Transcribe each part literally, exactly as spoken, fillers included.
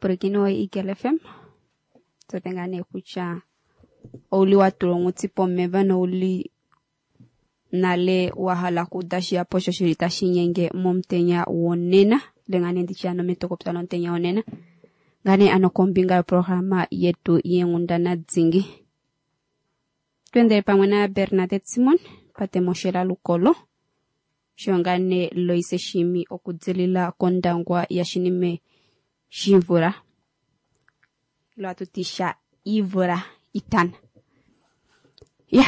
Omupulakeni woEagle F M, tote ngaa nee kutya ouli wa tulwa onghuti pomeva nouli nale wa hala okuuda shihapu osho shili tashi nyenge momutenya wonena, ile ngaa nee nditye ano metokopya lomutenya wonena, ngaa nee ano kombinga yoprograma yetu yeenghundana dingi. Twendele pamwe na Bernadette Simon, Patemoshela Lukolo, osho ngaa nee Loise Shimi okudilila kOndangwa yaShinime Shimvula. Ilo hatu ti sha Ivula Itana. Ya,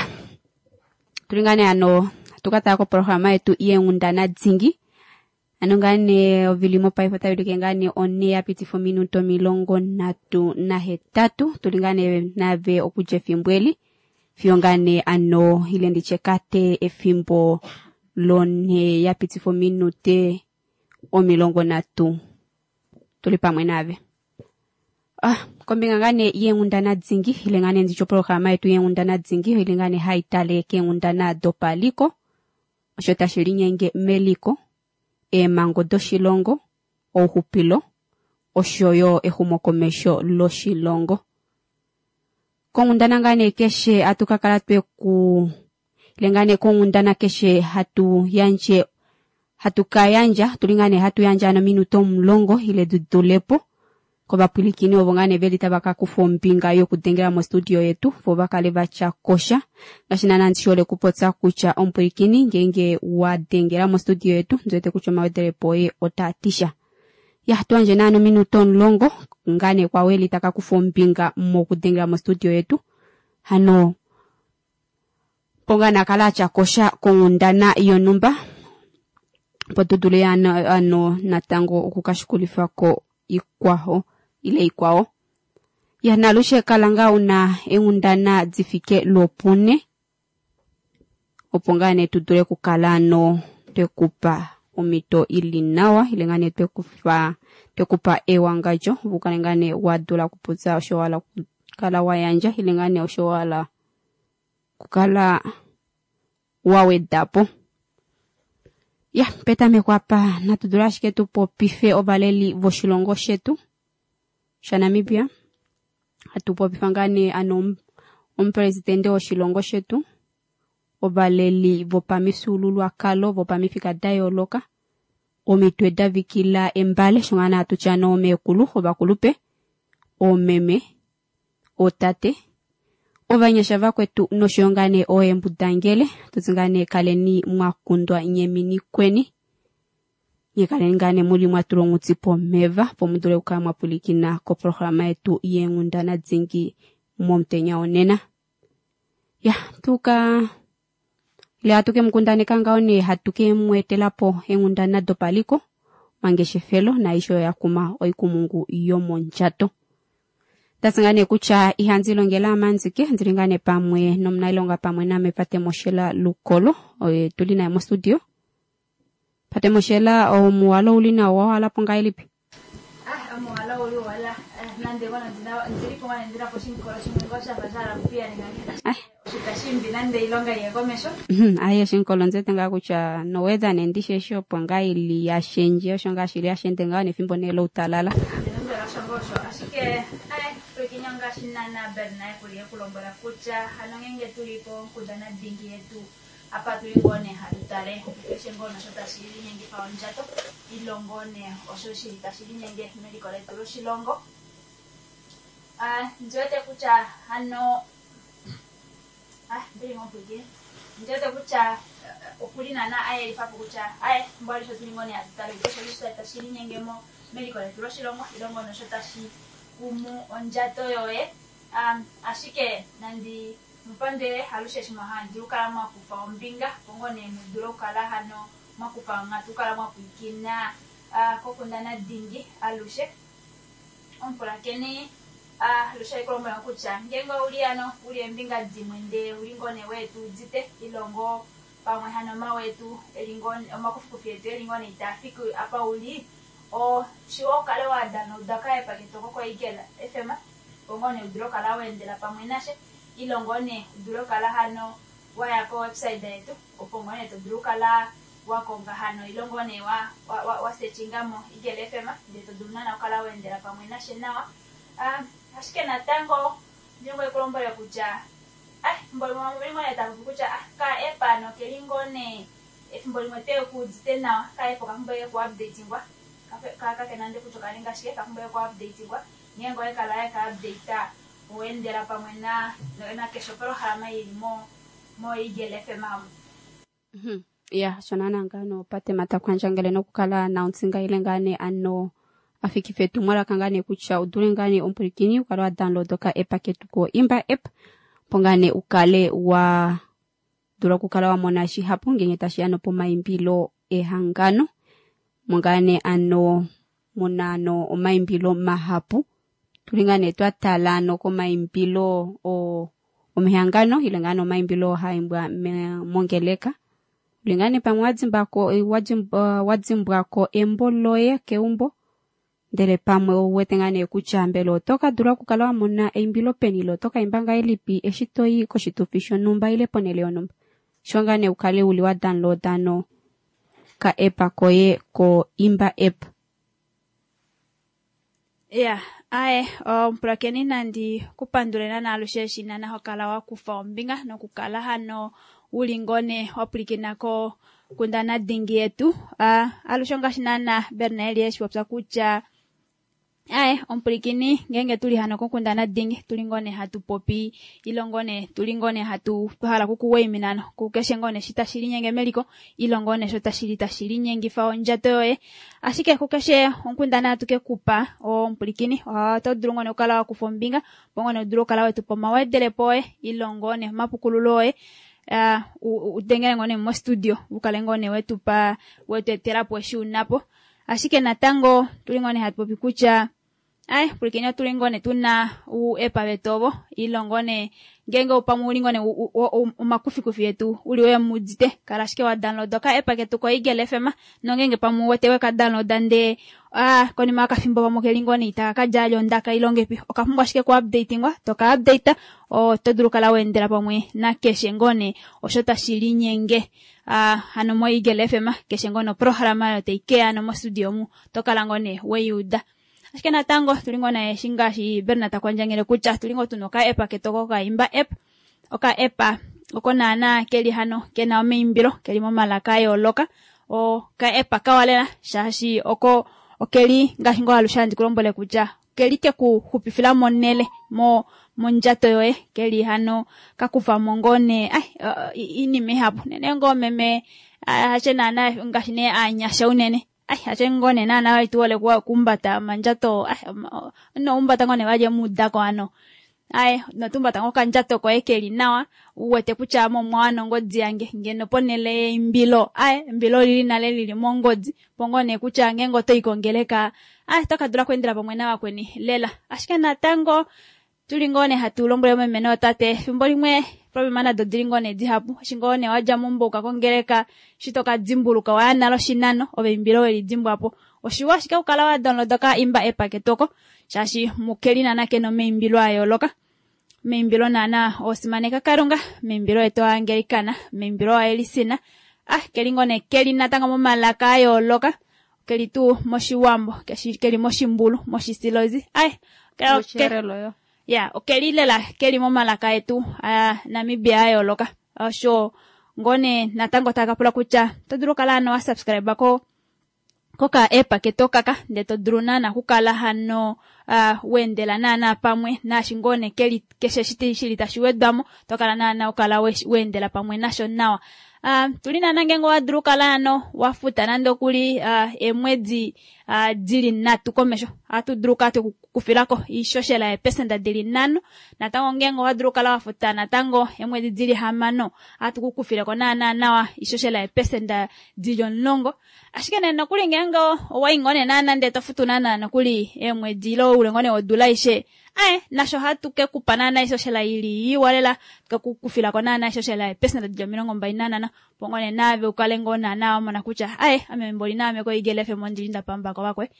tuli ngaa nee ano hatu ka tala koprograma yetu yeenghundana dingi. Ano ngaa nee ovili mopaife otayi ulike ngaa nee one ya pitifa ominute omilongo nhatu nahetatu. Tuli ngaa nee nave okudja efimbo eli fiyo ngaa nee ano ile nditye kate efimbo lonhe ya pitifa ominute omilongo nhatu. Tuli pamwe nave. Ah, kombinga ngaa nee yeenghundana dingi, ile ngaa nee nditye oprograma yetu yeenghundana dingi, ile ngaa nee hai tale keenghundana dopaliko, osho tashi linyenge meliko, eemhango doshilongo, ouxupilo, osho yo exumokomesho loshilongo. Konghundana ngaa nee keshe hatu ka kala tweku, ile ngaa nee konghundana keshe hatu yandje, hatu ka yandja, tuli ngaa nee hatu yandja ano minute omulongo ile di dulepo kovapwilikini ovo ngaa nee veli tava ka kufa ombinga yokudengela mostudio yetu, vo va kale va tya kosha. Ngaashi naana ndi hole okupopya kutya omupwilikini ngeenge wa dengela mostudio yetu, ndi wete kutya omawedelepo oye otaa ti sha. Ya, tu yandje naana ominute omulongo ngaa nee kwa weli taka kufa ombinga mokudengela mostudio yetu. Hano po ngaa nee akale atya kosha konghundana yonhumba, opo tu dule ano, ano natango okukashukulifako ikwao ile ikwao. Ya, nalushe kala ngaa una eenghundana di fike lwopune, opo ngaa nee tu dule okukala ano twekupa omhito ili nawa, ile ngaa nee twekufa, twekupa ewangadjo, opo ukale ngaa nee wa dula okupopya osho wa hala okukala wa yandja, ile ngaa nee osho wa hala okukala wa weda po. Ya, petameko apa natu dule ashike tu popife ovaleli voshilongo shetu shaNamibia. Hatu popifa ngaa nee ano omupresidente woshilongo shetu, ovaleli vopamifyuululwakalo vopamifika da yooloka, omitwe da vikila embale, sho ngaa nee hatu tya ano omeekulu, ovakulupe, oomeme, ootate, ovanyasha vakwetu nosho yo ngaa nee ooembudangele. Tuti ngaa nee kaleni mwa kundwa nyemini kweni, nye kaleni ngaa nee muli mwa tulwa onghuti pomeva, opo mu dule okukala mwa pwilikina koprograma yetu yeenghundana dingi momutenya wonena. Ya, tuka ile hatu ke mu kundaneka ngaho nee hatu ke mu etela po eenghundana dopaliko, omangeshefelo naaishe oyo ya kuma oikumungu yomondjato. Ndati ngaa nee kutya ihandi longele amanzike, ndili ngaa nee pamwe nomunailonga pamwe name Patemoshela Lukolo, oye tuli naye mostudio. Patemoshela, omuwalo ouli nawa, wa hala po ngahelipi? Ah, omuwalo ouli wala. Nande ngono ndina, ndili po ngane ndina po shinkolo shimwe ngo shafa sha hala kupiya ninga. Ah. Oshitashimbi nande ilonga iye komesho. Mhm, aye oshinkolo nzete ngaa kutya nowether nendishe eshi opo ngaa ili ya shendje, osho ngaa shili ya shende ngaa nefimbo nee loutalala. Ndinombela osho ngoo osho, ashike, aye, pwikinya ngaashi naana Bernard kuli ekulombwela kutya hano ngenge tuli konkundana dingi yetu, apa tuli ngoo nee hatu tale keshe ngoo nosho tashi linyengifa ondjato, ilongo nee osho shili tashi linyenge meliko letu loshilongo. Ah, ndi wete kutya hano, ah, ndili ngoo pwiikine. Ndi wete kutya, eh, okuli naana ayelifa po kutya, aye, mbwali sho tuli ngoo nee hatu tale keshe osho tashi linyenge mo meliko letu loshilongo, ilongo nosho tashi kumu ondjato yoye. Um, ashike nandi mupandele alushe eshi mwa handi okukala mwa kufa ombinga, opo ngoo nee mu dule okukala hano mwa kufa onghatu, okukala mwa pwiikina, ah, kokundana dingi alushe. Omupulakeni, ah, alushe oikulombwela kutya ngeenge ouli ano uli eembinga dimwe ndee uli ngoo nee wetu udite, ilongo pamwe hano omawetu eli ngoo nee, omakufikufi etu eli ngoo nee itaa fiki apa uli, oshiwa ukale wa downloada ka-app ketu oko koEagle F M, opo ngoo nee udule okukala wa endela pamwe nashe, ile ngoo nee udule okukala hano waya ko-website yetu, opo ngoo nee to dulu okukala wakonga hano ile ngoo nee wa, wa, wa, wa sechinga mo Eagle F M ndee to dulu naana okukala weendela pamwe nashe nawa. Ah, ashike natango ndingo ekulombwele kutya ah, efimbo limwe vamwe veli ngoo nee tava popi kutya ah, ka app ano keli ngoo nee efimbo limwe te kuudite nawa, ka app okapumbwa eke ku updatingwa, kake nande kutya okaninga shike, okapumbwa eke ku updatingwa. Ngeenge owekala weka update oweendela pamwe na na keshe opolohalama ili mo mo Eagle F M amu. Mhm. Ya, shona ngano patema takwandjangele nokukala announcinga ile ngane ano afikife etumwalaka ngane kutya udule ngane omupulikini ukale wa download ka app ketu ko Imba app opo ngane ukale wa dula okukala wa mona shihapu ngenge tashiya nopomaimbilo ehangano mongane ano muna ano omaimbilo mahapu tuli ngane twa tala ano komaimbilo o omehangano ile ngane omaimbilo haimbwa mongeleka ulingane pamwe wadzimbako wadzimbwako embo loye keumbo ndele pamwe ouwete ngane kutya mbela oto ka dula okukala wa mona eimbilo peni ile oto ka imba ngahelipi eshi toyi koshitufi shonhumba ile ponhele yonhumba sho ngane ukale uli wa downloada no ka app koye ko Imba app. Ya, aye omupulakeni nandi kupandule nana alushe eshi nana hokala wakufa ombinga nokukala hano uli ngone wapulikina ko kundana dingi yetu. Uh, alushe ngaashi nana Bernard eshi popya kutya aye omupulikini ngenge tuli hano kokundana dingi tuli ngone hatu popi ile ngone tuli ngone hatu twahala kukuwaiminano kukeshe ngone shi tashi linyenge meliko ile ngone sho tashi tashi linyengifa ondjato yoye. Ashike kukeshe onkundana hatu kekupa omupulikini oto dulu ngone okukala wakufa ombinga opo ngone udule okukala wetupa omawedelepo oye ile ngone omapukululo oye. Uh, udengele ngone mo studio ukale ngone wetupa wetuetelapo eshi unapo. Ashike natango tuli ngone hatu popi kutya ai pulikini tuli ngone tuna u epa vetovo ile ngone ngenge upamwe uli ngone omakufikufi yetu uli we mudite kala ashike wa download ka epa ketu ko Eagle F M nongenge pamwe wete we ka download nde ah konima akafimbo pamwe keli ngone itaka kadja ondaka ilongepi okapumbwa ashike ku updatingwa toka update o to dulu kala weendela pamwe na keshe ngone osho tashi linyenge ah hano mo Eagle F M keshe ngone programa yo teikea no mo studio mu tokala ngone weyuda. Ashike natango tuli ngona eshi ngaashi Bernard takwandjangele kutya tuli ngo tuno ka app ketoko ka Imba app oka app oko naana keli hano kena omaimbilo keli momalaka a yooloka o ka app kawalela shaashi oko okeli ngaashi ngo alushe handi kulombwele kutya keli keku xupifila monele mo mondjato yoye keli hano kakufa mo ngone ai inima ihapu nene ngoo meme hache naana ngaashi nee aanyasha unene ai hache ngone naana waituwole kumbata mandjato ai no umbata ngone valye mudako ano ai notumbata ngo kandjato koye keli nawa uwete kutya mo mwana ngodi yange ngeno ponele eimbilo ai embilo lili nale lili mongodi pongone kutya ngenge oto ikongeleka ai tokadula kuendela pamwe navakweni lela. Ashike natango tuli ngone hatu lombwele meme notate efimbo limwe problema nado dili ngone dihapu eshi ngone wadja mumbo ukakongeleka shi tokadimbuluka waya nalo shinano ove imbilo weli dimbwapo oshiwa ashike okukala wa download ka Imba app ketoko shaashi mukeli nana kena omaimbilo a yooloka meimbilo naana osimaneka Kalunga meimbilo yetu Angelikana meimbilo aElisina ah keli ngone keli natango momalaka a yooloka keli tuu moshiwambo keli moshimbulu moshisilozi ai ya okeli lela keli momalaka etu a Namibia a yooloka osho ngone natango takapula kutya to dulu okukala hano wa subscribe ko koka app keto kaka nde to dulu naana kukala hano uh, wendela naana pamwe naashi ngone keli keshe shiti shili tashi wedwamo tokala naana okala wendela pamwe nasho nawa. Uh, tuli naana ngenge wadulu okukala hano wafuta nande okuli uh, emwedi uh, dili nhatu komesho ohatu dulu okukala twekukufilako iishoshela yeepesenda dili nhano natango ngenge owadulu okukala wafuta natango emwedi dili hamano ohatu kukufileko naana nawa iishoshela yeepesenda dili omulongo. Ashike nee nokuli ngenge owayi ngone naana ndee tofutu naana nokuli eemwedi ile oule ngone wodula aishe ae nasho ohatu kekupa naana iishoshela ili iwa lela kekukufilako naana iishoshela yeepesenda dili omilongo mbali nanhano opo ngone naave ukale ngoo naana wamona kutya ae ame mboli naame ko Eagle F M ondili ndapambako vakwe.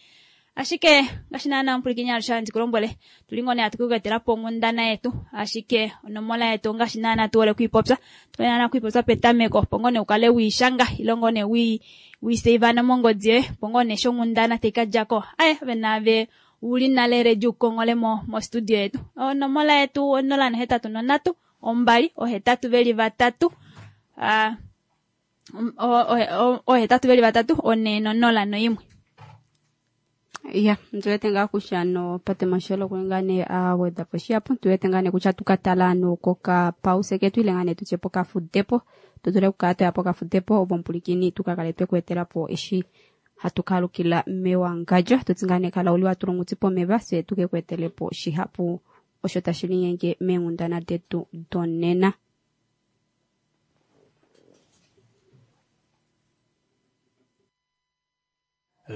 Ashike ngaashi naana omupwilikini alushe handi ku lombwele, tuli ngoo nee hatu ku etela po onghundana yetu, ashike onomola yetu ngaashi naana tu hole okuipopya, tu hole naana okuipopya petameko, opo ngoo nee ukale wiishanga ile ngoo nee wi wiseiva mongodi yoye, opo ngoo nee eshi onghundana tai ka djako, aye ove naave uli nale ready ukongole mo mo studio yetu. Onomola yetu onola nohetatu nondatu ombali ohetatu veli vatatu ah ohetatu veli vatatu one nonola noimwe. Ya, tuwete ngaa kutya no pate mashelo kuli nee aweda po shihapu, tuwete ngaa nee kutya tukatala no koka pause ketu ile ngaa nee tutye pokafudepo, tu dule okukala twaya pokafudepo opo omupulikini tukakale twekuetela po eshi hatu kalukila mewangadjo, tutsi ngaa nee kala uli watula onghuti pomeva fye tukekuetele po shihapu osho tashi linyenge meenghundana detu donena.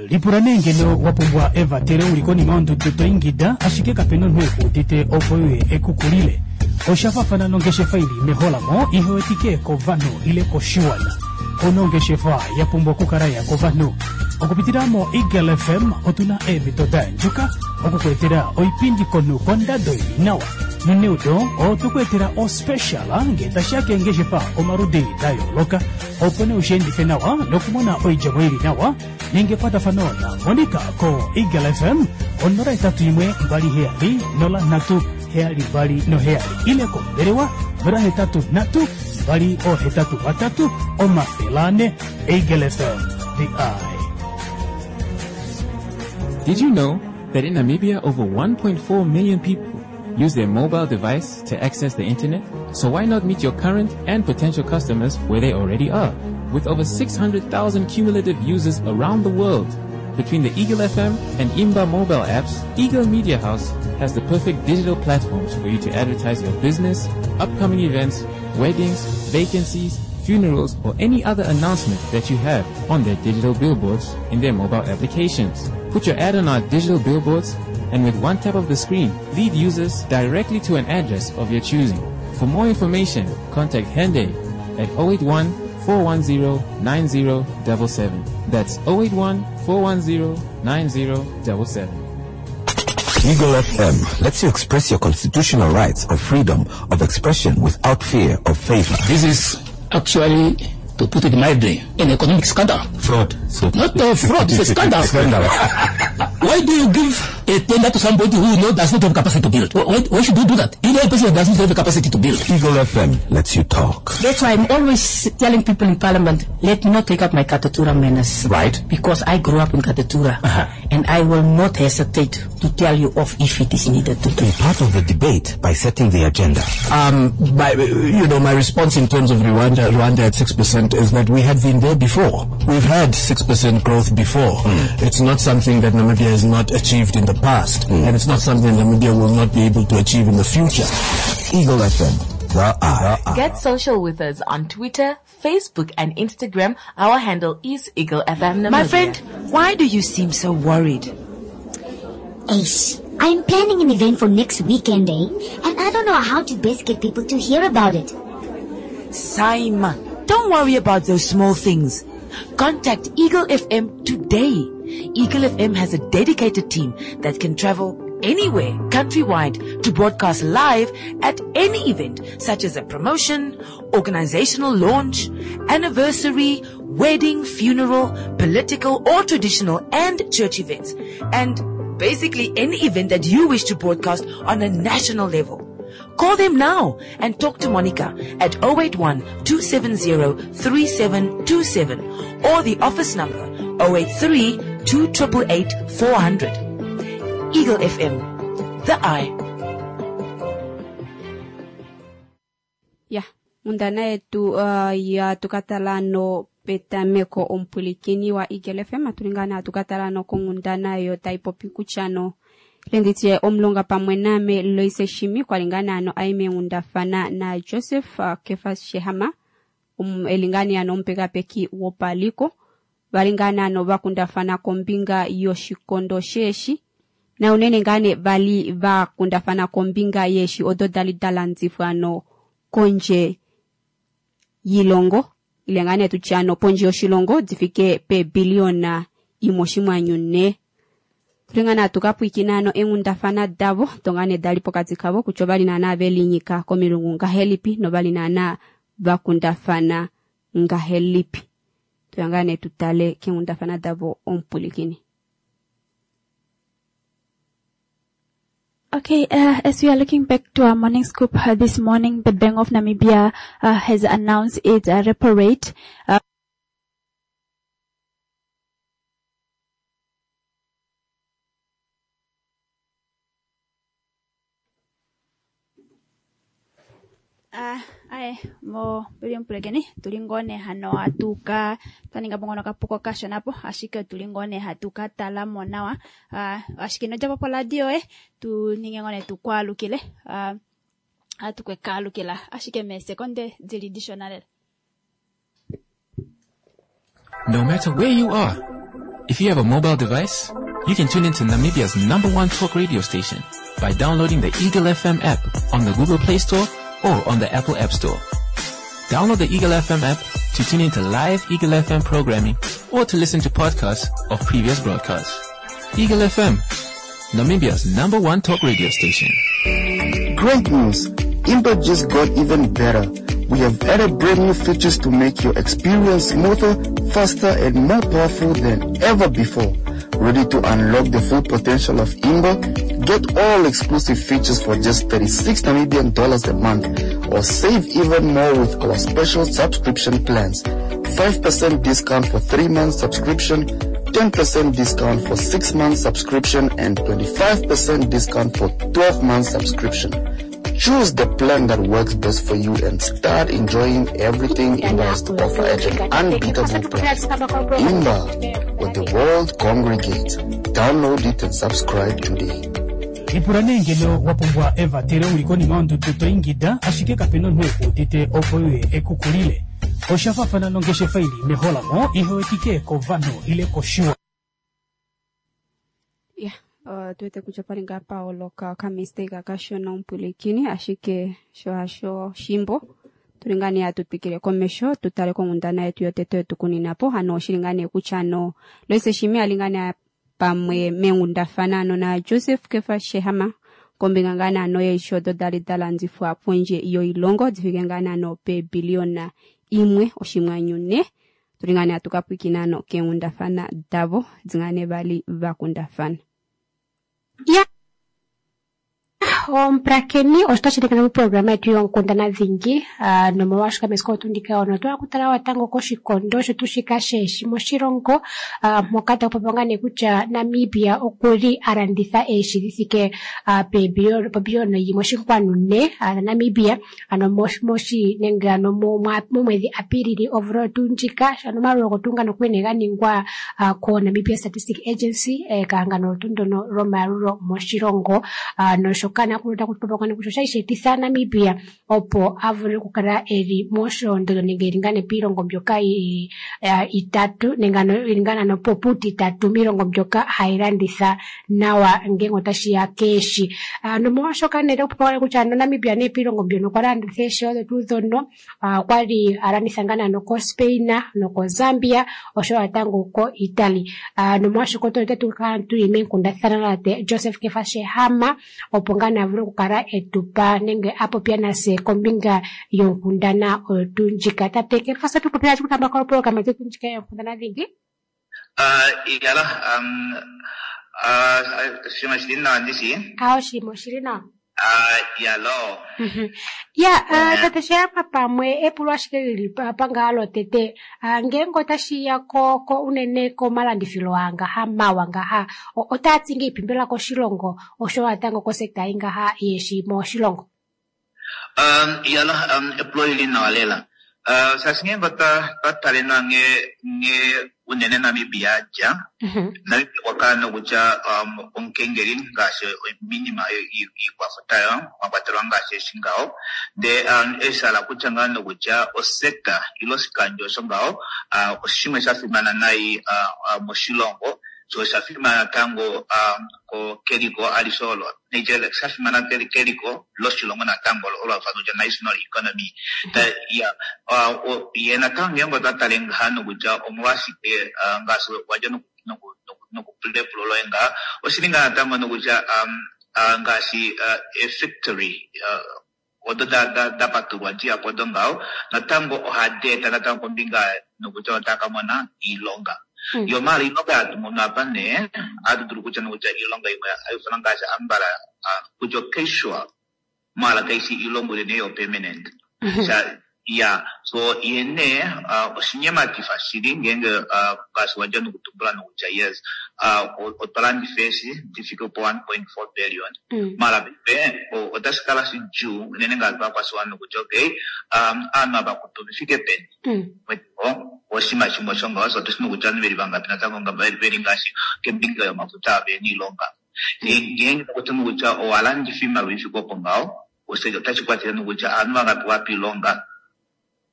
Lipula nee ngeno wa pumbwa evatelo uli konima yondudu to ingida, ashike kapena omunhu ekuudite opo uye ekukulile. Osha faafana nongeshefa ili meholamo ihe wetike kovanhu ile koshiwana. Ono ongeshefa ya pumbwa okukala ya kovanhu. Okupitila mo Eagle F M otuna eemhito da andjuka okukuetela oipindi komunhu kondado ili nawa. Noneudo otukuetela ospecial nge tashiya keengeshefa omaludi da yooloka, opo nee ushiendife nawa nokumona oidjemo ili nawa. Ninge ekwatafano na Monica ko Eagle F M onola etatu imwe mbali heyali nola nhatu heyali mbali noheyali ile kombelewa nola hetatu nhatu mbali ohetatu vatatu omafele ane. Eagle F M, the eye. Did you know that in Namibia over one point four million people use their mobile device to access the internet? So why not meet your current and potential customers where they already are? With over six hundred thousand cumulative users around the world, between the Eagle F M and Imba mobile apps, Eagle Media House has the perfect digital platforms for you to advertise your business, upcoming events, weddings, vacancies, funerals, or any other announcement that you have on their digital billboards in their mobile applications. Put your ad on our digital billboards, and with one tap of the screen, lead users directly to an address of your choosing. For more information, contact Hende at oh eight one, four one zero, nine zero seven seven. That's oh eight one, four one zero, nine zero seven seven. Eagle F M lets you express your constitutional rights of freedom of expression without fear of favor. This is actually, to put it mildly, an economic scandal. Fraud. So Not a fraud, it's a scandal. Scandal. Why do you give a tender to somebody who you know does not have capacity to build? Why, why should you do that? You know a person doesn't have the capacity to build. Eagle F M lets you talk. That's why I'm always telling people in Parliament, let me not take up my Katutura manners. Right. Because I grew up in Katutura. Uh-huh. And I will not hesitate to tell you off if it is needed to. Be part of the debate by setting the agenda. Um, my, you know, my response in terms of Rwanda, Rwanda at six percent is that we have been there before. We've had six percent growth before. Mm. It's not something that Namibia has not achieved in the past, mm. and it's not something Namibia will not be able to achieve in the future. Eagle F M, the eye. Get social with us on Twitter, Facebook, and Instagram. Our handle is Eagle F M Namibia. My friend, why do you seem so worried? Ace, I'm planning an event for next weekend, eh? And I don't know how to best get people to hear about it. Saima, don't worry about those small things. Contact Eagle F M today. Eagle F M has a dedicated team that can travel anywhere countrywide to broadcast live at any event such as a promotion, organizational launch, anniversary, wedding, funeral, political or traditional and church events, and basically any event that you wish to broadcast on a national level. Call them now and talk to Monica at oh eight one, two seven zero, three seven two seven or the office number oh eight three, two eight eight, four hundred. Eagle F M, the eye. Ya, undana yetu uh, ya tukatala no petameko omupulikini wa Eagle F M atulingana atukatala no kongundana yo taipopi kuchano lenditye omulonga pamwe name Loise Shimi kwalingana ano aime ngundafana na Joseph uh, Kefas Shehama um, elingani ano mpekapeki wopaliko valingana ano vakundafana kombinga yoshikondo sheshi na unene ngane vali vakundafana kombinga yeshi odo dali dalanzifwa ano konje yilongo ile ngane tuchano ponje yoshilongo difike pe biliona imoshimwanyu ne. Tuli ngaa nee tukapwiikina ano eenghundafana davo tonga nee dali pokati kavo kutya ovali naana velinyika komilungu ngahelipi novali naana vakundafana ngahelipi. Tuya ngaa nee tutale keenghundafana davo omupulikini. Okay, uh, as we are looking back to our morning scoop uh, this morning, the Bank of Namibia uh, has announced its uh, repo rate. Uh, Ah, aye, mo pili mpulekeni tuli ngoo nee hano hatuka twaninga po ngono okapuko kashona po ashike tuli ngoo nee hatu ka tala mo nawa ah, ashike inodja po poradio eh tu ninge ngoo nee tukwaalukile ah, hatu kwekaalukila ashike meesekonde dili dishona lela. No matter where you are, if you have a mobile device, you can tune into Namibia's number one talk radio station by downloading the Eagle F M app on the Google Play Store or on the Apple App Store. Download the Eagle F M app to tune into live Eagle F M programming or to listen to podcasts of previous broadcasts. Eagle F M, Namibia's number one talk radio station. Great news! Imba just got even better. We have added brand new features to make your experience smoother, faster, and more powerful than ever before. Ready to unlock the full potential of Imba? Get all exclusive features for just thirty-six Namibian dollars a month, or save even more with our special subscription plans. five percent discount for three months subscription, ten percent discount for six months subscription, and twenty-five percent discount for twelve months subscription. Choose the plan that works best for you and start enjoying everything Imba has to offer at an unbeatable price. Imba, where the world congregates. Download it and subscribe today. Ipula nee ngeno wa pumbwa evatelo uli konima yondudu to ingida ashike kapena omunhu ekuudite opo uye ekukulile. Osha faafana nongeshefa ili meholamo ihewetike kovanhu ile koshiwa. Yeah, uh, tuwete kutya pali ngaa paoloka okamistake akashona omupulikini ashike sho hasho shimbo tuli ngaa nee hatu twikile komesho tutale konghundana yetu yotete yetukuninapo hano oshili ngaa nee kutya no Loise Shimi ali ngaa nee pamwe meenghundafana ano na Joseph Kefa Shehama kombinga ngaa nee ano yeeshi odo dali da landifwa pondje yoilongo difike ngaa nee ano peebiliona imwe oshimwanyu ne. Tuli ngaa nee hatu kapwikina ano keenghundafana davo di ngaa nee vali vakundafana. Ya, omupulakeni oshitashi tekana moprograma yetu yonkundana dhingi uh, nomolwaashoka mesiku otundika ono otwa kutala watango koshikondo shetu shika sheeshi moshilongo uh, moka taku popiwa ngaa nee kutya Namibia okuli a landitha eeshi dhi thike uh, pebiliyona yimwe oshinkwanu ne uh, Namibia ano moshi nenge ano momwedhi Apilili omvula oyo tuu ndjika ano omaloloko tuu ngano okwene ga ningwa uh, ko Namibia Statistic Agency eh, kehangano tuu ndono lyomayalulo moshilongo uh, noshoka kutya osha shi etitha Namibia opo a vule okukala eli mosholondondo nenge eli ngaa nee piilongo mbyoka itatu nenge ano eli ngaa ano puutitatu miilongo mbyoka hayi landitha nawa ngele otashi ya keeshi. Nomolwaashoka nee otaku popiwa kutya ano Namibia nee piilongo mbyono okwa landitha eeshi odho tuu dhono okwali a landitha ngaa nee ano koSpain nokoZambia oshowo natango koItaly. Nomolwaashoka otatu kala tuli meenkundathana natate Joseph Kefa Shehama opo ngaa nee a vule okukala etupa nenge a popya nase kombinga yonkundana oyo tuu ndjika. Tate Kefa, atu popya kutamba koprograma yetu ndjika yonkundana dhingi. Iyala, shimwe shili nawa ndishi? Ah, shimwe shili nawa. Yalo. Ya, tate Shehama pamwe epulo ashike lili pangaa lotete ngenge otashi ya ko ko unene komalandithilo angaha mawa ngaha otaa ti nge ipimbila koshilongo oshowo natango kosekta ingaha yeeshi moshilongo. Um, yalo, um, epulo lili nawa lela. Uh, shaashi ngenge otwa tale nawa nge nge unene Namibia dja Namibia okwa kala nokutya um, omukengeli ngaashi minima iikwafuta yo mwa kwatelwa ngaashi eshi ngaho ndee um, eshala kutya ngaa nokutya osekta ile oshikandjo osho ngaho uh, oshimwe sha fimana nai uh, uh, moshilongo so osha fimana natango um, ko keliko alishe olo Nigeria sha fimana keliko loshilongo natango olo halu ifanwa kutya national economy. Ta ya uh, ye natango ngenge otwa tale ngaha nokutya omolwashike uh, ngaashi wadja noku noku nokupula epulo loye ngaa oshili ngaa natango nokutya um, uh, ngaashi uh, efactory uh, odo da, da, da patulwa dihapu odo ngaho natango ohadi eta natango kombinga nokutya otaka kamona iilonga. Yo maala iilonga hatu mono apa nee ohatu dulu kutya nokutya iilonga imwe haifana ngaashi ambala uh, kutya casual maala kaishi iilonga unene yo permanent. Sha ya so ye nee uh, oshinyematifa shili ngeenge uh, ngaashi wadja nokutumbula nokutya yes uh, otwa landifa eeshi di fike po one point four billion. Maala paife otashi kala shidjuu unene ngaashi vakwashiwana nokutya okay um, aanhu ava kutu vefike peni oshinima shimwe osho ngaho so otushi nokutya ovanhu veli vangapi natango veli ngaashi kembinga yomafuta vena iilonga. Ngeenge takuti nokutya owalandifa iimaliwa ifike opo ngaho otashi kwathele nokutya aanhu vangapi wapa iilonga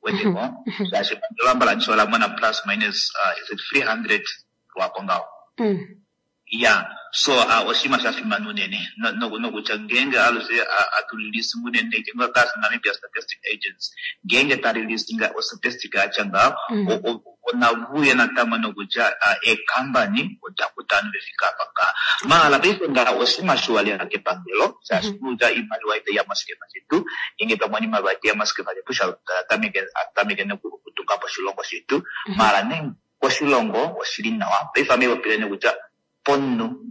weteko shaashi epangelo ambala ola mona plus minus uh, is it three hundred lwapo ngaho. Ya so uh, oshinima sha fimana unene nokutya ngeenge alushe atu release unene ngaashi Namibia Statistic Agency ngeenge ta release nga ostatistic yatya ngaho onavuye natango nokutya eekambani oda kuta ovanhu vefike apa ngaha. Maala paife ngaha oshinima shiwa lela kepangelo shaashi kutya iimaliwa itaiya moshikefa shetu ngeenge twamona iimaliwa itaiya moshikefa shetu atameke nokutunga po oshilongo shetu. Maala nee koshilongo oshili nawa paife ame popile nokutya pomunhu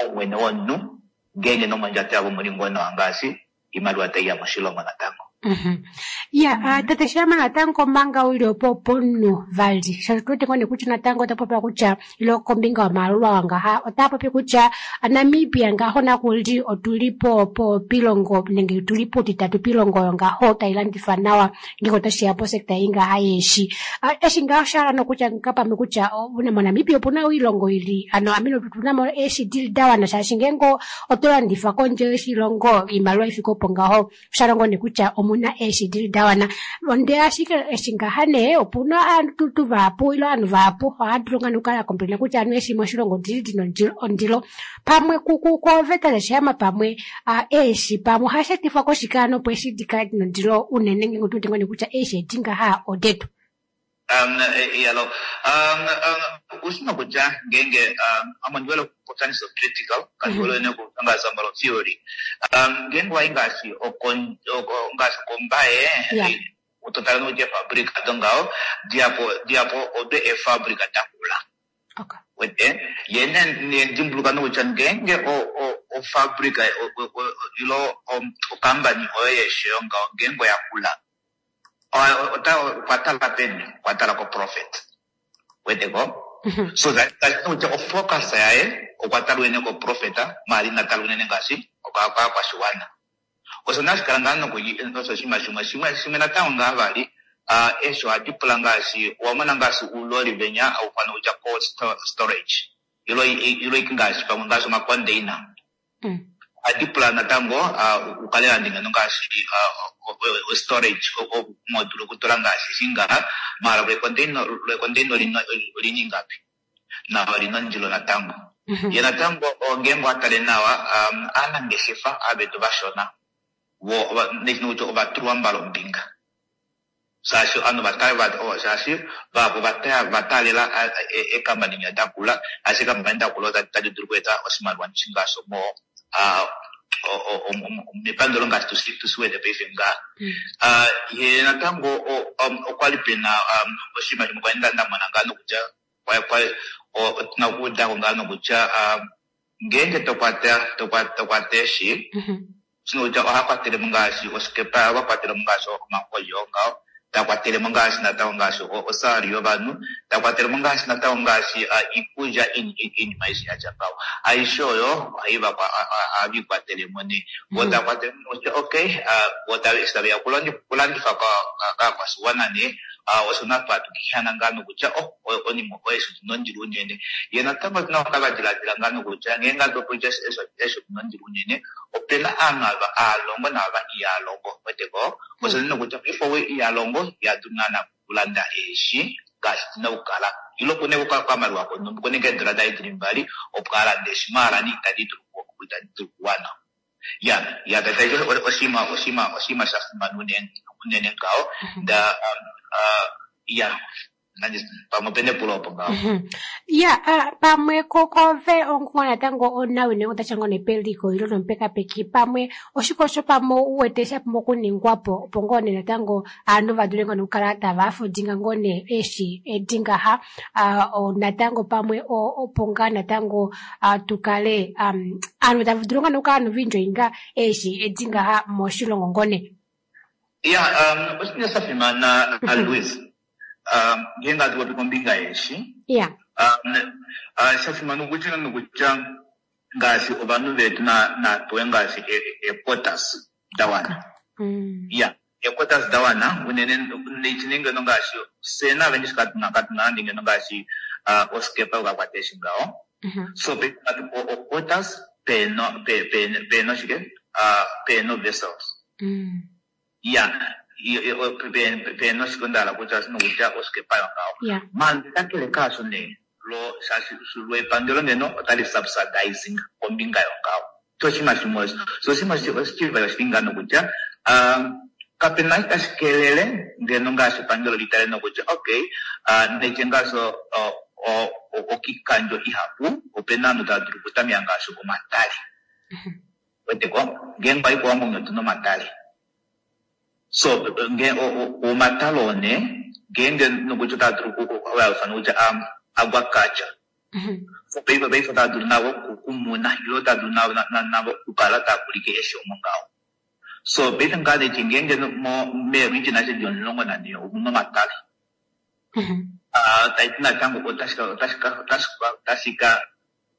omwene womunhu ngeenge nomondjato yavo muli ngoo nawa ngaashi iimaliwa taiya moshilongo natango. Ya, tate Sheehama natango manga uli opo pomunhu vali shaashi tuwete ngoo nee kutya natango ota popi kutya ilo kombinga yomayalulwa ngaha ota popi kutya Namibia ngaho nakuli otuli po po pilongo nenge tuli putitatu pilongo ngaho tailandifa nawa ngeke otashiya po sekta ingaha yeeshi. Eshi ngaho oshahala nokutya ngapamwe kutya moNamibia opuna oilongo ili ano amene otuna mo eeshi dili dawana shaashi ngeenge oto landifa kondje yoshilongo iimaliwa ifike opo ngaho oshahala ngoo nee kutya omuna eeshi dili dawana. Onde ashike eshi ngaha nee opuna aantu tu vahapu ilo ovanhu vahapu ohava dulu ngaa nokukala complaina kutya anu eeshi moshilongo odili dina ondilo pamwe koveta Sheehama pamwe eeshi pamwe ohashi etifwa koshike ano opo eeshi dikale dina ondilo unene ngeenge otuwete ngoo nee kutya eeshi edi ngaha odetu. Um, yalo um, um, usina kutya ngeenge um, amondiwele kupopyanisa critical kandiwele nekutangasa mbalo theory um, ngeenge wayi ngaashi ngaashi kombaye utotala nokutya efabrika dongaho diapo diapo odo efabrika dakula wete yene nedimbuluka nokutya ngeenge ofabrika ilo okambani oyo yeeshiyo ngaho ngeenge oyakula okwa tala peni okwa tala ko profit weteko so that kutya ofocus yaye okwa tala unene ko profit maali inatala unene ngaashi okwakwashiwana. Osho nashikala ngaa noku oshinima shimwe shimwe shimwe natango ngaa vali eeshi ohadi pula ngaashi owamona ngaashi uuloli venya haufana kutya cold storage ilo ilo ngaashi pamwe ngaashi omacontainer ohadi pula natango ukale lande ngeno ngaashi storage modulu okutula ngaashi shingaha maala lwecontainer olina ingapi na olina ondilo natango. Ye natango ngeenge owatale nawa aanangeshefa avetu vashona kutya ovatulwa mbala ombinga shaashi ovanhu shaashi vahapu vataalela eekambani nya dakula ashike eekambani dakula otadi dulu okweeta oshimaliwa ngaashi mo mepangelo ngaashi tusiwete paife ngaha. Ye natango okwali pena oshinima shimwe kwali ndamona ngaa nokutya otuna okuudako ngaa nokutya ngeenge tokwata tokwata eeshi kutya oha kwatelemo ngaashi osikepa oha kwatelemo ngaashi omakolyo ngaho takwatelemo ngaashi natango ngaashi osalary yovanhu takwatelemo ngaashi natango ngaashi iikulya iinima aishe yatya ngaho aishe oyo ohava ikwatelemo nee vo takwatelemo kutya okay vo eshi taveya okulandifa kaakwashiwana nee osho natwatukihana ngaa nokutya onima eeshi odina ondilo unene. Ye natango otuna okukala twadiladila ngaa nokutya ngeenge atopopi eeshi odina ondilo unene opena aanhu ava aalongo naava ihalongo weteko osho nee nokutya paife ou ihalongo ihadulu naana okulanda eeshi ngaashi dina okukala ilo kune okamaliwa konhumba kunenge eedola daye dili mbali opo alande eeshi maala nee itadi dulu okuwana. Ya ya oshinima oshinima oshinima sha fimana unene ngaho nda ya Pamwe opena epulo opo ngaho. Ya, pamwe kove onguwa natango onawine otasha ngoo nepeliko ilo nomupekapeki pamwe oshike osho pamwe uwete sha pumbwa okuningwa po opo ngoo nee natango aanhu va dule ngoo okukala tava afudinga ngoo nee eshi edi ngaha natango pamwe opo ngaa natango tukale aanhu tava dulu ngoo okukala noviindjoinga eshi edi ngaha moshilongo ngoo nee. Ya, oshinima sha fimana Louis. Ngeenge hatu popi kombinga yeeshi, sha fimana okutya nokutya ngaashi ovanhu vetu napewe ngaashi equotas da wana. Ya, equotas da wana unene nenge ngaashi fye nave ndishi katuna katuna nande ngeno ngaashi osikepa yokakwata eeshi ngaho. So quotas peno peno shike peno vessels. Ya, peno shike onda kutya nokutya osikepa yongaho. Manje kakele kaasho nee lo shaashi lwepangelo ngeno otali subsidizing kombinga yongaho. So oshinima shimwe osho. So oshinima oshivali oshili ngaa nokutya kapena tashi kelele ngeno ngaashi epangelo litale nokutya okay neke ngaashi okikandjo ihapu opena ovanhu tava dulu okutameka ngaashi omatale. Weteko ngeenge wayi kOwambo otuna omatale. So omatale oo nee ngeenge nokutya otava dulu okuyalufa nokutya aquaculture. So paife paife otava dulu navo okumuna ile otava dulu navo okukala tava kulike eeshi omo ngaho. So paife ngaa neti ngeenge meeregion ashishe di omulongo nanhee omuna omatale. Taiti natango otashi ka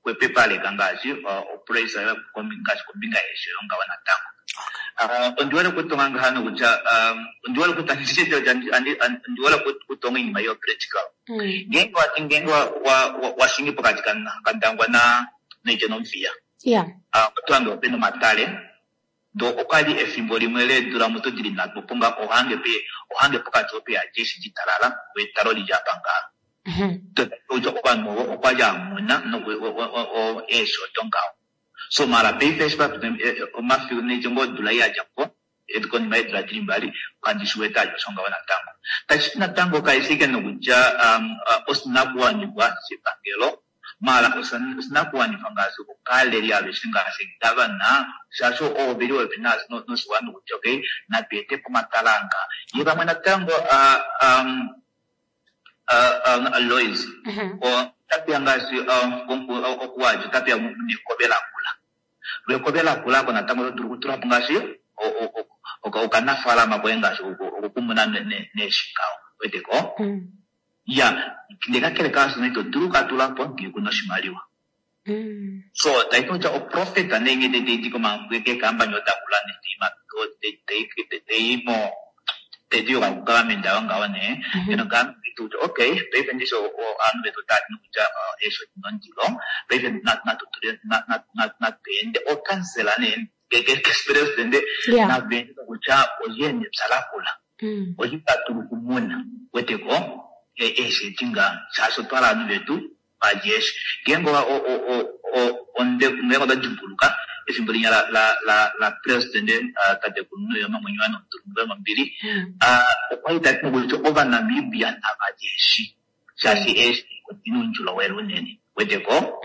xwepopaleka ngaashi oprice ngaashi kombinga yeeshi oyo ngaho natango. Ondiwete okutonga ngaha nokutya ondiwete ondiwete okutonga oinima yo practical. Ngeenge wati ngeenge washingi pokati kaNdangwa noitya nOmuthiya, oto hange opena omatale do okwali efimbo limwe leedula muto dili nhatu opo nga ohange ohange pokati opo yadja eshi litalala etalo lili apa ngaha. Ovanhu ovo okwali amuna eeshi odo ngaho. So mara paife eshi papita omafiku nenge ngoo odula ei yadja ko konima yeedula dili mbali kandi shi wete ali osho ngaho natango. Tashi natango kaifi ashike nokutya oshinakuwanifwa shepangelo mara oshinakuwanifwa ngaashi okaleli aveshe ngaashi gavana shaashi ovo veli popepi noshiwana kutya okay natu etepo omatala anga. Ye vamwe natango Lois otapeya ngaashi okuwadja otapeya nekove lakula. Lwekove lakula ako natango oto dulu okutulapo ngaashi okanafaalama koye ngaashi okukumuna neeshi ngaho. Weteko? Ya, ndee kakele kaasho ito dulu okukatulapo ngee kuna oshimaliwa. So taiti kutya oprofit nenge taidi keekampani odakula taiimo taidiyoka kugovernment ayo ngaho nee ngeno government kutya okay paife ndishi ovanhu vetu otava ti nokutya eeshi odina ondilo paife natweende okansela nee kepresident naveende nokutya olye nepya lakula olye tadulu okumuna weteko eeshi edi ngaha shaashi otwa hala ovanhu vetu valye eeshi. Ngeenge ngeenge oto dimbuluka efimbo linya la president tatekulu Nujoma Mwenyo Nombili okwali tati nokutya Ovanamibia navalye eeshi shaashi eeshi odina oundjolowele unene weteko.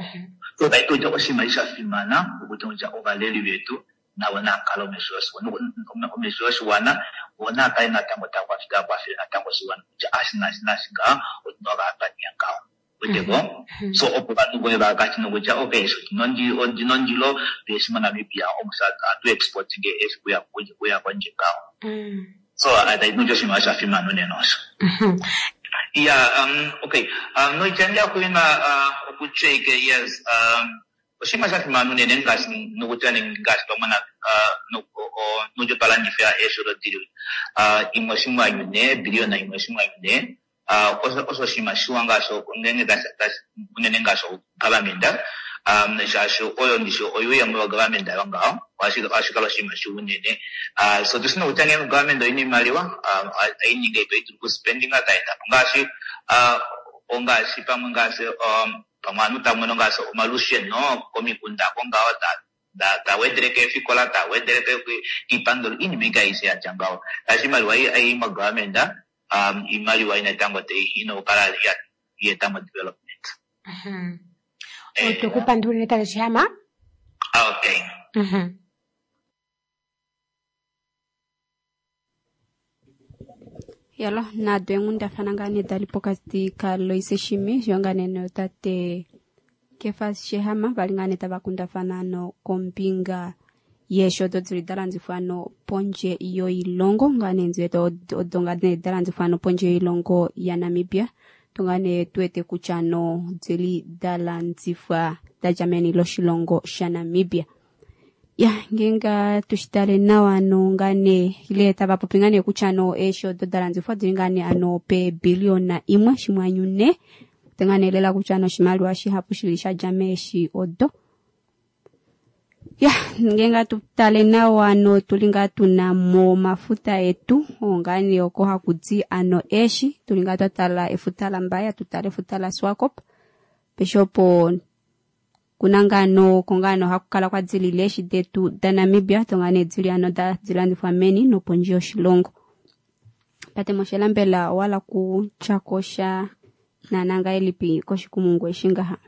So taiti kutya oshinima eshi sha fimana okutya kutya ovaleli vetu navo naakale omesho yoshiwana vo naakale natango tava kwafele natango oshiwana kutya ashi naashi naashi ngaha otuna okapaniya ngaho. Weteko? So opo ovanhu voye vakati nokutya okay eeshi odina ondilo eeshi moNamibia ohatu exporting eeshi kuya kondje ngaho. So taiti kutya oshinima sha fimana unene osho. Yeah, um, okay. Um, noitya ndiyakuina okutya yes, um, oshinima sha fimana unene ngaashi nokutya ngaashi twamona nokutya twalandifa eeshi odo dili imwe oshinima nhee biliyona imwe oshinima nhee osho oshinima shiwa ngaashi unene ngaashi government shaashi oyo ndishi oyuuyemo yogovernment ayo ngaho ohashi kala oshinima shiwa unene. So tushi nokutya ngeenge government oina oimaliwa aininga ito idulu okuspendinga taetapo ngaashi ongaashi pamwe ngaashi pamwe ovanhu tamono ngaashi omalusheno komikunda oko ngaho tawedele keefikola tawedele kiipangelo iinima ike aishe yatya ngaho shaashi oimaliwa ei mogovernment um iimaliwa inatango ina okukala yeeta mo development. Otwekupandulile tate Sheehama. Okay. Yalo nado eenghundafana ngaa nee dali pokati kaLoise Shimi yo ngaa nee notate Kefas Sheehama vali ngaa nee tava kundafana no kombinga yeeshi odo dili dalandifwa no pondje yoilongo ngaa nee ndiwete odo ngaa nee dalandifwa no pondje yoilongo yaNamibia to ngaa nee tuwete kutya no dili dalandifwa dadja meni loshilongo shaNamibia. Ya ngenga tushitale nawa no ngaa nee ile tava popi ngaa nee kutya no eeshi odo dalandifwa dili ngaa nee ano peebiliona imwe shimwanyu ne te ngaa nee lela kutya no oshimaliwa shihapu shili shadja meeshi odo. Ya ngenga tutale nawa no tuli ngaa tuna mo mafuta etu ngaa nee oko hakudi ano eeshi tuli ngaa twatala efuta laMbaya tutale efuta laSwakop peshe opo kuna ngaa no kongano hakukala kwa dzilile eeshi detu daNamibia to ngaa nee dzili ano dilandifwa meni nopondje yoshilongo. Tate Moshela mbela owala kutyakosha naana ngahelipi koshikumungu eshi ngaha?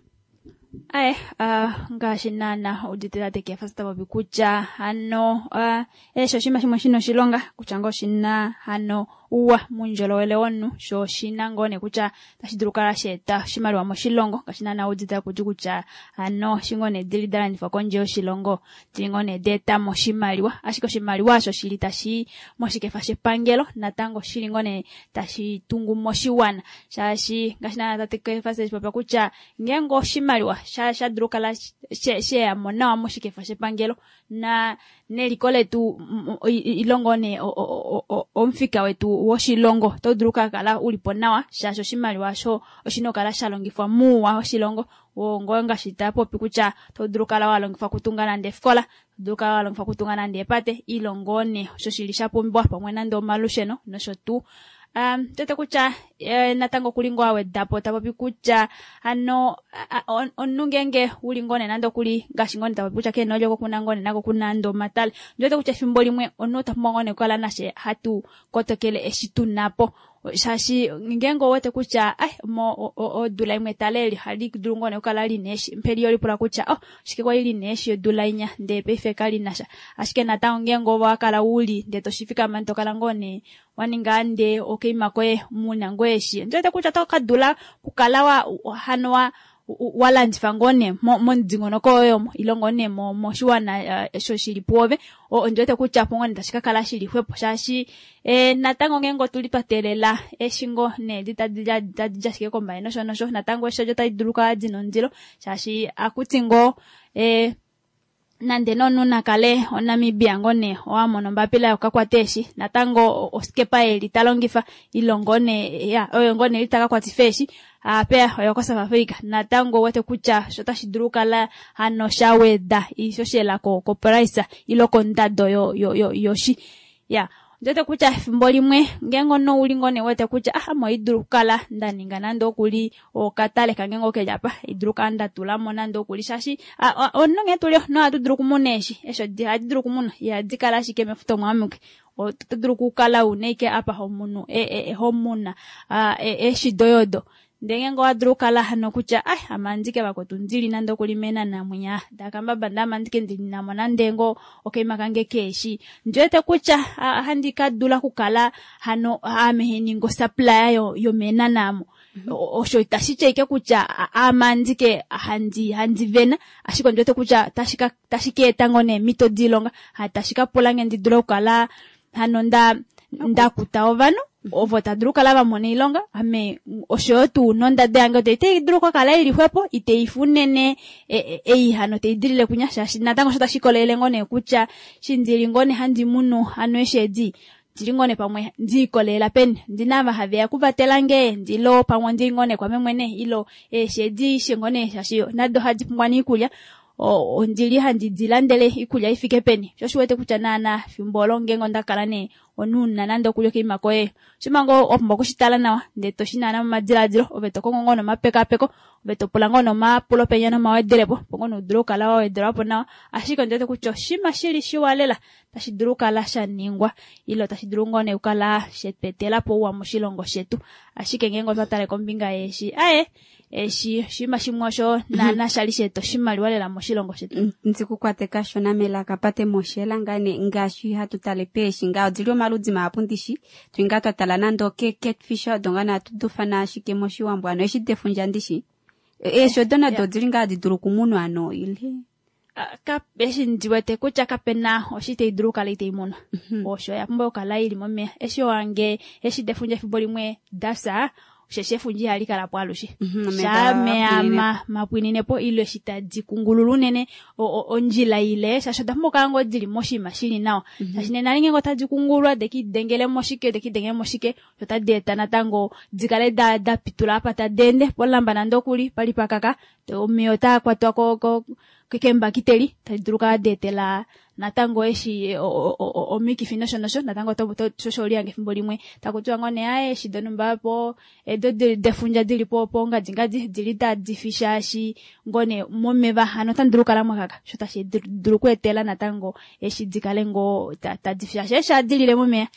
Aye, uh, ngaashi naana udite tate Kefas ta popi kutya hano uh, eeshi oshinima shimwe shina oshilonga kutya ngoo oshina hano uwa muundjolowele womunhu sho oshina ngoo nee kutya tashi dulu kukala sheeta oshimaliwa moshilongo ngaashi naana udite takuti kutya hano eshi ngoo nee dili dalandifwa kondje yoshilongo dili ngoo nee daetamo oshimaliwa ashike oshimaliwa osho shili tashi moshikefa shepangelo natango shili ngoo nee tashi tungu moshiwana shaashi ngaashi naana tate Kefas eshi popya kutya ngeenge oshimaliwa sha sha dulu kukala sheyamo nawa moshikefa shepangelo na neliko letu ilongo nee omufika wetu woshilongo oto dulu kukala ulipo nawa shaashi oshimaliwa osho oshina okukala sha longifwa muuwa woshilongo ngoo ngaashi tapopi kutya oto dulu kukala walongifwa okutunga nande efikola oto dulu kukala walongifwa okutunga nande eepate ile ngoo nee osho shili shapumbiwa pamwe nande omalusheno nosho tuu. Um, tete kutya eh, natango kuli ngoo awedapo tapopi kutya hano omunhu ngeenge uli ngoo nee nande okuli ngaashi ngoo nee tapopi kutya keena odjo kokuna ngoo nee nako kuna nande omatale ndiwete kutya efimbo limwe omunhu ota pumbwa ngoo nee okukala nashe hatu kotokele eshi tunapo shaashi ngeenge owete kutya ai mo odula imwe etale eli ohali dulu ngoo nee okukala lina eeshi mpeli olipula kutya oh shike kwali lina eeshi odula inya ndee paife kalinasha ashike natango ngeenge owakala uli ndee toshifikama tokala ngoo nee waninga nde okaima koye muna ngoo eeshi ndiwete kutya oto kadula kukala wa hano wa walandifa ngoo nee momudingonoko woye omo ile ngoo nee moshiwana osho shili puove ondiwete kutya opo ngoo nee tashi kakala shili xwepo shaashi natango ngeenge otuli twa teelela eeshi ngoo nee tadi di ashike kombaye nosho nosho natango eeshi odo otadi dulu okukala dina ondilo shaashi akuti ngoo nande nomunhu nakale oNamibia ngoo nee owamona ombapila yokukakwata eeshi natango osikepa eli talongifa ile ngoo nee ya oyo ngoo nee eli takakwatifa eeshi apeya oyo koSouth Africa natango owete kutya sho otashi dulu okukala hano shaweda iishoshela koprice ile kondado yoshi ya ndiwete kutya efimbo limwe ngeenge omunhu ouli ngoo nee wete kutya ah ame ohaidulu okukala ndaninga nande okuli okatale kange ngoo keli apa haidulu okukala ndatulamo nande okuli shaashi omunhu nghee tuli omunhu ohatu dulu okumuna eeshi eeshi ohadi dulu okumunwa ihadi kala ashike mefuta omo amuke oto dulu okukala una ashike apa homunu homuna eeshi doye odo ndee ngeenge owadulu okukala hano kutya ai ame andike vakwetu ndili nande okuli meenanamwinya dakambaba ndee ame andike ndinamo nande ngoo okaima kange keeshi ndiwete kutya handi kadula okukala hano ame heningi osupplier yomeenana amo osho itashi ti ashike kutya ame andike handi handi vena ashike ondiwete kutya tashi ka eta ngoo neemhito doilonga tashi ka pulange ndi dule okukala hano nda ndakuta ovanhu ovo tadulu okukala vamona oilonga ame oshoyo tuu nondado yange otai dulu okukala ili xwepo iteifa unene ei hano taidilile kunya shaashi natango osho tashi ikolelele ngoo nee kutya eshi ndili ngoo nee handi munu hano eeshi edi ndili ngoo nee pamwe ndiikolelela peni ndina ava haveya okuvatelange ndilo pamwe ondili ngoo nee kwame mwene ilo eeshi edi ngoo nee shaashi nado ohadi pumbwa niikulya Ondili handi dilandele iikulya ifike peni sho shi wete kutya naana fimbo olo ngenge onda kala nee onuuna nande okulya okaima koye oshimango wa pumbwa okushitala nawa ndee toshi naana momadiladilo ove tokongo ngoo nomapekapeko ove topula ngoo nomapulo penya nomawedelepo opo ngoo nee udule okukala wa wedelwapo nawa ashike ondi wete kutya oshinima shili shiwa lela tashi dulu okukala sha ningwa ile tashi dulu ngoo nee okukala shetwetelapo ouwa moshilongo shetu ashike ngeenge otwa tale kombinga yeeshi aye eshi oshinima shimwe osho naana shali sheeta oshimaliwa lela moshilongo shetu. Ndikukwate kashona melaka pate moshela ngane ngaashi hatu tale peeshi nga odili omaludi mahapu ndishi twinga twa tala nande oke catfish odo nga natu dufana ashike moshiwambo ano eshi defundja ndishi eeshi odo nado odili nga hadi dulu okumunwa ano ile eshi ndiwete kutya kapena oshi tayi dulu okukala itayi munwa osho oya pumbwa okukala ili momeya eshi wange eshi defundja efimbo limwe dafya osheshi efundja ihali kala po alushe shaa meya mapwininepo ile eshi tadi kungulula unene ondjila ile shaashi oda pumbwa okukala ngoo dili moshinima shili nawa shaashi nena ngeenge otadi kungulwa dekidengele moshike dekidengele moshike otadi eta natango dikale da da pitula apa tadi ende polamba nande okuli pali pakaka omeya otaa kwatwa ko kembakiteli tadi dulu okukala deetela natango eshi omikifi nosho nosho natango shosho oliyange efimbo limwe takutiwa ngoo nee aye eshi donumba po edo defundja dili po pongadingadi dili tadi fi shaashi ngoo nee momeva hano otandi dulu okukala mwakaka sho tashi dulu okweetela natango eshi dikale ngoo tadi fi shaashi eshi adilile momeya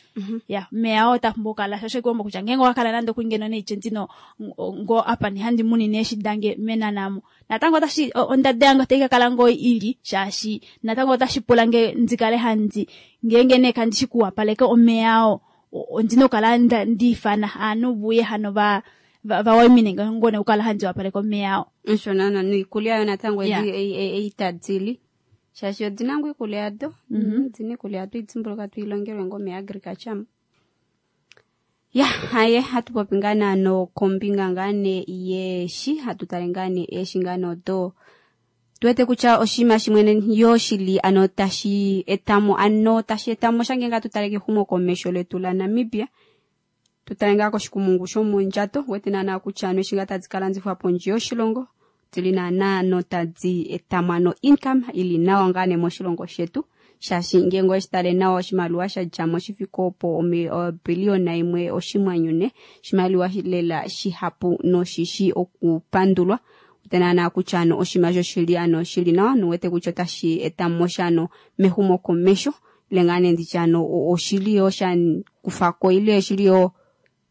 ya omeya oo otapumbwa okukala shosho ikuomba kutya ngeenge owakala nande okuli ngeno neitye ndino ngoo apa nihandi munine eshi dange menanamo natango otashi ondada yange otai kakala ngoo ili shaashi natango otashi pula nge ndikale handi ngeenge nee kandishi kuwapaleka omeya oo ondina okukala ndiifana aanhu vuye hano va vawaimine ngoo nee okukala handi wapaleka omeya oo osho naana noikulya yo natango eitadili shaashi odina ngoo iikulya yado odina iikulya yado idimbuluka tuilongelwe ngoo meagriculture ya haye hatu popi ngaa naano kombinga ngaa nee yeeshi hatu tale ngaa nee eeshi ngaa nee odo tuwete kutya oshinima shimwe yo shili ano tashi etamo ano tashi etamo sha ngenge hatu tale kehumokomesho letu la Namibia tutale ngaa koshikumungu shomondjato wete naana kutya ano eshi ngaa tadi kalandifwa pondje yoshilongo dili naana notadi etamo ano income ili nawa ngaa nee moshilongo shetu shaashi ngeenge oweshi tale nawa oshimaliwa sha djamo shifike opo obiliyona imwe oshimwanyune oshimaliwa lela shihapu noshishi okupandulwa naana kutya ano oshinima shoshili ano shili nawa nowete kutya otashi etamo sha ano mehumokomesho ile ngaa nee nditye ano oshili yo sha kufako ile oshili yo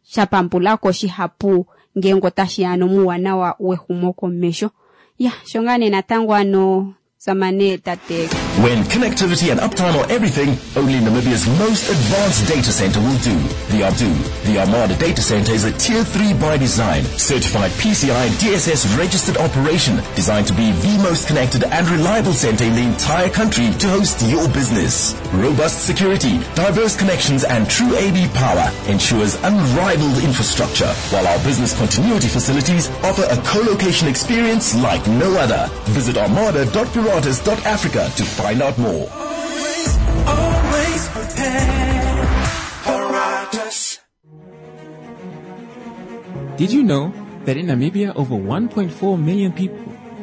sha pambulako shihapu ngeenge otashi ya ano muuwanawa wehumokomesho ya sho ngaa nee natango ano samane tate. When connectivity and uptime are everything, only Namibia's most advanced data center will do. The Ardu. The Armada Data Center is a Tier three by design, certified P C I D S S registered operation, designed to be the most connected and reliable center in the entire country to host your business. Robust security, diverse connections and true A B power ensures unrivaled infrastructure, while our business continuity facilities offer a co-location experience like no other. Visit armada dot paratus dot africa to find out more. Always, always prepare. Paratus. Did you know that in Namibia over one point four million people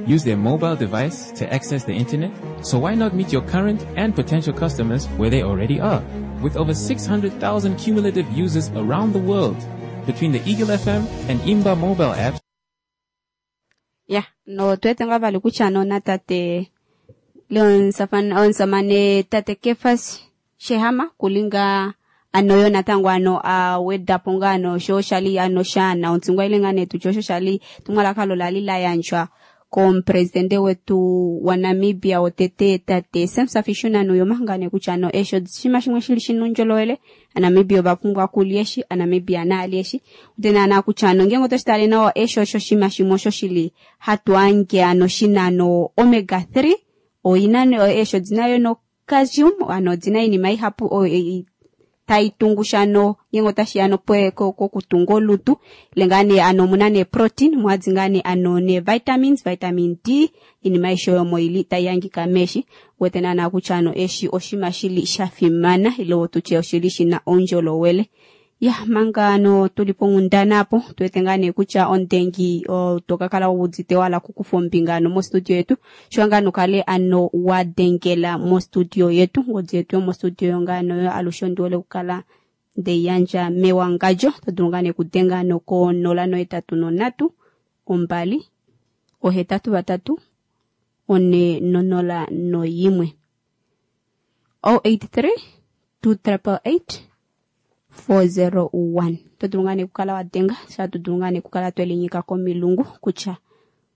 use their mobile device to access the internet? So why not meet your current and potential customers where they already are? With over six hundred thousand cumulative users around the world, between the Eagle F M and Imba mobile apps. Yeah, no tuwete nga vali kutya no na tate Leon Safan, onsamane tate Kefas Shehama kulinga ano yo natango ano a wedapo nga ano sho shali ano shana ontsingwa ile nga netu sho shali tumwalaka lola lila yanjwa komupresidente wetu wa Namibia otete tate Sam Safishuna Nujoma ngane kutya ano esho shima shimwe shili shinundjolowele aNamibia ovapumbwa kulyeshi aNamibia naalyeshi utena na kutya ano ngenge otoshitale nawa esho osho shima shimwe osho shili hatu ange ano shina ano omega three oina no esho dinayo no calcium ano dina inima ihapu o, e, tai tungushano ngengo tashi ano pwe ko, ko kutunga olutu lengane ano muna ne protein mwadzingane ano ne vitamins vitamin D inima isho yomo ili tayangika meshi wetena na kuchano eshi oshima shili shafimana ilo tuche oshili shina ondjolowele Ya manga ano tuli ponghundana apo tuwete ngaa nee kutya ondengi toka kala wuudite wala kukufa ombinga ano mostudio yetu sho ngaa nokale ano wa dengela mostudio yetu ngodi yetu yomostudio yo ngaa ano alushe ondiwole kukala ndeyandja mewangadjo todulu ngaa nee kudenga ano ko nola nohetatu nonhatu ombali ohetatu vatatu one nonola noyimwe oh eight three two triple eight four zero one. Todulu ngaa nee kukala wadenga sha todulu ngaa nee kukala twelinyika komilungu kutya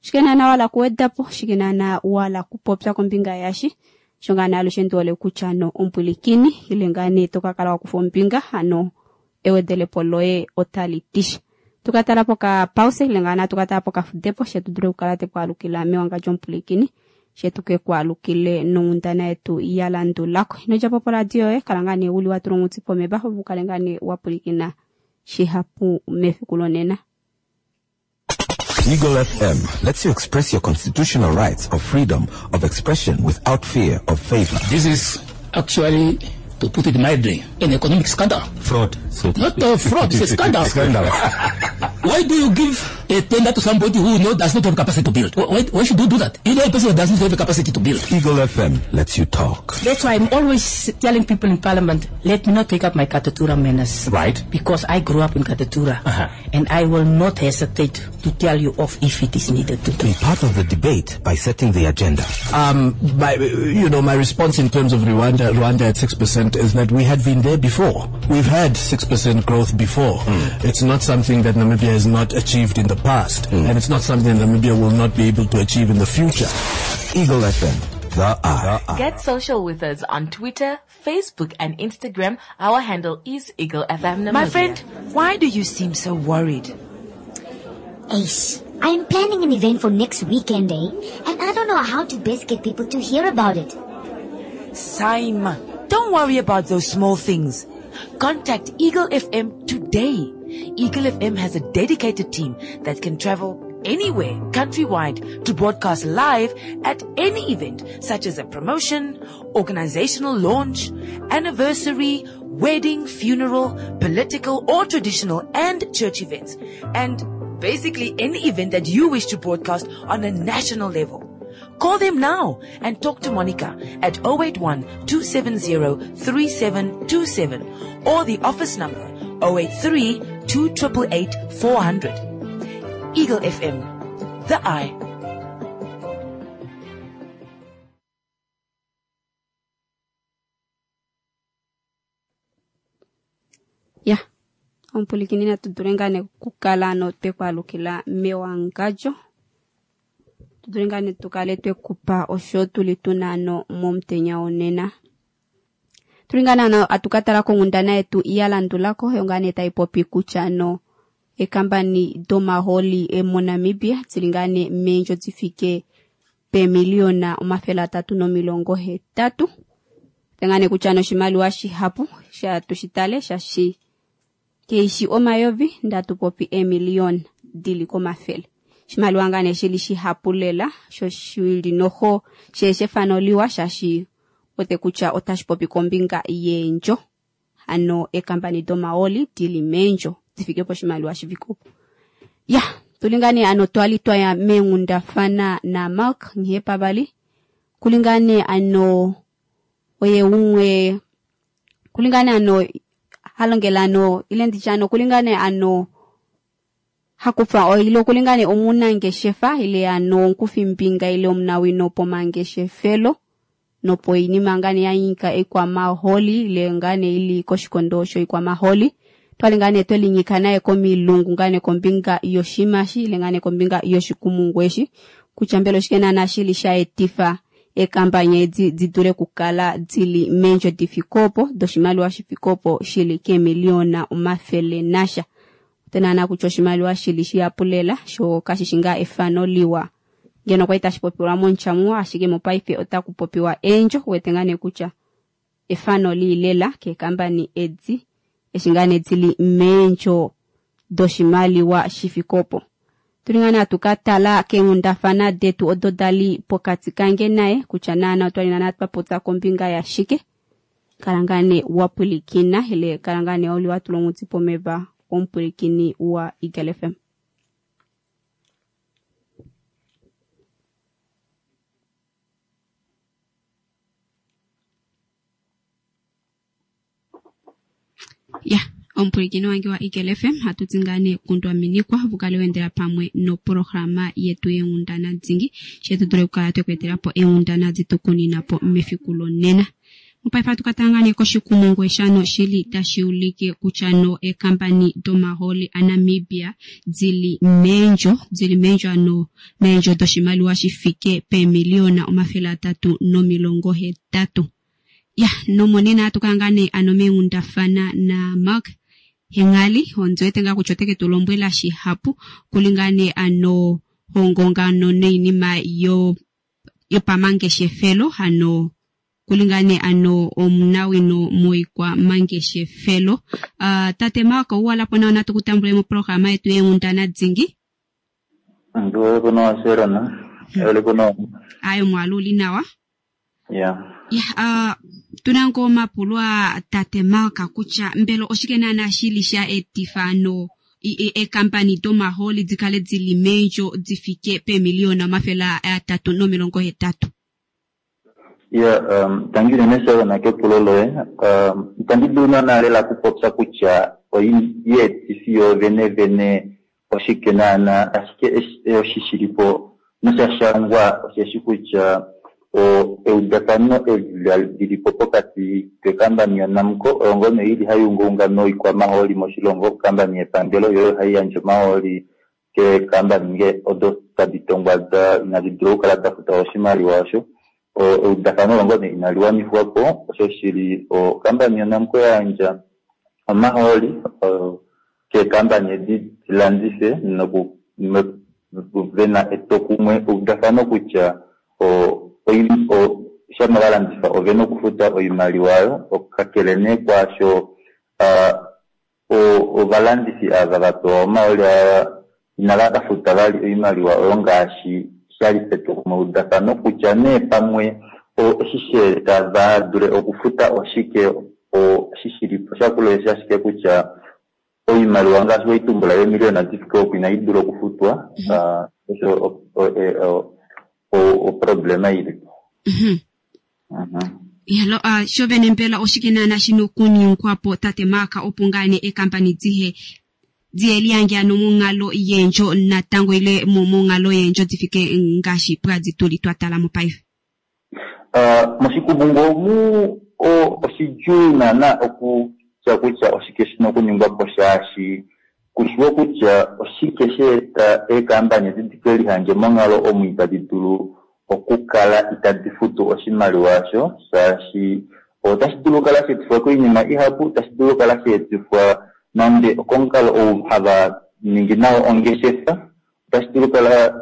shike naana wala kuwedapo shike naana wala kupopya kombinga yashi sho ngaa nee alushe ndiwole kutya ano ompwilikini ile ngaa nee tokakala wakufa ombinga ano ewedelepo loye otali tisha. Tukatala poka pause ile ngaa tukatala poka fudepo shetu dule kukala tekwalukila mewanga lyomupulikini shetu ke kwalukile nonghundana yetu ya landulako. Ino djapo poradio yoye kala ngaa nee uli watula ongutsi pomeva opo ukale ngaa nee wapulikina shihapu mefiku lonena. Eagle F M lets you express your constitutional rights of freedom of expression without fear of favor. This is actually, to put it mildly, an economic scandal. Fraud. So Not a fraud, it's a scandal. Scandal. Why do you give a tender to somebody who knows does not have capacity to build? Why, why should you do that? You know a person does not have the capacity to build. Eagle F M lets you talk. That's why I'm always telling people in Parliament, let me not take up my Katutura manners. Right. Because I grew up in Katutura. Uh-huh. And I will not hesitate to tell you off if it is needed to. Be part of the debate by setting the agenda. Um, my, you know, my response in terms of Rwanda, Rwanda at six percent is that we had been there before. We've had six percent growth before. Mm. It's not something that Namibia has not achieved in the past, mm. and it's not something Namibia will not be able to achieve in the future. Eagle F M, the eye. Get social with us on Twitter, Facebook, and Instagram. Our handle is Eagle F M Namibia. My friend, why do you seem so worried? Ace, I'm planning an event for next weekend, eh? And I don't know how to best get people to hear about it. Saima, don't worry about those small things. Contact Eagle F M today. Eagle F M has a dedicated team that can travel anywhere countrywide to broadcast live at any event such as a promotion, organizational launch, anniversary, wedding, funeral, political or traditional and church events, and basically any event that you wish to broadcast on a national level. Call them now and talk to Monica at oh eight one, two seven zero, three seven two seven or the office number oh eight three, two eight eight, four hundred. Eagle F M, the eye. Ya, ompulikini natu dule ngaa nee kukala ano twekwalukila mewangadjo. Tudule ngaa nee tukale twekupa osho tuli tuna ano momutenya wonena. Tuli ngaa nee atukatala konghundana yetu ya landulako yo ngaa nee tayi popi kutya ano ekambani domaholi moNamibia tsili ngaa nee meendjo difike pemiliyona omafele atatu nomilongo hetatu. Ngaa nee kutya ano oshimaliwa shihapu sha tushitale shashi keishi omayovi ndatu popi emiliyona dili komafele. Oshimaliwa ngaa nee shili shihapu lela sho shili noho sheshefano liwa shashi ote kutya otashi popi kombinga yeendjo ano ekambani domaoli dili meendjo difike poshimaliwa shifike opo. Ya tulingane ano twali twaya meenghundafana na Mark Nghiyepavali kulingane ano oye umwe kulingane ano halongela ano ile nditya ano kulingane ano hakufa ile kulingane omunangeshefa ile ano onkufimbinga ile omunawino pomangeshefelo nopo inima ngane yanyika ekwamaholi ile ngane ili koshikondo sho ikwamaholi twali ngane twelinyika naye komilungu ngane kombinga yoshimashi ile ngane kombinga yoshikumungweshi kutya mbela oshike naana shili sha etifa ekambanya edi didule kukala dili meendjo difikopo doshimaliwa shifikopo shili kemiliyona omafele nasha. Tena kutya oshimaliwa shili shihapu sho kashishi ngaa efano liwa ngeno kwali tashi popiwa montjamuwa ashike mopaife otaku popiwa eendjo wete ngaa nee kutya efano liilela keekambani edi eshi ngaa nee dili meendjo doshimaliwa shifikopo. Tuli ngaa nee atukatala keenghundafana detu odo dali pokati kange naye kutya naana otwali naana twapopya kombinga yashike. Kala ngaa nee wa pwilikina ile kala ngaa nee uli wa tula onghuti pomeva omupwilikini wa Eagle F M. Ya, omupwilikini wange wa Eagle F M, hatu ti ngaa nee kundwaminikwa vukale wendela pamwe noprograma yetu yenghundana dingi, shetu dule okukala twekuetela po eenghundana ditukunina po mefiku lonena. Mopaife hatu ka tala ngaa nee koshikumungu eshano shili tashi ulike kutya no eekampani domahooli aNamibia dili meendjo, dili meendjo ano meendjo doshimaliwa shifike peemiliyona omafele atatu nomilongo hetatu. Ya, nomonena hatu kala ngaa nee ano meenghundafana na Mark Hengali, ondiwete ngaa kutya oteke tu lombwela shihapu kuli ngaa nee ano hongongano noinima yo yopamangeshefelo ano kuli ngaa nee ano omunawino moikwa mangeshefelo. Uh, tate Mark, ouwala po nawa natu kutambule moprograma yetu yenghundana dingi. Ndiwele kuno Sherona. Ewele kuno. Ayo mwaluli nawa. Yeah. Ya, uh, tuna ngo mapulwa tate Mark kutya mbelo oshike naana shili sha etifa ano eekampani domahooli dikale dili meendjo difike peemiliyona omafele atatu nomilongo hetatu. Yeah, um, tangi unene Sherona kepulo loye. Um, itandi dulu naana lela okupopya kutya oyeetifi yoovene vene oshike naana, ashike oshi shilipo nosha shangwa osheshi kutya eudafano eli lilipo pokati kekambani yoNamcor oyo ngono ili hai ungaunga noikwamahooli moshilongo, okambani yepangelo yoyo hai yandje omahooli keekambani nge odo tadi tongwa da inadi dula okukala da futa oshimaliwa osho. Eudafano olo ngono inali wanifwa po, osho shili okambani yoNamcor ya yandja omahooli keekambani edi dilandife noku vena etokumwe eudafano kutya o shama valandifa ovena okufuta oimaliwa oyo, kakele nee kwaasho ovalandifi ava vapewa omahooli aa inava ka futa vali oimaliwa oyo ngaashi shali petokumwe eudafano kutya nee pamwe eshi sheeta va dule okufuta oshike oshi shilipo shakula eshi ashike kutya oimaliwa ngaashi waitumbula yeemiliyona difike opo inai dula okufutwa, osho oproblema ilipo. Yalo, sho vene mbela oshike naana shina okuningwa po tate Mark opo ngaa nee eekampani dihe dihe liyange ano monghalo yeendjo natango ile monghalo yeendjo difike ngaashi pwadi tuli twa tala mopaife? Moshikumungu omu oshidjuu naana okutya kutya oshike shina okuningwa po shaashi kushiwo kutya oshike sheeta eekampani edi dike lihange monghalo omu itadi dulu okukala itadi futu oshimaliwa osho, shaashi otashi dulu okukala sheetifwa koinima ihapu, otashi dulu okukala sheetifwa nande okomukalo ou hava ningi nao ongeshefa, otashi dulu okukala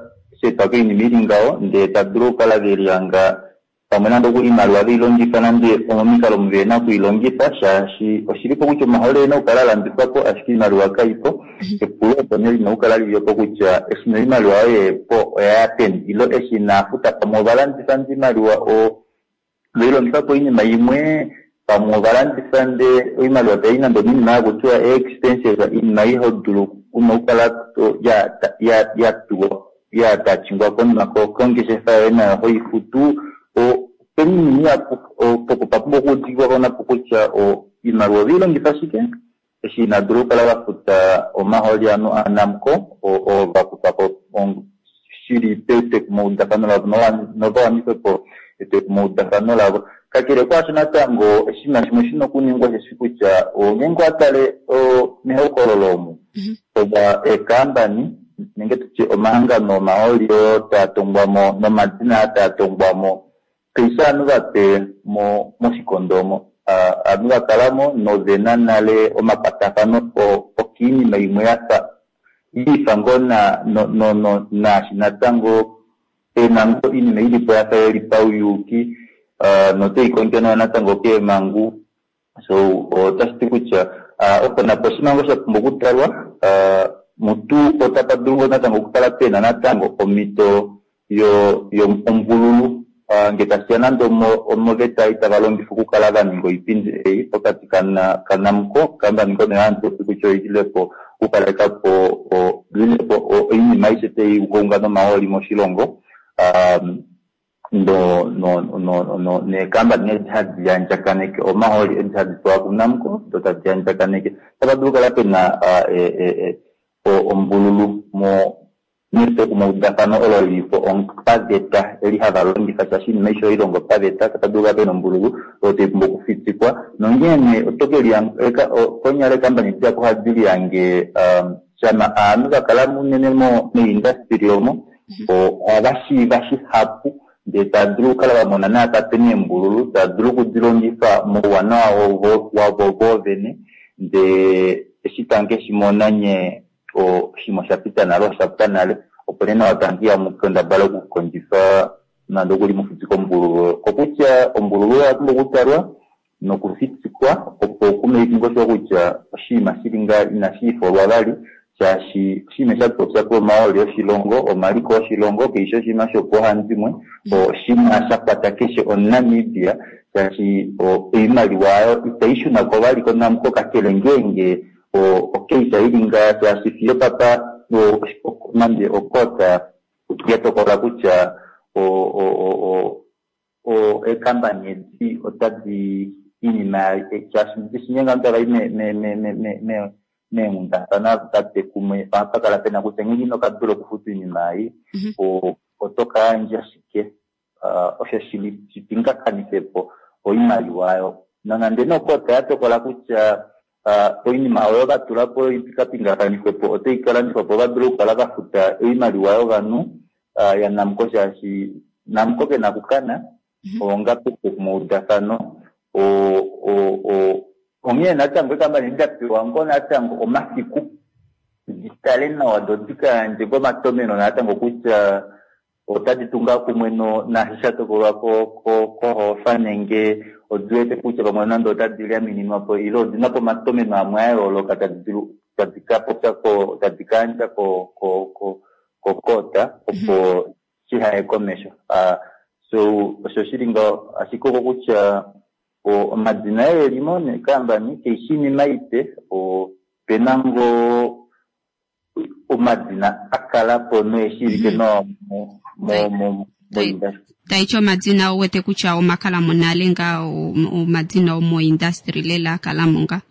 sheetwa koinima ili ngaho, ndee tava dulu okukala velihanga pamwe nande oimaliwa veilongifa nande omomikalo omu vena okuilongifa, shaashi oshilipo kutya omahooli ena okukala alandifwa po ashike oimaliwa kaipo. Epulo opo nee lina okukala lilipo kutya eshi noimaliwa oyo yepo oyaya peni, ilo eshi inaafuta pamwe ovalandifa nde oimaliwa veilongifa po oinima imwe, pamwe ovalandifa nde oimaliwa tai nande ominima yakutiwa expenses, oinima ihodulu una okukala ya tachingwa konima kongeshefa yoye nayo hoifutu. Oinima ihapu opo papumbwa okuudikiwa konapo kutya oimaliwa oveilongifa shike eshi inadula okukala vafuta omahooli ano aNamcor oo vakufa po shili petekomaudafano lavo novawanife po etekomaudafano lavo. Kakele kwaasho natango oshinima shimwe shina okuningwa osheshi kutya ngeenge owatale mehokololo omu ova eekampani nenge tutye omahangano omahooli oo taa tongwa mo nomadina aa taa tongwa mo kaishi ovanhu vape moshikondo omo, ovanhu vakalamo novena nale omakwatafano okiinima imwe yafa iifa ngoo naashi natango pena ngoo oinima ilipo yafa yeli pauyuuki notai kondjwa nayo natango keemhangu. So otashi ti kutya opo napo oshinima ngoo sha pumbwa okutalwa mutu otapa dulu ngoo natango okukala pena natango omhito yo omvululu Nge tashiya nande omoveta itava longifa okukala va ninga oipindi ei pokati kaNamcor kambani ngono yaantu kutya oililepo okukalekapo lilepo oinima aishe tai ungaunga nomahooli moshilongo no no no no neekambani edi hadi yandjakaneke omahooli edi hadi pewa kuNamcor do tadi yandjakaneke tapa dulu okukala pena ombululu mo metwokumweudafano olo lilipo paveta eli hava longifa shaashi oinima aishe oilongo paveta tapa dulu okukala pena ombululu oyo tai pumbwa okufitikwa nongeene oto keliya konyala eekambani dihapu ohadi lihange shama ovanhu vakala unene meindustry omo ohava shiiva shihapu ndee tava dulu okukala vamona naapa pena eembululu tava dulu okudilongifa mouwanawa wavo voovene ndee eshi tamuke nye oshinima oshapita nale oshapwa nale opo nee nawa tamukeya mukendabale okukondjifa nande okuli mufitike ombululu kokutya ombululu oya pumbwa okutalwa nokufitikwa opo kumake sure kutya oshinima shili nga inashi ifolwa vali shaashi oshinima shatupopya omahooli oshilongo omaliko oshilongo kaishi oshinima shopauhandimwe oshinima shakwata keshe omuNamibia shaashi oimaliwa oyo itai shunako vali koNamcor kakele ngeenge okeisa ili nga shaashi fiyo papa nande okota yatokola kutya eekambani edi otadi iinima shaashi shinyenga ovanhu tavayi meenghundafana tate kumwe ohapakala pena kutya ngeenge ino kadula okufuta oinima ei oto kayandja shike osho shili shipingakanifepo oimaliwa oyo nonande nokota yatokola kutya oinima oyo vatulapo ikapingakanifwepo otai kalandifwapo vadule okukala vafuta oimaliwa yovanhu yaNamcor shaashi Namcor kena okukana onga metwokumweudafano onghee natango eekambani dapewa ngoo natango omafiku ditale nawa do dikayandje omatomeno natango kutya otadi tunga kumwe naashi shatokolwa kohofa nenge odiwete kutya pamwe nande otadi lyamininwapo ile odina po omatomeno amwe ayooloka tadi kapopya tadi kayandja kokota opo shihaye komesho. So osho shili ngaho ashike oko kutya omadina elimo neekambani kaishi iinima ipe opena ngoo omadina akalapo noeshiivike nawa moindustry. Taiti omadina ouwete kutya omakalamo nale nga omadina omoindustry lela akalamo nga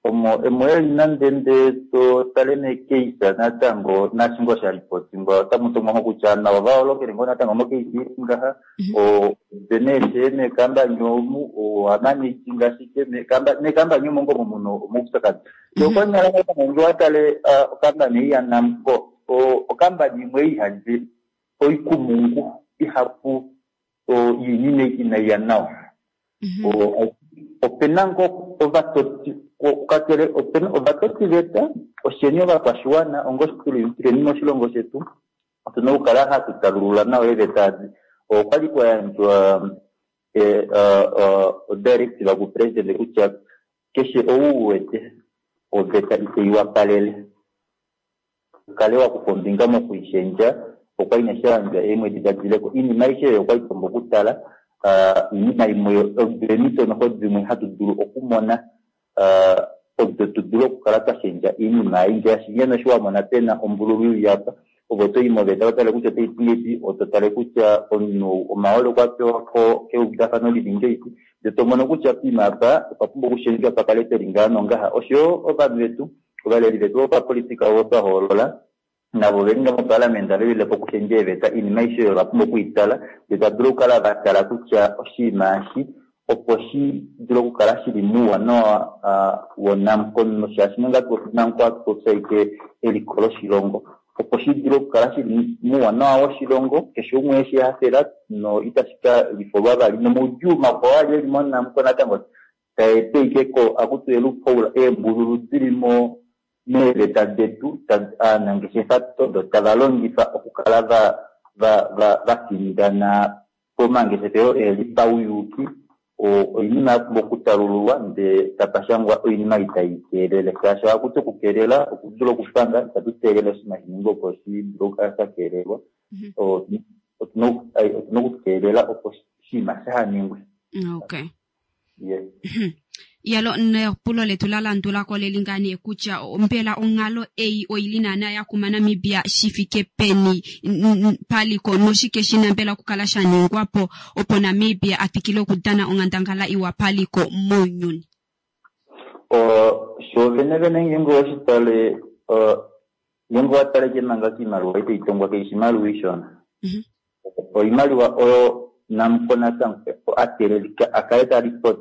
omo emo eli nande nde to tale nekeisa natango naashi ngoo shalipotingwa otamu tomwa kutya navo vaholokele ngoo natango mokeisa ili ngaha oveneeshe meekambani omu ohamanaging ashike meekambani omo ngoo muna omaupyakadi. So konyala natango ngee owatale okambani ei yaNamcor okambani imwe ihadi oikumungu ihapu yoinima inaiya nawa. Opena ngoo ovatoti kakele opena ovatotiveta osheni ovakwashiwana onga tuleni moshilongo shetu otuna okukala hatu talulula nawa eeveta edi. Okwali kwayandjwa odirective kupresident kutya keshe ou uwete oveta itei wapalele ukale wakufa ombinga mokuishendja okwali nee shayandjwa eemwedi dadileko. Oinima aishe oyo okwali twapumbwa okutala oinima imwe eemhito noxo dimwe hatu dulu okumona odo tudule okukala twashendja oinima ei ngaashi ngeno eshi wamona pena ombululu ili apa ove otoyi moveta otale kutya otai ti ngahelipi oto tale kutya omunhu omahooli okwa pewa keudafano lili ngahelipi ndee tomono kutya poima apa opwa pumbwa okushendjwa pakale peli ngaha nongaha. Oshoyo ovanhu vetu ovaleli vetu vopapolitika ovo twahoolola navo veli nga mopalamende velilepo okushendja eeveta oinima aishe oyo ovapumbwa okuitala ndee tadulu okukala vatala kutya oshinima eshi opo shi dule okukala shili mouwanawa woNamcor shaashi nonga Namcor ohatu ashike eliko loshilongo opo shi dule okukala shili mouwanawa woshilongo keshe umwe eshi hafela no itashi ka lifolwa vali nomaudjuu makwao ali eli moNamcor natango taeta ashike akuti loophole eembululu dili mo meeveta detu ovanangeshefa odo tava longifa okukala vafindana pomangeshefelo eli pauyuuki oinima yapumbwa okutalululwa ndee tapashangwa oinima itai keelele shaashi ohakuti okukeelela okudula okupanga itatu teelele oshinima shiningwe opo shidule okukala shakeelelwa. Otuna otuna okukeelela opo oshinima shahaningwe. Okay. Yes. Yalo nepulo letu la landulako leli ngane kutya mbela onghalo ei oili naana yakuma Namibia shifike peni paliko noshike shina mbela okukala shaningwapo opo Namibia afikile okudana onghandangala iwa paliko mounyuni. Sho vene vene ngeenge oweshitale ngeenge owataleke manga kiimaliwa itaitongwa kaishi imaliwa ishona. Oimaliwa oyo Namcor natango atelelika akale ta report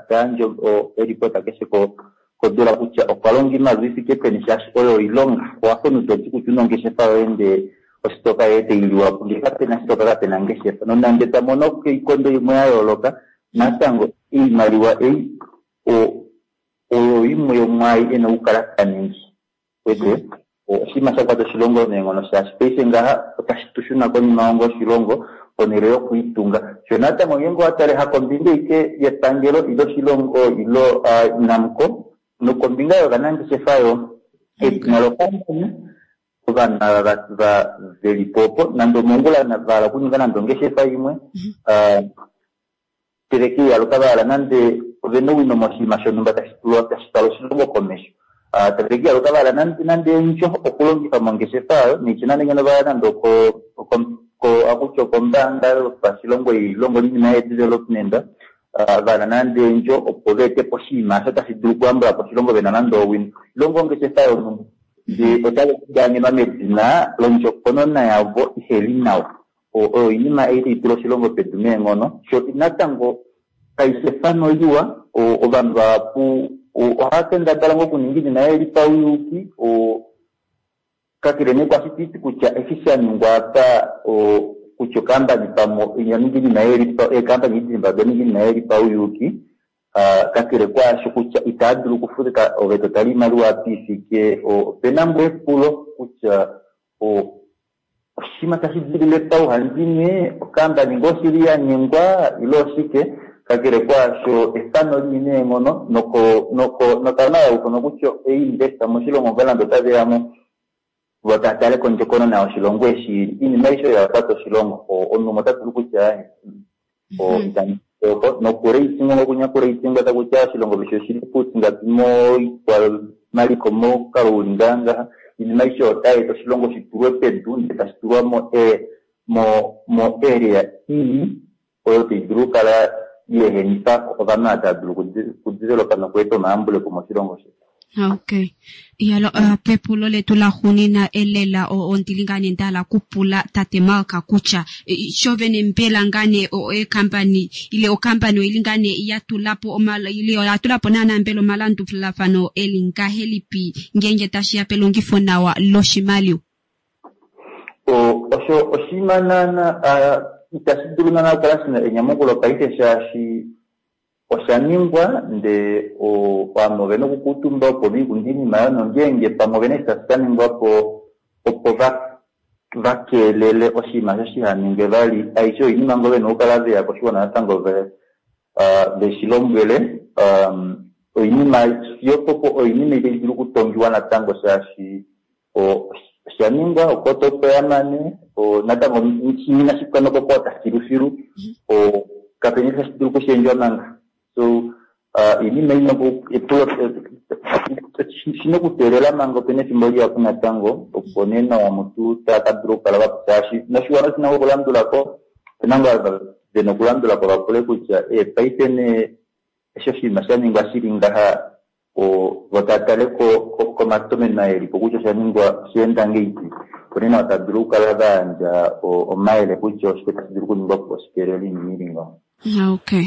tayandje eripota keshe kodula kutya okwa longa iimaliwa ifike peni shaashi oyo oilonga. Owafa omunhu toti kutya una ongeshefa yoye ndee ositoka yoye tailiwapo ngee kapena sitoka kapena ngeshefa. Nonande twamona koikondo imwe ya yooloka natango oimaliwa ei oyo imwe yomwaai ena okukala taningi. Wete oshinima shakwata oshilongo neenghono shaashi paife ngaha otashi tushuna konima onga oshilongo ponhele yokuitunga. Sho natango ngeenge owatale hakombinga ike yepangelo ile oshilongo ile Namcor nokombinga yovanangeshefa yo edina lokampani ovanhu ava velipo opo nande omongula vahala okuninga nande ongeshefa imwe teleke yaluka vahala nande ovena owino moshinima shonhumba tashi twala oshilongo komesho. Teleke yaluka vahala nande endjo okulongifa mongeshefa yayo niitya nande ngeno vahala nande akutya okombaanga yopashilongo ilongo oinima ye-development vahala nande endjo opo veetepo oshinima osho tashi dulu okuyambulapo oshilongo vena nande owino. Ilongo ongeshefa yonhumba ndee otave kudanenwa medina londjokonona yavo iheli nawa. Oyo oinima ei taitula oshilongo pedu meenghono. Sho natango kaifi efano liwa ovanhu vahapu ohava kendabala ngoo okuninga oinima ili pauyuuki kakele nee kwashi taiti kutya eshi shaningwa apa kutya okampani pamwe oyaninga oinima eekampani edi oda ninga oinima ili pauyuuki kakele kwaasho kutya itava dulu okufuta ove totala oimaliwa apa ifike opena ngoo epulo kutya oshinima tashi dilile pauhandimwe okampani ngoo oshili yanyengwa ile oshike kakele kwaasho efano lii neenghono nokana yaufanwa kutya einvesta moshilongo ngoo nande otaveyamo vo tatale kondjokonona yoshilongo eshi ili. Oinima aishe oyo yakwata oshilongo omunhu umwe ota dulu kutya nokureitingwa okunyakureitingwa takutya oshilongo keshe oshili putingapi moikwamaliko momukalo uli ngaha. Oinima aishe otai eta oshilongo shitulwe pedu ndee tashi tulwa mo area ii oyo taidulu okukala yeehenifa ovanhu ava tava dulu okudevelopa nokweeta omayambulepo moshilongo shetu. Okay. Yalo uh, pepulo letu la xunina elela ondili ngane ndala kupula tate Mark kutya shovene mbela ngane ekampani ile okampani oili ngane yatulapo omala ile yatulapo naana mbela omalandulafano eli ngahelipi ngeenge tashiya pelongifo nawa loshimaliwa. Osho oshinima naana itashi dulu naana okukala shina enyamukulo paife shaashi oshaningwa ndee ovanhu ovena okukuutumba opo viikunde oinima oyo nongeenge pamwe ovena eshi tashi kaningwapo opo vakeelele oshinima osho shihaningwe vali. Aishe oinima ngoo vena okukala veya koshiwana natango veshilombwele. Oinima fiyo oinima itai dulu okutongiwa natango shaashi oshaningwa okota opo yamane natango inashi pwa nokokota filufilu kapena eshi tashi dulu okushendjwa manga. So oinima shina okuteelela manga opena efimbo lihapu natango opo nee nawa mutu takadulu okukala shaashi noshiwana oshina okulandulako opena ngoo vena okulandulako vapule kutya paife nee eshi oshinima shaningwa shili ngaha vo tatale komatomeno elipo kutya oshaningwa oshaenda ngeipi opo nee nawa tadulu okukala vayandja omayele kutya oshike tashi dulu okuningwa po shikelele oinima ili ngaho. Okay.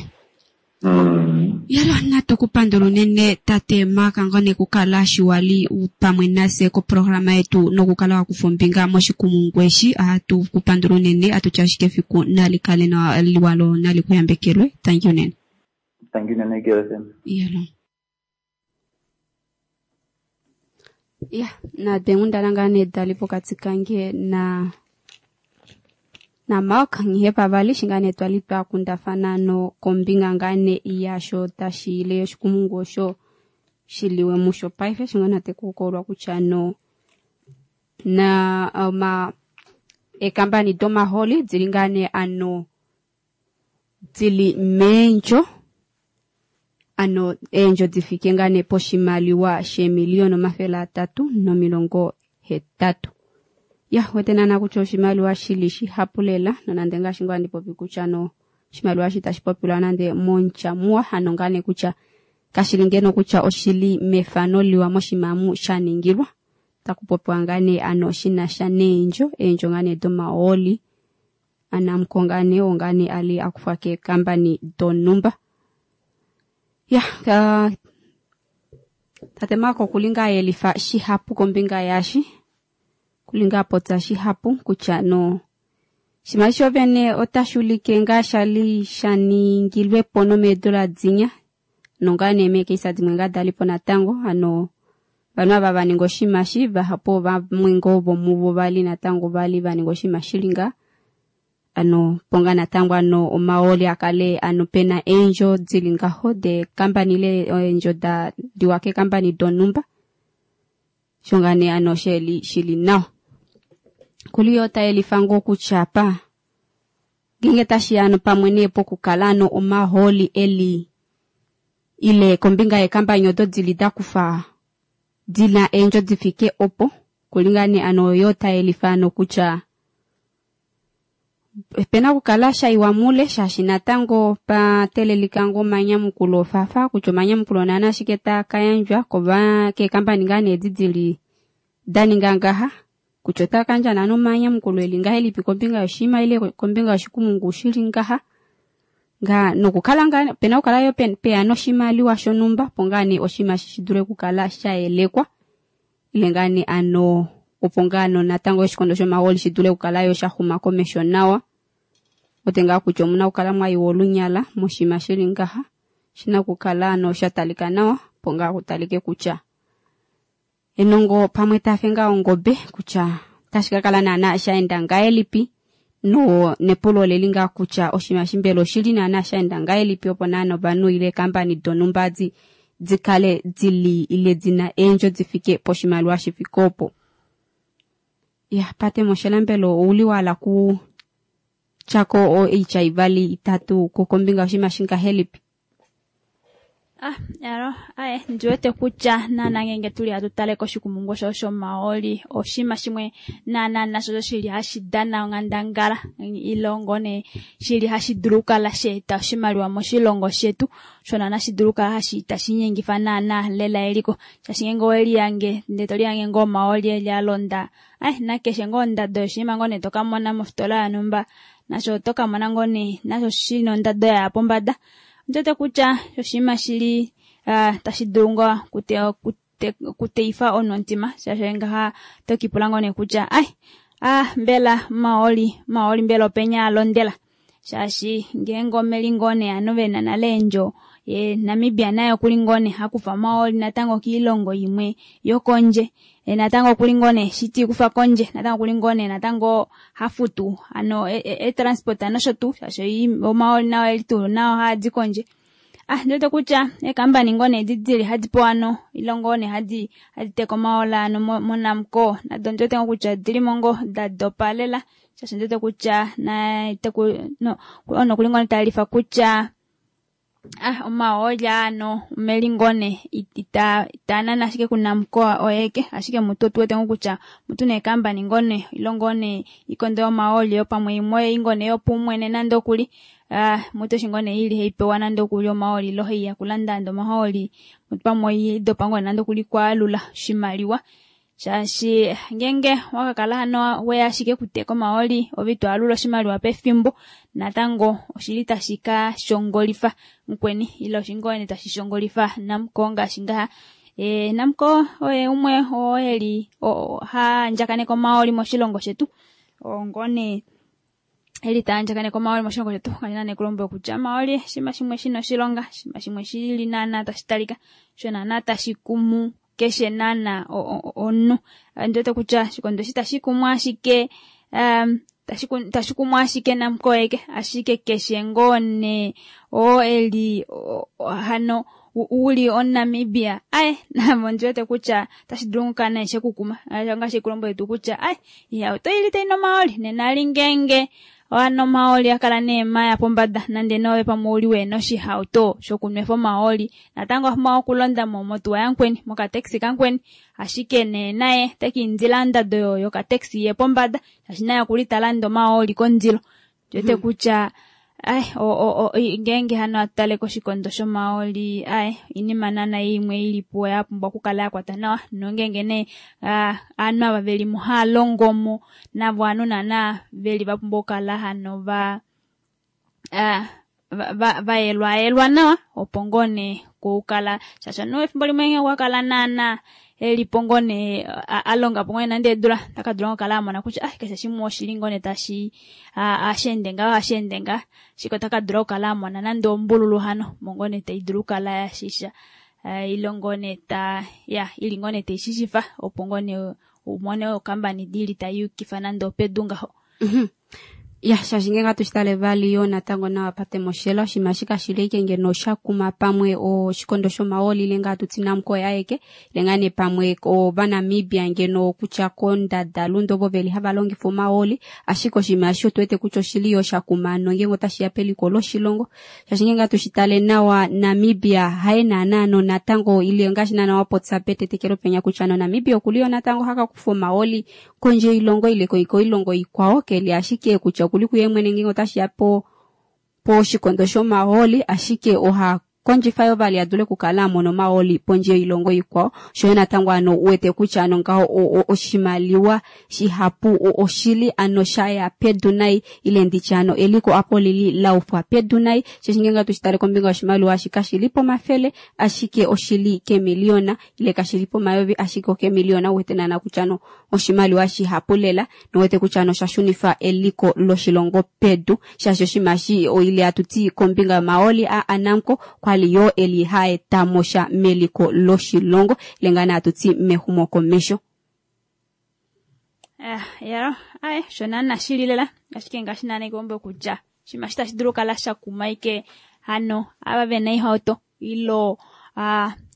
Yalo natu kupandula unene tate Mark ngone kukala shiwali pamwe nase koprograma yetu nokukala wakufa ombinga moshikumungu eshi. Ohatu kupandula unene atutya ashike efiku nali kale liwalo nali kuyambekelwe. Thank you nene. Thank you nene K F M. Yalo. Ya, na dengundana ngane dali pokati kange na na Mark ngihe pavali shingane twali twakundafana no kombinga ngane yasho tashile oshikumungu osho shiliwe musho paife shingane tekukolwa kutya no na ma Eekambani domahooli dili ngaa nee ano dili meendjo ano eendjo difike ngaa nee poshimaliwa sheemiliyona omafele atatu nomilongo hetatu. Ya wete naana kutya oshimaliwa shili shihapu lela nonande ngaashi ngoo handi kutya no oshimaliwa shi tashi popilwa nande montya muwa hano ngaa nee kutya kashili ngeno kutya oshili mefano liwa moshimamu sha ningilwa taku popiwa ngaa nee ano shinasha neendjo eendjo ngaa nee domahooli aNamcor ngaa nee oo ngaa nee ali akufwa keekambani donumba. Ya uh, tate Marko okuli ngaa ayelifa shihapu kombinga yashi kuli ngaa apopya shihapu kutya no shimaliwa shovene otashi ulike ngaa shali sha ningilwepo nomeedula dinya nongaa nee meekeisa dimwe ngaa dalipo natango ano vanhu ava vaninga oshinima shi vahapu vamwe ngoo vomuvo vali natango vali vaninga oshinima shili ngaa ano ponga natango ano omahooli akale ano pena eendjo dili ngaho dekambani ile eendjo da diwa keekambani donumba sho ngaa nee ano sheli shili nawa. Kuli yo tayelifa ngoo kutya pa ngenge tashiya ano pamwe nee pokukala ano omahooli eli ile kombinga yeekambani odo dili dakufa dina eendjo difike opo kuli ngaa nee ano yo tayelifa ano kutya pena okukala shaiwa mule shaashi natango patelelika ngoo omanyamukulo ofafa kutya omanyamukulo naana ashike taakayandjwa kova keekambani ngaa nee edi dili daninga ngaha kutya otakayandja naana omanyamukulo eli ngahelipi kombinga yoshinima ile kombinga yoshikumungu shili ngaha nga nokukala ngaa pena okukala yo peya noshimaliwa shonumba opo ngaa nee oshinima shi dule okukala shayelekwa ile ngaa nee ano opo ngaa no natango oshikondo shomahooli shi dule okukala yo shaxuma komesho nawa. Ote ngaa kutya omuna okukala mwayiwa olunyala moshinima shili ngaha shina okukala ano sha talika nawa opo ngaa kutalike kutya enongo pamwe tafe ngaa ongobe kutya tashi kakala naana shaenda ngahelipi no nepulo oleli ngaa kutya oshinima shimbela oshili naana shaenda ngahelipi opo naana ovanhu ile eekambani donumba di dikale dili ile dina eendjo difike poshimaliwa shifike opo. Ya pate moshelambelo ouli wala ku tyako oitya ivali itatu kombinga yoshinima shingahelipi? Ah, yalo, aye, ndiwete kutya naana ngenge tuli hatu tale koshikumungu osho shomahooli oshinima shimwe naana nasho shili hashi dana onghandangala ilongo ne shili hashi dulu okukala sheeta oshimaliwa moshilongo shetu sho naana shi dulu okukala hashi tashi nyengifa naana lela eliko shaashi ngenge oweliyange ndee toliyange ngoo omahooli eli alonda aye nakeshe ngoo ondado yoshinima ngoo nee tokamona mofitola yonumba nasho otokamona ngoo nee nasho shina ondado yaya pombada. Ndiwete kutya oshinima shili uh, tashi dulu ngoo kute, kute, kuteifa onomutima shaashi ngaha tokipula ngoo nee kutya ai ah mbela mahooli mahooli mbela openya alondela shaashi ngeenge omeli ngoo nee ovanhu vena nale eendjo ye Namibia naye okuli ngoo nee hakufa omahooli natango kiilongo imwe yokondje e natango okuli ngoo nee shiti kufa kondje natango okuli ngoo nee natango hafutu ano e, e, e nosho tuu shaashi omahooli nao eli tuu nao haadi kondje. Ah ndiwete kutya eekambani ngoo nee edi dili hadi pewa ano ile ngoo nee hadi hadi teka omahooli ano moNamcor nado ndiwete ngoo kutya odilimo ngoo da dopa lela shaashi ndiwete kutya na teku no ono okuli ngoo nee tayelifa kutya ah omahooli ano omeli ngoo nee ita itaanana ashike kuNamcor oyeke ashike mutu otuwete ngoo kutya mutu neekambani ngoo nee ile ngoo nee ikondo yomahooli yopamwe imwe ei ngoo nee yopaumwene nande okuli ah mutu eshi ngoo nee ili haipewa nande okuli omahooli ile haiya kulanda nande omahooli mutu pamwe oidopa ngoo nande okuli kwaalula oshimaliwa shaashi ngenge wakakala hano weya ashike kuteka omahooli ove ito alula oshimaliwa pefimbo natango oshili tashi ka shongolifa mukweni ile oshingoo tashi shongolifa Namcor ngaashi ngaha. E, Namcor oye umwe oo eli ha andjakaneka omahooli moshilongo shetu ongoo nee eli taandjakaneka omahooli moshilongo shetu kandina nee kulombwela kutya omahooli oshinima shimwe shina oshilonga oshinima shimwe shili naana tashi talika sho naana tashi kumu keshe naana omunhu. Ndiwete kutya oshikondo eshi tashi kumu ashike um, Tashi kumu ashike Namcor eke, ashike keshe ngoo nee oo eli hano uli omuNamibia aye namo ondiwete kutya otashi dulu okukala naye shekukuma ngaashi kulombwele tuu kutya aye ihauto ili tai nu omahooli nena ali ngeenge hano omahooli akala nee maya pombada nande nove pamwe ouli wena oshihauto shokunwefa omahooli natango owapumbwa okulonda motuwa yamukweni mokataxi kamukweni ashike nee naye otekiindila ondado yokataxi iye pombada shaashi naye okuli talanda omahooli kondilo ndiwete kutya ai ngeenge hano atale koshikondo shomahooli ai oinima naana imwe ilipo yapumbwa okukala yakwata nawa nongeenge nee ovanhu ava velimo haalongomo navo ovanhu naana veli vapumbwa okukala hano va vayelwayelwa nawa opo ngoo nee kukala shaashi omunhu efimbo limwe ngee okwakala naana elipo ngoo nee alongapo ngoo nande eedula otakadula okukala amona kutya ah keshe shimwe oshili ngoo nee tashi hashi ngaho hashi ende ngaha ashike otakadula okukala amona nande ombululu hano omo ngoo nee taidulu okukala yashisha ile ngoo nee ta ya ili ngoo nee taishishifa opo ngoo nee umone okambani ili tayukifa nande opedu ngaho. Ya shaashi ngenge atushitale vali yo natango nawa pate moshela oshinima shika shili ike ngeno oshakuma pamwe oshikondo shomahooli ile ngaa tuti Namcor aeke ile ngaa nee pamwe ovanamibia ngeno kutya kondadalunde ovo veli hava longifa omahooli ashike oshinima eshi otu wete kutya oshili yo shakuma nongenge otashiya peliko loshilongo shaashi ngenge atushitale nawa Namibia haye naana natango ile ngaashi naana wapopya petetekelo penya kutya no Namibia okuli yo natango hakakufa omahooli kondje yoilongo ile koilongo ikwao keli ashike kutya okuli kuye mwene ngenge otashiya po poshikondo shomahooli ashike oha kondjifa yo vali adule okukala amona omahooli pondje yoilongo ikwao shoyo natango ano uwete kutya ano ngaho oshimaliwa shihapu oshili ano shaya pedu nai ile nditye ano eliko apo lili laufwa pedu nai shaashi ngenge atushitale kombinga yoshimaliwa eshi kashili pomafele ashike oshili kemiliyona ile kashili pomayovi ashike okemiliyona uwete naana kutya ano oshimaliwa shihapu lela nowete kutya ano oshashunifa eliko loshilongo pedu shaashi oshinima eshi ile atuti kombinga yomahooli a Namcor kwali yo eli haetamo sha meliko loshilongo ile ngaa nee atuti mexumokomesho. Eh, yaro, aye, sho naana shili lela ashike ngaashi naana ikuombe kutya oshinima eshi tashi dulu okukala shakuma ike hano ava vena oihauto ilo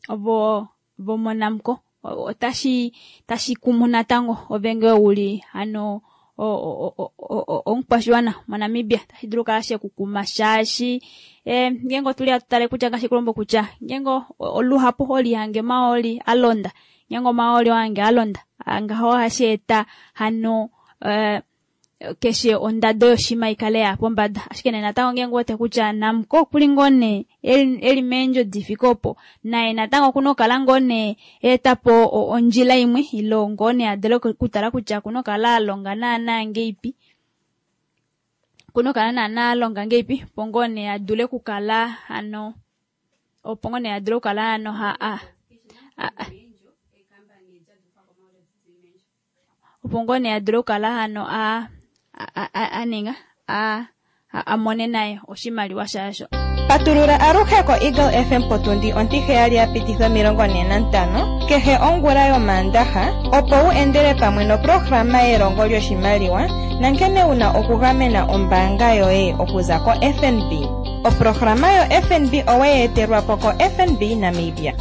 ovo vomoNamcor otashi tashi kumu natango ove ngee uli hano omukwashiwana moNamibia tashi dulu okukala shekukuma shaashi ngeenge otuli hatutale kutya ngaashi kulombo kutya ngeenge oluhapu olihange omahooli alonda ngeenge omahooli ohange alonda ngaho ohashi eta hano keshe ondado yoshima ikale ya pombada ashike nee natango ngeenge uwete kutya Namcor okuli ngoo nee eli meendjo difike opo naye natango okuna okukala ngoo nee eetapo ondjila imwe ile ngoo nee adule okutala kutya okuna okukala alonga naana ngeipi okuna okukala naana alonga ngeipi opo ngoo nee adule okukala hano opo ngoo nee adule okukala hano ha opo ngoo nee adule okukala hano a aninga amone naye oshimaliwa shasho. Patulula aluhe ko Eagle F M potundi ontiheyali ya pititha omilongo ne nantano kehe ongula yomaandaha opo wu endele pamwe noprograma yelongo lyoshimaliwa nankene wuna okugamena ombaanga yoye okuza ko F N B. Oprograma yo F N B oweyi etelwa po ko F N B Namibia.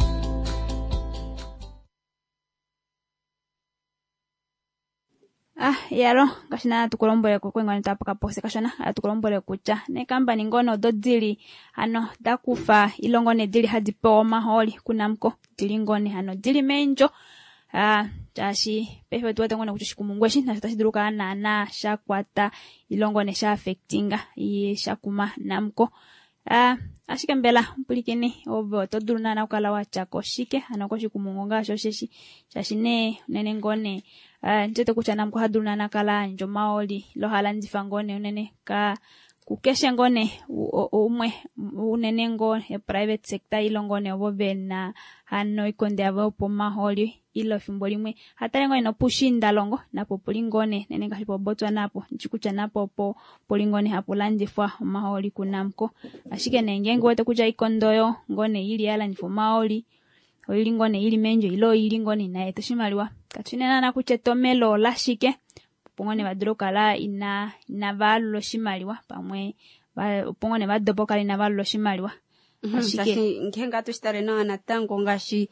Ah, yaro, ngaashi naana tukulombwele kwengwane tapaka pose kashona, atukulombwele kutya neekambani ngono odo dili hano dakufa ilongo ne dili hadi pewa omahooli kuNamcor dili ngone hano dili meendjo ah shaashi paife otu wete ngone kutya oshikumungu eshi nasho otashi dulu okukala naana shakwata ilongo ne sha affectinga shakuma Namcor. Ah, ashike mbela mpulikini ove oto dulu naana okukala watyako shike hano koshikumungu ngaashi osheshi shaashi nee unene ngoo nee ndiwete kutya Namcor ohadulu naana kala ayandja omahooli ile ohalandifa ngoo nee unene ka kukeshe ngoo nee umwe unene ngoo e-private sector ile ngoo nee ovo vena hano oikondo yavo yopomahooli ile efimbo limwe hatale ngoo nee nopuushiindalongo napo puli ngoo nee nene ngaashi poBotswana apo ndishi kutya napo opo puli ngoo nee hapu landifwa omahooli kuNamcor ashike nee ngeenge uwete kutya oikondo oyo ngoo nee ili yalandifwa omahooli oili ngoo nee ili meendjo ile oili ngoo nee inayeeta oshimaliwa katushi nee naana kutya etomelo olashike Opo ngoo nee va dule okukala ina inava alula oshimaliwa pamwe opo ngoo nee va dopa okukala inava alula oshimaliwa. Ashike ngenge hatu shitale nawa natango ngaashi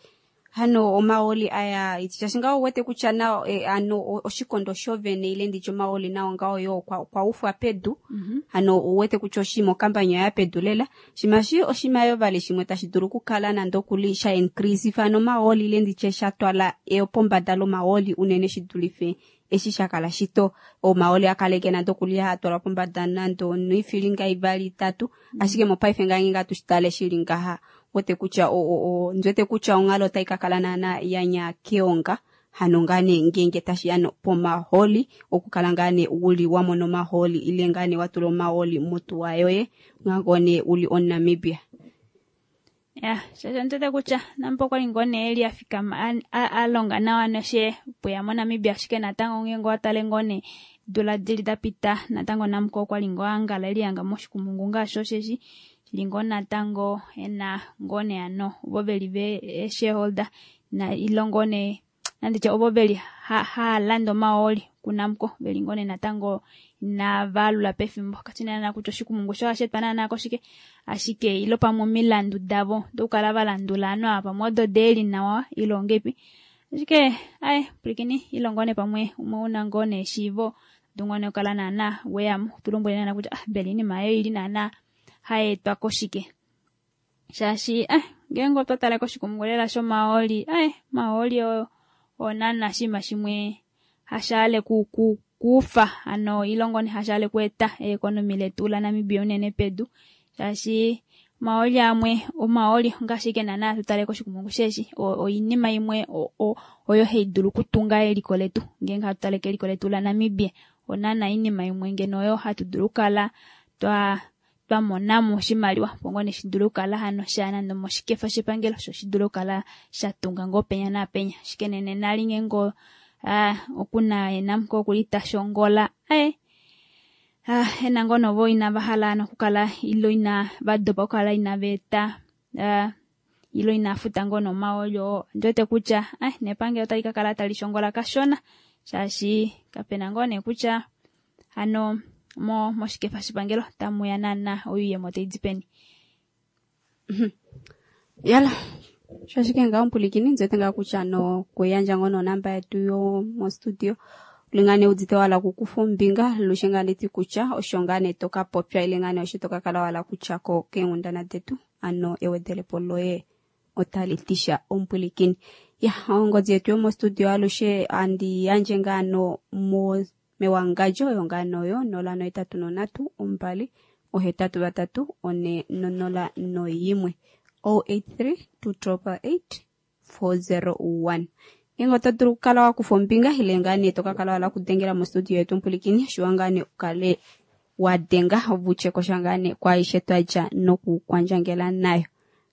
hano omaoli aya shaashi ngaho uwete kutya nao e, ano oshikondo shovene ile nditye omaoli nao ngaho yo okwa, okwa ufwa pedu. Mm -hmm. Hano uwete kutya oshima okambanya oya pedu lela shimashi oshima yo vali shimwe tashi dulu okukala nande okuli sha increase hano omaoli ile nditye sha twala eyopombada lomaoli unene shi dulife eshi shakala shito omaoli akaleke nande okuli hatwalwa pombada nande noifilinga ivali itatu. Mm -hmm. Ashike mopaife ngange ngatu shitale shili ngaha wote kutya o o ndwete kutya onghalo otai ka kala naana yanya keonga hano ngane ngenge tashi ano pomaholi okukala ngane uli wamona omaholi ile ngane watula omaholi motuwa yoye ngangone uli oNamibia. Ya, shasha ndwete kutya nampo kwali ngone eli afikama alonga nawa noshe puya moNamibia ashike natango ngenge watale ngone dula dili dapita natango namko kwali ngo angala eli anga moshikumungu ngasho sheshi lingo natango ena ngone ano ovo veli ve shareholder na ilongone nanditye ovo veli ha, ha landa omaoli kunamko veli ngone natango na valula pefimbo katina na kutya oshikumungu sho ashetwa naana koshike ashike ilo pamwe omilandu davo dokukala valandula ano apa pamwe odo deli nawa ilongepi ashike aye pulikini ilongone pamwe umwe una ngone eshiivo dungone okala naana weyamo tulombwele naana kutya ah mbela iinima ayo ili naana haetwa koshike shaashi eh ngenge otwa tala koshikumungu lela shomaoli eh maoli oyo onana shima shimwe hashale ku, ku, kufa ano ilongone hashale kueta ekonomi letu la Namibia unene pedu shaashi maoli amwe omaoli ngaashi ke nana tutale koshikumungu sheshi oinima imwe oyo haidulu kutunga eliko letu ngenge hatutale keliko letu la Namibia onana inima imwe ngeno oyo hatudulu kala twa twamonamo oshimaliwa pongone shidulu kala hano sha nando moshikefa shepangelo sho shidulu kala shatunga ngo penya na penya shike nene nali ngengo ah okuna enamko okulita shongola eh ah enango novo ina vahala nokukala ilo ina vadopa okukala ina veta ah ilo ina futa ngono maolyo ndwete kutya eh nepangelo tali kakala tali shongola kashona shaashi kapena ngone kutya ano mo moshikefa shepangelo tamuya nana oyuyemo taidipeni. Yala shashike ngaho mpulikini nzwete nga kutya no kuyandja ngono namba yetu yo mo studio lingane udite wala kukufa ombinga lushe ngane ti kutya osho ngane toka popya ile ngane osho toka kala wala kutya ko keenghundana detu ano ewedelepo loye otali tisha ompulikini. Ya ongodhi yetu yo mo studio alushe andi yandje ngano mo mewangajo yongano yo nola noitatu nonatu ombali ohetatu vatatu one nonola noyimwe oh eight three two triple eight four zero one. Ingo oto dulu okukala wakufa ombinga ile ngane tokakala wala kudengela mostudio yetu mpulikini shiwa ngane ukale wadenga ovutye kosha ngane kwaishe twadja nokukwandjangela nayo.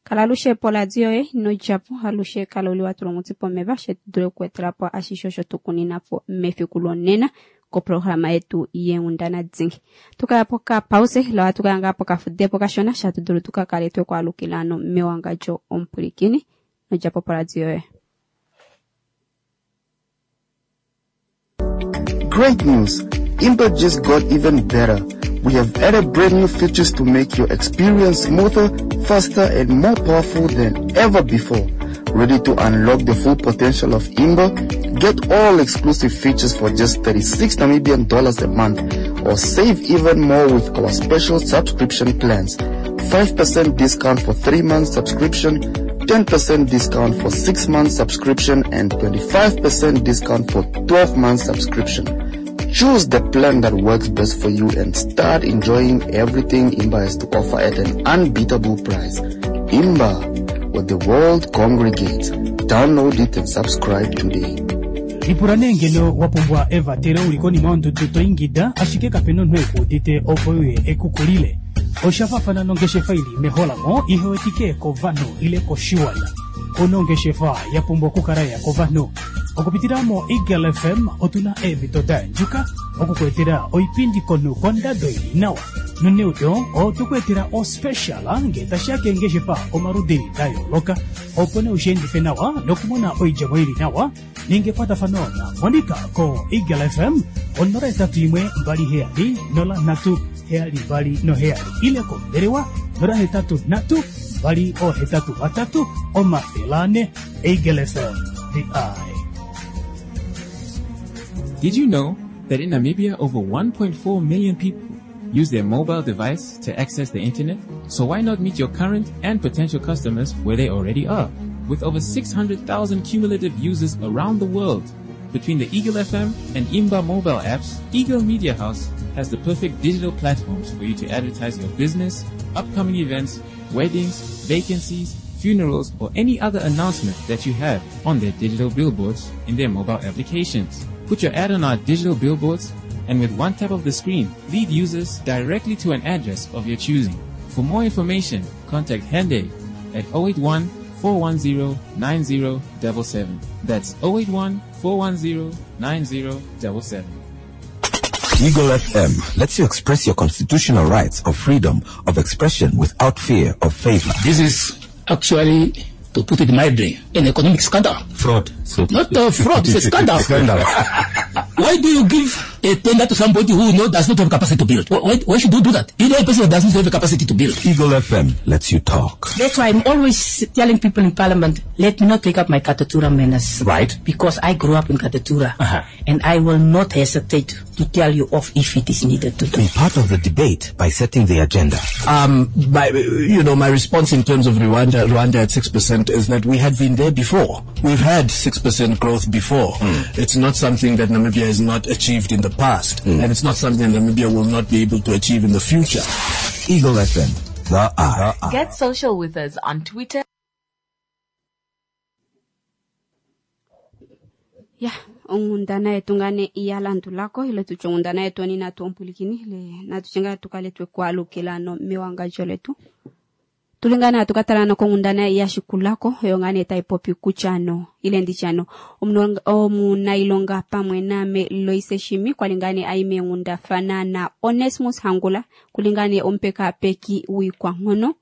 Kala alushe poladio yoye nodjapo alushe kala uli watula omutsi pomeva she dule okuetelapo ashishe osho tukuninapo mefiku lonena koprograma yetu yeenghundana dingi. Tukaya pokapause lawa tukaya ngaa pokafudepo kashona shatu dulu tukakale twekwaalukila ano mewangadjo omupulikini nodjapo poradio yoye. Great news! Imba just got even better. We have added brand new features to make your experience smoother, faster, and more powerful than ever before. Ready to unlock the full potential of Imba? Get all exclusive features for just thirty-six Namibian dollars a month, or save even more with our special subscription plans. five percent discount for three months subscription, ten percent discount for six months subscription, and twenty-five percent discount for twelve months subscription. Choose the plan that works best for you and start enjoying everything Imba has to offer at an unbeatable price. Imba, where the world congregates. Download it and subscribe today. Ipula nee ngeno wapumbwa evatelo uli konima yondudu to ingida ashike kapena omunhu ekuudite opo uye ekukulile. Osha faafana nongeshefa ili meholamo ihewetike kovanhu ile koshiwana. Onongeshefa ya pumbwa okukala ya kovanhu. Okupitila mo Eagle F M otuna eemhito da andjuka okukuetela oipindi konhu kondado ili nawa. Noneudo otoku etela ospecial ngee tashiya keengeshefa omaludi da yooloka opo ne ushiendife nawa nokumona oidjemo ili nawa ninga ekwatafano na Monica ko Eagle F M onola hetatu imwe mbali heyali nola nhatu heyali mbali noheyali ile kombelewa nola hetatu nhatu mbali ohetatu vatatu omafele ane. Eagle F M, the eye. Did you know that in Namibia over one point four million people use their mobile device to access the internet? So why not meet your current and potential customers where they already are? With over six hundred thousand cumulative users around the world, between the Eagle F M and Imba mobile apps, Eagle Media House has the perfect digital platforms for you to advertise your business, upcoming events, weddings, vacancies, funerals, or any other announcement that you have on their digital billboards in their mobile applications. Put your ad on our digital billboards, and with one tap of the screen, lead users directly to an address of your choosing. For more information, contact Hende at oh eight one, four one zero, nine zero seven seven. That's oh eight one, four one zero, nine zero seven seven. Eagle F M lets you express your constitutional rights of freedom of expression without fear of favor. This is actually, to put it mildly, an economic scandal. Fraud. So Not a fraud, it's a scandal. Scandal. Why do you give a tender to somebody who knows does not have capacity to build? Why, why should you do that? You know a person that doesn't have the capacity to build. Eagle F M lets you talk. That's why I'm always telling people in Parliament, let me not take up my Katutura manners. Right. Because I grew up in Katutura. Uh-huh. And I will not hesitate to tell you off if it is needed to do. Be part of the debate by setting the agenda. Um, my, you know, my response in terms of Rwanda, Rwanda at six percent is that we had been there before. We've had six percent growth before. Mm. It's not something that Namibia has not achieved in the past, Mm. and it's not something Namibia will not be able to achieve in the future. Eagle F M, the eye. Get social with us on Twitter. Yeah, onghundana yetu ngane iyalandulako ile tutye onghundana yetu oni natu ompulikini le natucenga tukale twekwalukilano mewangadjo letu. Tulingana hatukatala konghundana yashikulako oyo ngane taipopi kutya ile ndityano omunailonga pamwe name Loise Shimi kwalingane aime nghundafana na Onesmus Hangula kulingane ompekapeki wikwanghono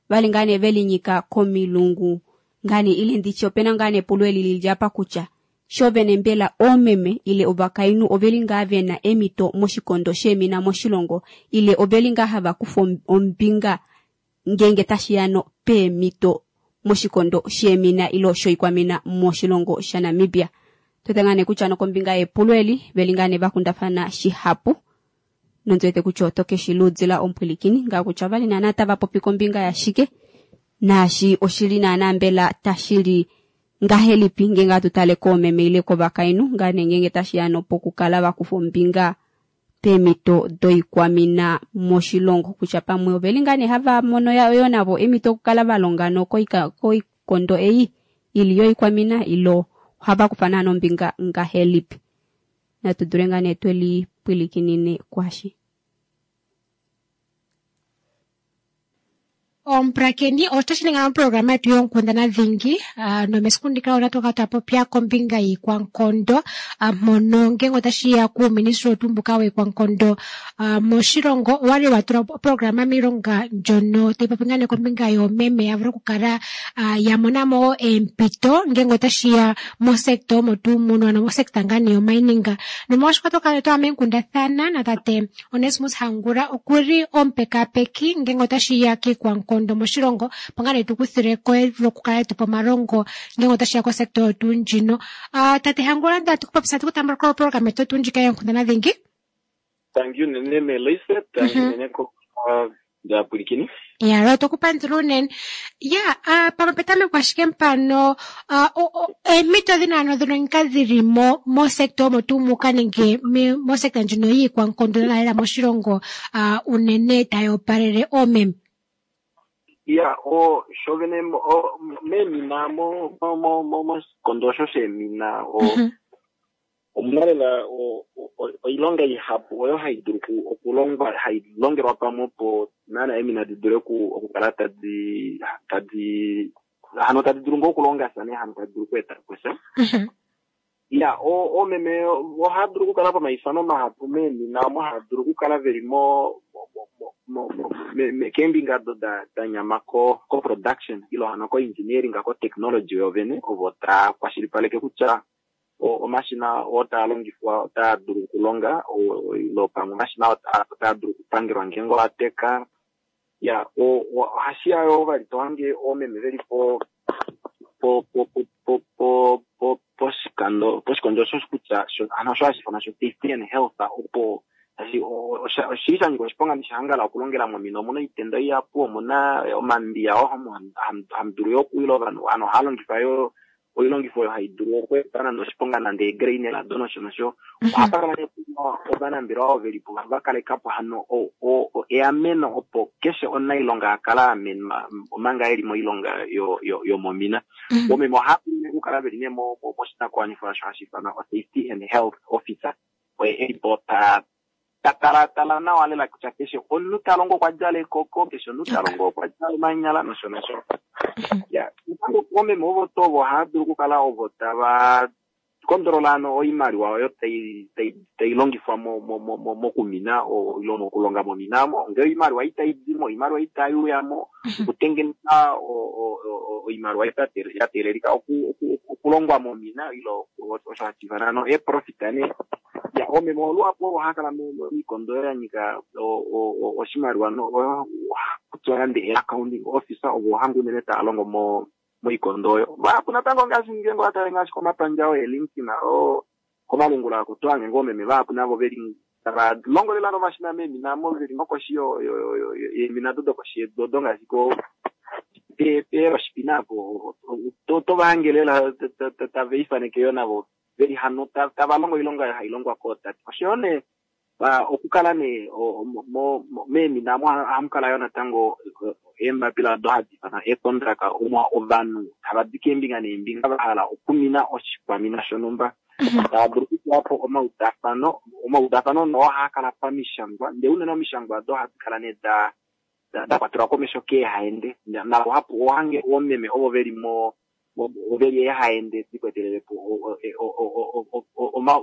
valingane velinyika komilungu ngane ile ndityo pena ngane pulo eli lilyapa kutya shovene mbela omeme ile ovakainhu ovelinga vena emito moshikondo shemina moshilongo ile ovelinga hava kufa ombinga ngenge tashiyano peemito moshikondo shemina ilo shoikwamina moshilongo sha Namibia. Totengane kutya nokombinga yepulo eli velingane vakundafana shihapu nonzwete kutya otoke shiludzila ompwilikini nga kutya vali naana tava popi kombinga yashike naashi oshili naana mbela tashili ngahelipi ngenge atutale koomeme ile kovakainhu ngane ngenge tashiyano pokukala vakufa ombinga peemito doikwamina moshilongo kutya pamwe ovelingane hava mono yo navo emito okukala valonga nokoika koikondo ei ili yoikwamina ilo ohava kufa naana ombinga ngahelipi. Natudule ngane tweli pwilikinine kwashi. Omprakeni otashininga programa yetu yonkundana dhingi uh, nomesiku ndika otatu ka popya kombinga yiikwankondo uh, mono ngenge otashiya kuuministry wetu mbuka wiikwankondo uh, moshilongo owali watula programa miilonga ndjono tayi popi ngaa nee kombinga yoomeme ya vule okukala uh, ya mona mo eempito ngenge otashiya mosekta omo tuu muno ano mosekta ngaa nee yomining. Nomolwaashoka otwa kala meenkundathana na tate Onesmus Hangula okuli omupekapeki ngenge otashiya kiikwankondo kondo moshilongo pangane tukuthileko lokukala tupa omalongo ngenge otashiya kosekta oyo tuu ndjino. Uh, tate Hangula ndatukupopisa tukutambula ko program yetu tuu ndjika yoonkundana dhingi. Thank you nene Melissa, thank you nene ko ndapulikini. Ya, lo tokupandula unene. Ya, uh, pamwe petameko ashike mpano uh, eemito dhina ano dhono nka dhili mo mosekta omo tuu muka nenge mosekta ndjino yiikwankondo nalela moshilongo uh, unene tayi opalele oomeme. Ya, o shovene o memina mo mo mo mo moshikondo osho shemina o omuna lela oilonga ihapu oyo hayi dulu okulongwa hayi longelwa pamwe opo naana emina di dule okukala tadi tadi hano tadi dulu ngoo okulongasana hano tadi dulu okweeta posha. Ya, o omeme ohaya dulu okukala pamaifano mahapu memina omo haya dulu okukala veli mo keembinga do da da nyama ko ko production ilo hano ko engineering ko technology yovene ovo taa kwashilipaleke kutya omashina oo taa longifwa otaa dulu okulonga ilo pamwe omashina otaa dulu okupangelwa ngeenge oateka. Ya ohashi ya yo vali tohange oomeme veli po po po po po po poshikando poshikondo osho kutya hano osho hashi ifanwa sho safety and health opo oshili sha nyika oshiponga nishahangala okulongela momina. Omuna oitenda ihapu, omuna omambiya oo hamu dulu yo okuwila ovanhu, ano ohaya longifa yo oilongifo oyo hai dulu okweeta nande oshiponga nande egreinela do nosho nosho. Ohapa kala nee ovanambelewa ovo velipo va kalekapo hano eameno opo keshe omunailonga a kala amenwa omanga eli moilonga yomomina. Omeme ohava dulu okukala veli nee moshinakuwanifwa osho hashi ifanwa safety and health officer, oye elipo ta tala tala nawa lela kutya keshe omunhu ta longo okwa djala ekoko, keshe omunhu ta longo okwa djala omanyala nosho nosho. Ya omeme ovo to ovo ohava dulu okukala ovo tava kondolola ano oimaliwa oyo tai tai tai longifwa mo mo mo mokumina ilo mokulonga momina mo, ngee oimaliwa itai dimo, oimaliwa itai uyamo, okutengeneka oimaliwa ya teelelika okulongwa momina ilo osho hashi ifanwa ano eprofit nee. Ya omeme oluhapu ohava kala moikondo ya nyika oshimaliwa kutya nande accounting officer ovo hanga unene tava longo mo moikondo oyo. Vahapu natango ngaashi ngeenge watale ngaashi komapandja oo eLinkedIn oo komalungula ako tohange ngoo omeme vahapu navo veli tava longo lela nomashina meemina mo veli nokoshi yeemina do dokoshi yedu odo ngaashi ko peeroshipina apo tova hange lela tava ifaneke yo navo veli hano tava longo oilonga hai longwa kootate. Oshoyo nee okukala nee meemina mo ohamu kala yo natango eembapila odo hadi ifanwa eecontract omo ovanhu tava di keembinga neembinga va hala okumina oshikwamina shonhumba, tava dulu okutuwa po omaudafano. Omaudafano noo ohaa kala pamishangwa, ndee unene omishangwa odo ohadi kala nee da da kwatelwa komesho keehaende, naluhapu ohange oomeme ovo veli mo veli eehaende dikwetelele po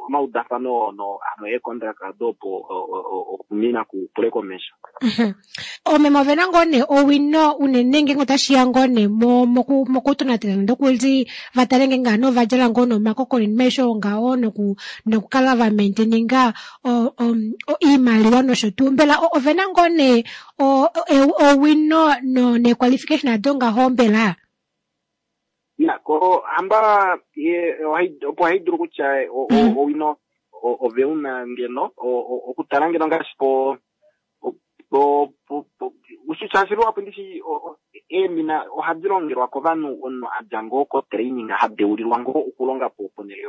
omaudafano no ano eecontract odo opo okumina kupule komesho. Oomeme ovena ngoo nee owino unene ngeenge otashiya ngoo nee mokutonatela nande okuli vatale ngeenge hano ova djala ngoo nomakoko noinima aishe oyo ngaho nokukala va maintaininga oimaliwa nosho tuu. Mbela ovena ngoo nee owino neequalification ado ngaho mbela? Ya ko hamba opo hai dulu kutya owino oveuna ngeno okutala ngeno ngaashi po po shaashi luhapu ndishi eemina ohadi longelwa kovanhu omunhu adja ngoo ko training hadeulilwa ngoo okulonga po ponhele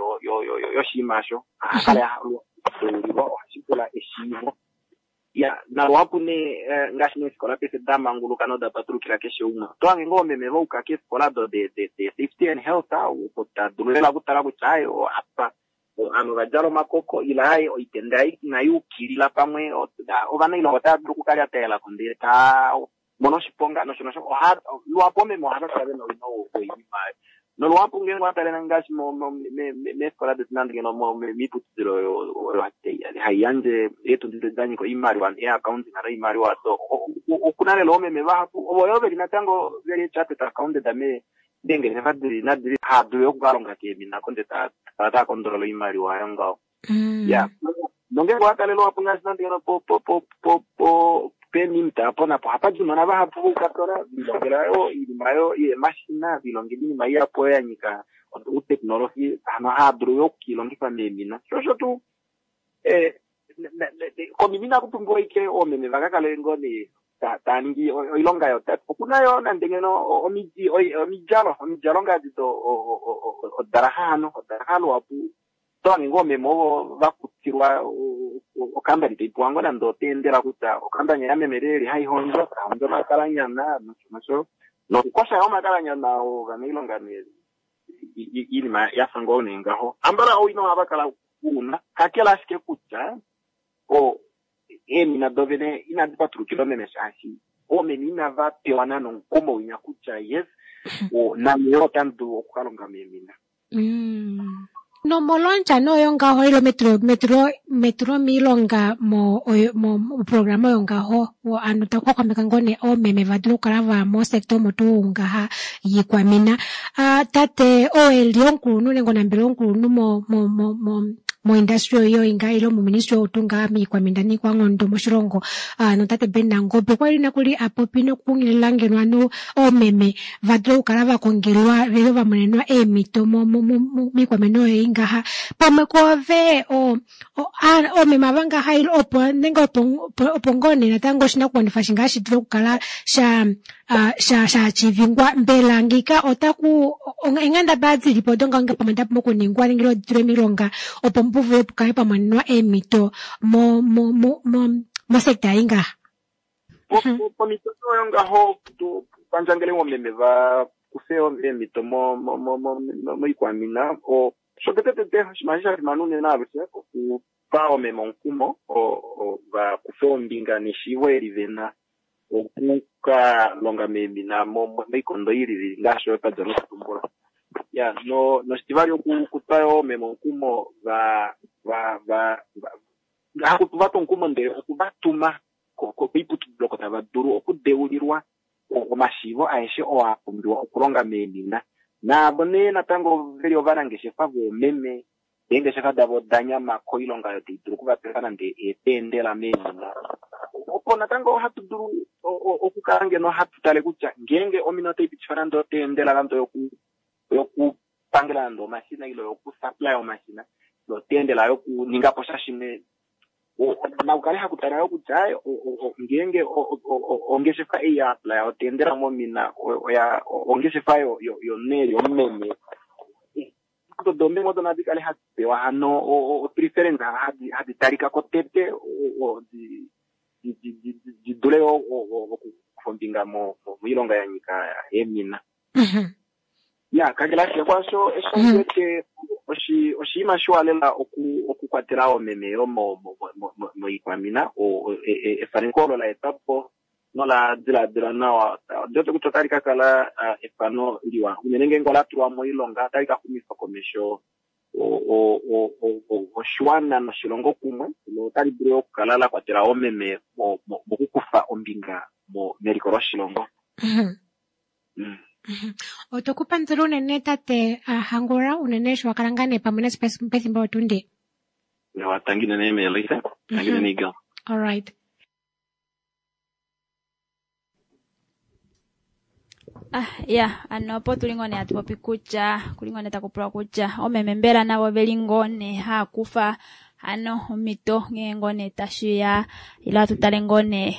yoshinima osho hakala adeulilwa, ohashi pula eshiivo. Ya naluhapu nee ngaashi neefikola paife da manguluka noda patulukila keshe umwe, otohange ngoo oomeme vauka keefikola do de safety and health opo tadulu lela okutala kutya aye apa ovanhu va djala omakoko ile aye oitenda inai ukilila pamwe ovanailonga otava dulu okukala taelako ndele taa mono oshiponga nosho nosho. Luhapu oomeme ohava kala vena owino woinima oyo, noluhapu ngeenge watale ngaashi meefikola detu nande ngeno miiputudilo oyo hai yandje eetundi da nyika oimaliwa eaccounting noimaliwa do okuna lela oomeme vahapu ovo yo veli natango veli chartered accountant meengeshefa dili nadili haa dulu okukalonga keemina ko ndee taa kala taa kondolola oimaliwa oyo ngaho. Ya nongeenge watale luhapu ngaashi nande ngeno po po po po po peemimta apo napo ohapa di ounona vahapu voukadona vilongela yo oinima yo yeemashina, vilongela oinima ihapu oyo ya nyika outeknolohi hano haa dulu yo okukiilongifa meemina. Sho osho tuu komina inaku pumbiwa ashike oomeme vaka kale ngoo nee taa ningi oilonga yotate, okuna yo nande ngeno omidi omidjalo omidjalo ngaashi do odalaha hano odalaha luhapu tohange ngoo oomeme ovo vakutilwa okambani taipewa ngoo nande oteendela kutya okambani yameme leli hai hondjo tahondjo omakalanyana nosho nosho nokukosha yo omakalanyana ovanailonga nee iinima yafa ngoo nee ngaho. Ambala owino ohava kala una kakele ashike kutya o eemina dovene inadi patulukila omeme shaashi oomeme inava pewa nande omukumo winya kutya yes name yo otamu dulu okukalonga meemina. Nomolondja noyo ngaho ilo metulo metulo metulo miilonga mo oyo- mo moprograma oyo ngaho wo ano takuxwaxwameka ngoo nee oomeme vadule okukala vaya mosector omo tuu ngaha yiikwamina. Ah, tate oo eli omukulunhu nenge onambelewa omukulunhu mo mo mo mo moindustry oyo inga ile muministry ou tuu ngaha miikwamina niikwanghondo moshilongo ah, notate Ben Nangombe okwali nakuli apopi nokukunghilila ngeno anu oomeme vadule okukala vakongelwa vele vamonenwa eemhito mo- mo- mo- mo- miikwamina oyo ingaha pamwe koove o- o- a- oomeme ava ngaha ile opo nenge opo opo- opo ngoo nee natango oshinakuwanifwa shingaha shidule okukala sha ah, sha shachivingwa mbela ngika otaku eenghendabala dilipo odo ngaho pamwe dapumbwa okuningwa nenge ditulwe miilonga opo muvule pukale pamonenwa eemhito mo mo mo mo mosekta ei ngaha. Pomhito oyo ngaho tu pandjangele omeme va kufe eemhito mo- mo- mo- mo- mo- moikwamina o shotetetete oshinima eshi sha fimana unene alushe okupa omeme omukumo o- o- va kufe ombinga neshiivo eli vena okuka longa meemina mo- mo- moikondo ilili ngaashi oyo twadja nokutumbula. Ya no noshitivali okutwa yoo omeme omukumo va va va va- hakutuvatwa omukumo ndele okuvatuma koiputudilo oko tava dulu okudeulilwa omashiivo aeshe oo a pumbiwa okulonga meemina. Naavo nee natango veli ovanangeshefa voomeme eengeshefa davo oda nyama koilonga oyo tai dulu okuvapefa nande eetendela meemina. Opo natango ohatu dulu okukala ngeno hatu tale kutya ngeenge omina otai pitifa nande oteendela nande yoku yokupangela nande omashina ile yokusupply omashina ile oteendela yokuninga po sha shimwe, nakukale hakutala yo kutya ngeenge ongeshefa ei ya apply oteendela momina oya ongeshefa yomunhu eli omumeme, odo odo nadi kale hadi pewa hano o preference hadi talika ko tete di dule okukufa ombinga moilonga ya nyika eemina. Ya kakele ashike kwaasho eshi ndiwete oshinima shiwa lela okukwatela oomeme yo moikwamina. Efaneko olo la etwa po nola diladilwa nawa ondiwete kutya otali ka kala efano liwa unene ngeenge ola tulwa moilonga, otali ka xumifa komesho oshiwana noshilongo kumwe, notali dulu okukala la kwatela oomeme mokukufa ombinga meliko loshilongo. Otokupandula unene tate Hangula unene sho wakala ngaa nee pamwe nafye pefimbo lotundi. Tangi unene Melissa, tangi unene Eagle. Alright. Ah, ya ano opo tuli ngoo nee hatu popi kutya kuli ngoo nee taku pulwa kutya omeme mbela navo veli ngoo nee haakufa ano omhito ngee ngoo nee tashiya ile hatu tale ngoo nee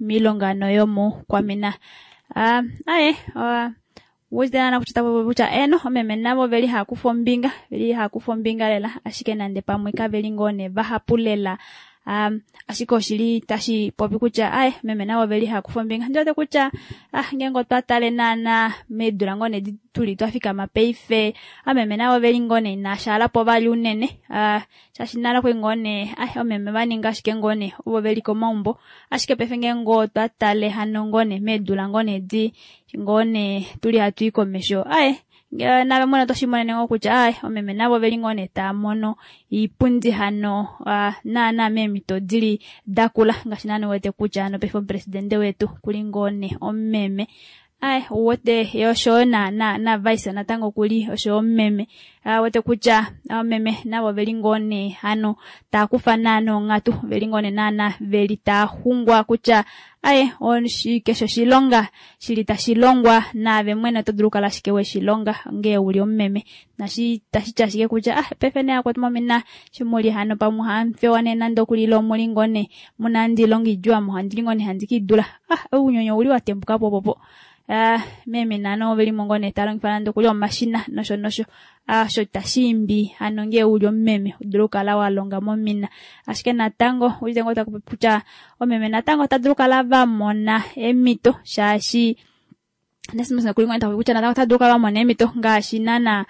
miilonga ano yomukwamina. Ah, aye wuzidenana kutya tapopi kutya eno omeme navo veli haakufa ombinga, veli haakufa ombinga lela, ashike nande pamwe kaveli ngoo nee vahapu lela. Um, ashike oshili tashi popi kutya aye meme navo veli haakufa ombinga. Ndiwete kutya ah ngeenge otwa tale naana meedula ngoo nee tuli twafikama paife, ameme navo veli ngoo nee inashaalapo vali unene. Ah, shaashi nale okwali ngoo nee aye omeme vaninga ashike ngoo nee ovo veli komaumbo, ashike paife ngeenge otwa tale hano ngoo nee meedula ngoo nee di ngoo nee tuli hatu i komesho, aye nave mwene otoshimonene ngoo kutya aye omeme navo veli ngoo nee taa mono iipundi hano naana meemhito dili dakula, ngaashi naana uwete kutya hano paife omupresidente wetu kuli ngoo nee omumeme. Aye uwete ye oshoyo na na na vice natango kuli oshoyo omumeme. Uwete kutya omeme navo veli ngoo nee hano taa kufa naana onghatu, veli ngoo nee naana veli taa xungwa kutya aye keshe oshilonga shili tashi longwa naave mwene oto dulu okukala ashike weshilonga ngee uli omumeme. Nashi tashiti ashike kutya ah paife nee akwetu momina shimuli hano pamwe ohamufewa nee nande okuli ile omuli ngoo nee muna handi ilonga idjuu ame ohandili ngoo nee handi kiidula. Ah ounyonyo ouli watembuka po popo. Ah meme nano velimo ngoo nee talongifa nande okuli omashina nosho nosho. Ah osho tashiimbi hano ngee uli omumeme udule okukala walonga momina. Ashike natango uwete ngoo takupopi kutya omeme natango ota dulu okukala vamona eemhito shaashi kuli ngoo takupopi kutya natango ota dulu okukala vamona eemhito ngaashi naana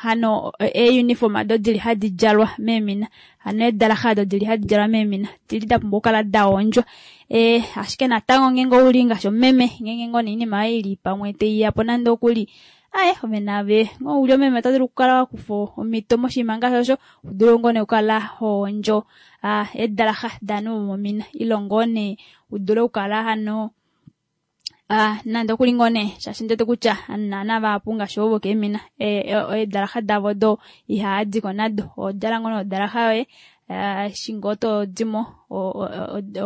hano euniform ado dili hadi djalwa meemina, hano eedalaxa ado dili hadi djalwa meemina dili dapumbwa okukala dahondjwa. Eh ashike natango ngeenge ouli ngaashi omumeme ngeenge ngoo nee oinima yoye ili pamwe taiyapo nande okuli Aye ove nave ngo uli omeme oto dulu okukala wakufa omhito moshinima ngaashi osho udule ngoo nee okukala hondjo ah, eedalaxa daanhu vomomina ile ngoo nee udule okukala hano ah, nande okuli ngoo nee shaashi ndiwete kutya naana vahapu ngaashi ovo vokeemina eedalaxa davo do ihaadiko nado odjala ngoo nee odalaxa yoye eshi ngoo todimo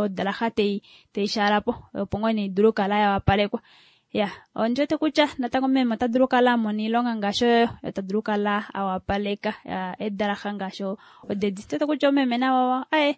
odalaxa tei teishaalapo opo ngoo nee idule okukala yawapalekwa. Ya, ondiwete kutya natango meme ota dulu okukala amona oilonga ngaashi oyo ota dulu okukala awapaleka eedalaxa ngaashi odedi. Ndiwete kutya omeme navo aye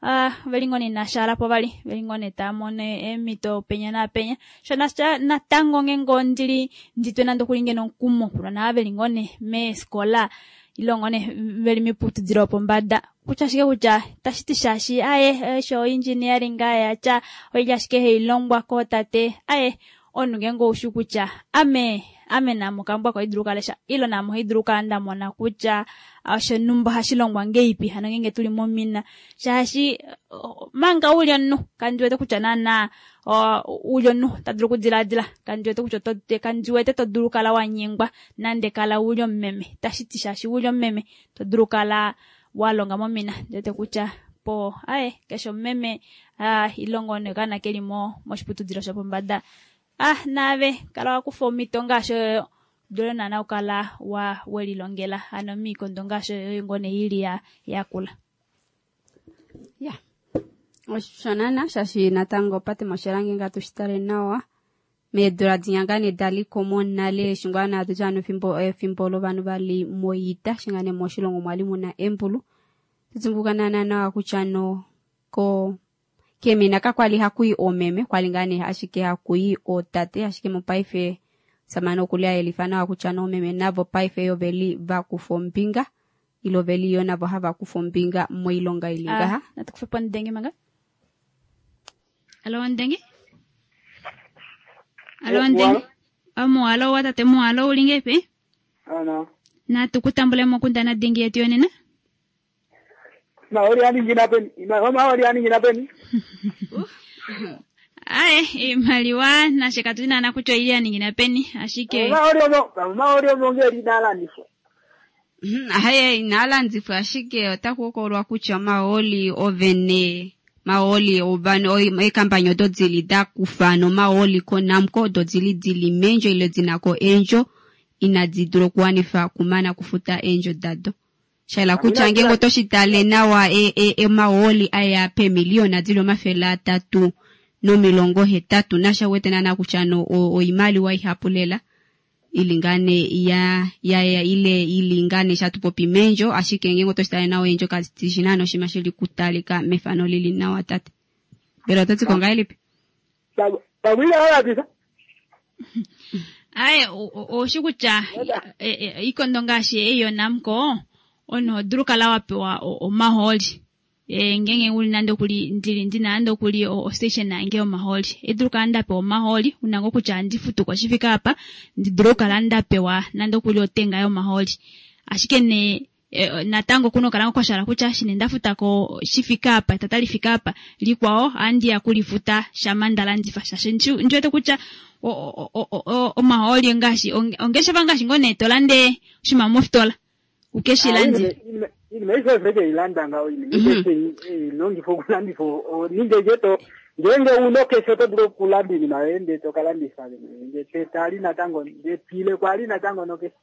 ah veli ngoo nee inashaalapo vali veli ngoo nee taamono eemhito penya naapenya sho natango ngeenge ondili nditwe nande okuli ngeno omukumo kulona veli ngoo nee meefikola ile ngoo nee veli miputudilo yopombada kutya ashike kutya tashiti shaashi aye osho engineering aye atya oili ashike hailongwa kootate aye omunhu ngeenge oushi kutya ame ame naame okambwa koidulu okalesha ile naame ohaidulu okukala ndamona kutya oshonhumba ohashi longwa ngeipi hano ngeenge tuli momina shaashi manga uli omunhu kandiwete kutya naana uli omunhu tadulu okudilaadila kandiwete kutya kandiwete todulu okukala wanyengwa nande kala uli omumeme tashiti shaashi uli omumeme todulu okukala walonga momina ndiwete kutya po aye keshe omumeme ilongo nokaana keli moshiputudilo shopombada ah naave kala wakufa omhito ngaashi oyo dule naana okukala wa welilongela hano miikondo ngaashi oyo ngoo nee ili yakula. Ya osho naana shaashi natango opate moshilange nga tushitale nawa meedula dinya ngaa nee daliko monale eshi ngaa nee hatutya hano efimbo efimbo lovanhu vali moita eshi ngaa nee moshilongo mwali muna embulu tutumbuka naana nawa kutya no ko keemina kakwali hakuyi oomeme kwali ngaa nee ashike hakuyi ootate ashike mopaife samane okuli ayelifa nawa kutya noomeme navo paife yo veli vakufa ombinga ile veli yo navo hava kufa ombinga moilonga ili ngaha. Natukufe po ndenge manga. Alo ndenge. Alo ndenge. Amualo watate mualo uli ngepi? Ano. Natukutambule mokundana dingi yetu yonena. Maori aningina peni. Maori aningina peni. Aye, imaliwa nashe katuna na kutya ili aningina peni ashike. Maori omo, maori omo ngeri nalandifwa. Aye, inalandifwa ashike otakuokolwa kutya maoli ovene maoli ovano ekampanyo odo dili dakufa nomaoli koNamcor odo dili dili mendjo ile dinako endjo inadi dula okuwanifa kumana kufuta eendjo dado. Shaila kutya ngenge otoshitale nawa e, e, e maoli aya pemiliona dili omafele atatu nomilongo hetatu nasha wete nana kutya no oimaliwa ihapu lela ilingane ya ya, ya ile ilingane shatupopi mendjo ashike ngenge otoshitale nawa endjo kazitishina noshima shili kutalika mefano lili nawa tate. Mbela ototi kongahelipi? Pawila alapisa. Aye, oshi kutya ikondo ngaashi eyo Namcor ono dulu kala wapewa omaholi e ngenge uli nande okuli ndili ndina nande okuli o station yange omaholi edulu kala ndapewa omaholi unango kutya ndifutuko shifika apa ndidulu kala ndapewa nande okuli otenga yomaholi ashike ne e, natango kuno kala kwashala kutya shine ndafutako shifika apa tata lifika apa likwao andi yakulifuta shamandala ndifa shashe ndiwete kutya omaholi ngaashi ongeshefa ngaashi ngone tolande shima mofitola ukeshilandi inima isefeke ilanda ngawo inima ilongifo okulandifo ninge jeto ngenge unokeshe oto dulu okulanda inima yoye ndee tokalandifa nge tetali natango ndepile kwali natango nokeshe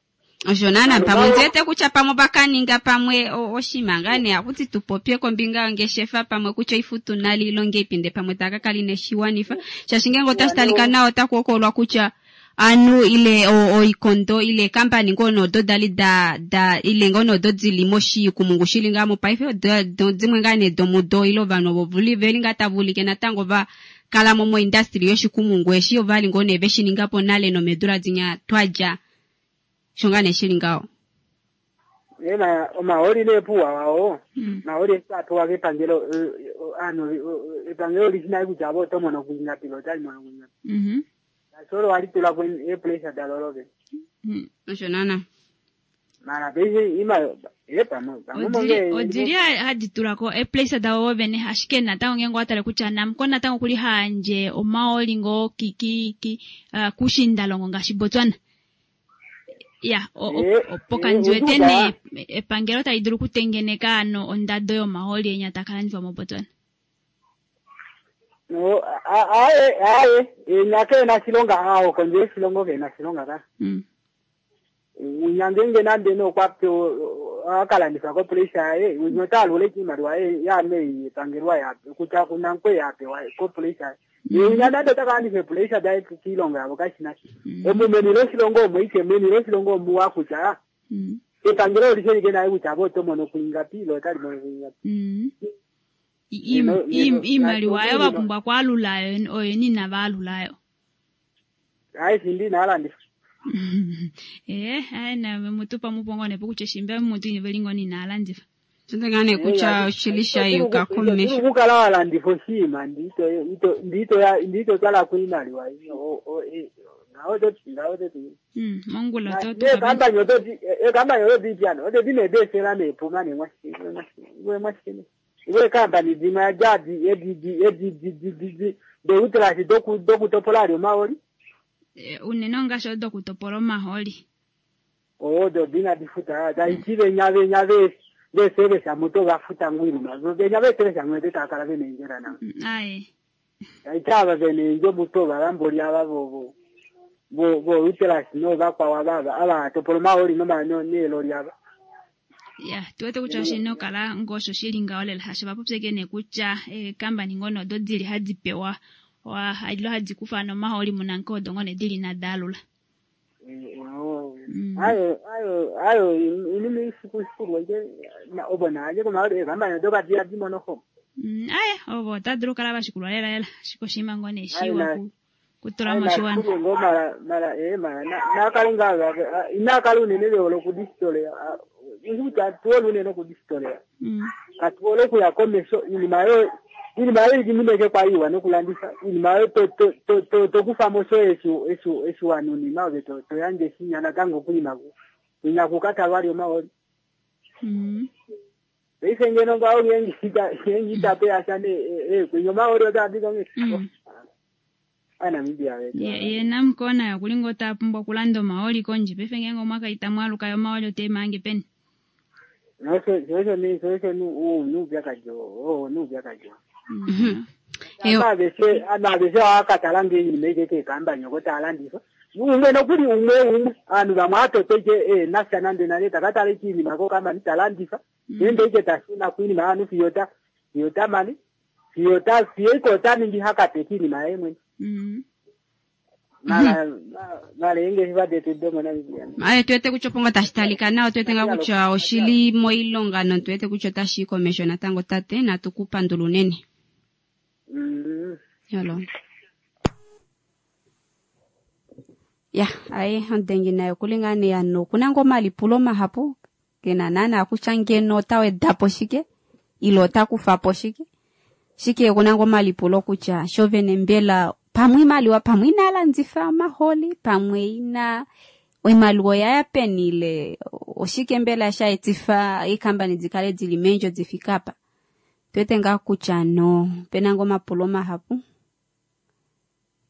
osho naana pamwe ndiwete kutya pamwe vakaninga pamwe oshima ngaa nee akuti tupopye kombinga yongeshefa pamwe kutya oifutu nali ilonge ipinde pamwe takakali neshiwanifa shaashi ngenge otashitalika nawa otakuokolwa kutya anu ile oikondo ile kampani ngono odo dali da da ile ngono odo dili moshikumungu shili ngaa mopaife dimwe ngaa nee domudo ile ovanhu ovo vuli veli ngaa tavulike natango va kala mo moindustry yoshikumungu eshi ovali ngoo nee veshiningapo nale nomedula dinya twadja sho ngaa nee shili ngaho. Ena omaoli neepuwa wao maoli apewa kepangelo ano epangelo lishina kutya avo otomono kuingapilo otalimono kuingapi. Mhm. Solo walitula ku epressure dalolobe. Osho nana. Mara pese ima epa mo. Odili haditulako epressure dawo vene ashike natango ngenge watale kutya Namcor natango kuli hanje omaoli ngo ki ki ki uh, kushindalongo ngaashi Botswana. Ya, o- o- Eh, opo kandi eh, wete oduda. nee epangelo tali dulu okutengeneka ano ondado yomahooli enya taka landifwa moBotswana. No, a- aye aye enya keena shilonga awo kondje yoshilongo keena shilonga ka Mm. unya ngenge nande nokwapewa akalandifwa kopressure yaye unya otaalula iimaliwa ye yaame yepangelwa yape kutya kunankwe yapewa kopressure ye unya nande otakalandifa epressure daye kiilongo yavo kashina omu meni loshilongo omo ike meni loshilongo omuwa kutya Mm. epangelo olishelike naye kutya avo oto mono kuingapi lo otali mono kuingapi Mm. I- i- Neno- i- neno- Iimaliwa ayo neno- vapumbwa kwaalula oyo nina vaalulayo. ayi shindi inaalandifa Eh, ayi na mutu pamupongo nepo kutya shimba mutu ivelingo nina alandifa. Tutenga nee kutya oshili sha yuka komesho. kukala walandifa oshiima ndito ito ndito ndito twala kuimaliwa o- o- e- ngawo toti ngawo toti Mm, mongula to to ekambani ototi ekambani ototi pyano ototi nebesela nepuma nemwashine iwe kambani dzimwe ajadi edidi deutrasi dokutopola ali omaoli unene ongashi odokutopola omahooli. odo dina difuta taiti venya venya ve vesevesa muto vafuta ngwirima venya vesevesa ngwete takala venenjera na Mm, Ayi. itava venenjo muto valamboli ava vovo vo vo utelasi no vakwawa vava ava topola omaoli noma no neloli ava Ya, tuwete kutya oshina okala ngosho shili ngaho lela hasho vapopyeke nee kutya eekambani ngono odo dili hadi pewa wa ilo hadi kufa nomahooli munanke odo ngone dili nadaalula. ayo ayo ayo inini isiku ije obona aje komaoli ekambani odokatiya dimonoho Mm, aye ovo otadulu okukala vashikulwa lela lela shiko oshinima ngoo nee Ayi, shiwa na- ku- kutula moshiwana. ngo mara mara eh mara nakali nga inakali unene veolo kudistolea ikuti atuole unene kudistolea Mm. katuole okuya komesho iinima yo iinima yo ili kwa iwa nokulanditha iinima yo to- to- to- to- tokufamo sho eshi eshi eshi wanunima ove to- toyandje shinya natango kuima kunya kukatalwa lyo maoli Mm. paife ngeno ngawo ngengita ngengita pe asane eh kunya maoli otadika Mm. aNamibia wetu Ye- yena mukona yo kulinga otapumbwa okulanda omahooli kondje paife ngenge omwakaita mwaluka yomahooli oteemange peni. Nosho nosho ni nosho nu u nuupyakadhi o nuupyakadhi Eyo. anaveshe anaveshe akatala ngeinima ikeke ekambani oko talanditha umwe nokuli umwe umwe anhu vamwe atoto ike eh, nasha nande nane takatala ichiinima kokambani talanditha nende ike tashuna kuinima anu fiyo ta fiyo tamani fiyo ta fiyo iko taningi hakate kiinima yaye mwene Mm. mara mara inge shivadetu domo Namibia Aye tuwete kutya opongo tashi talika nawa tuwete nga kutya oshili moilonga notuwete kutya otashi yi komesho natango tate natukupandula unene. Mm. Yolo. Ya, aye ondengi nayo kulinga ne yano kuna ngoma omalipulo mahapu kena nana kutya ngeno otawedapo shike ile otakufapo shike shike kuna ngoo omalipulo kutya shovene mbela pamwe imaliwa pamwe inalandifa omaholi pamwe ina oimaliwa oyaya peni ile oshike mbela shaetifa iikambani dikale dili meendjo difika apa tuwete ngaa kutya no pena ngoo omapulo mahapu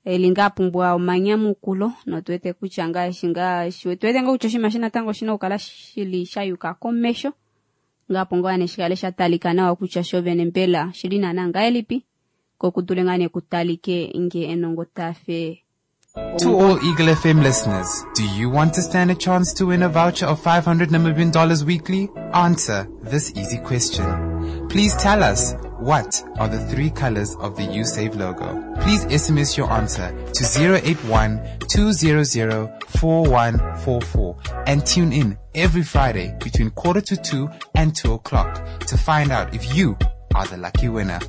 eli ngaa apumbwa omanyamukulo notuwete kutya ngaashi ngaashi tuwete ngaa kutya oshinima shi natango oshina okukala shili shayuka komesho ngapo ngaa neshikale sha talika nawa kutya shovene mbela shili naana ngahelipi ko kudule ngaa nekutalike nge enongo tafe To all Eagle F M listeners, do you want to stand a chance to win a voucher of five hundred Namibian dollars weekly? Answer this easy question. Please tell us, what are the three colors of the YouSave logo? Please S M S your answer to zero eight one, two zero zero, four one four four and tune in every Friday between quarter to two and two o'clock to find out if you are the lucky winner.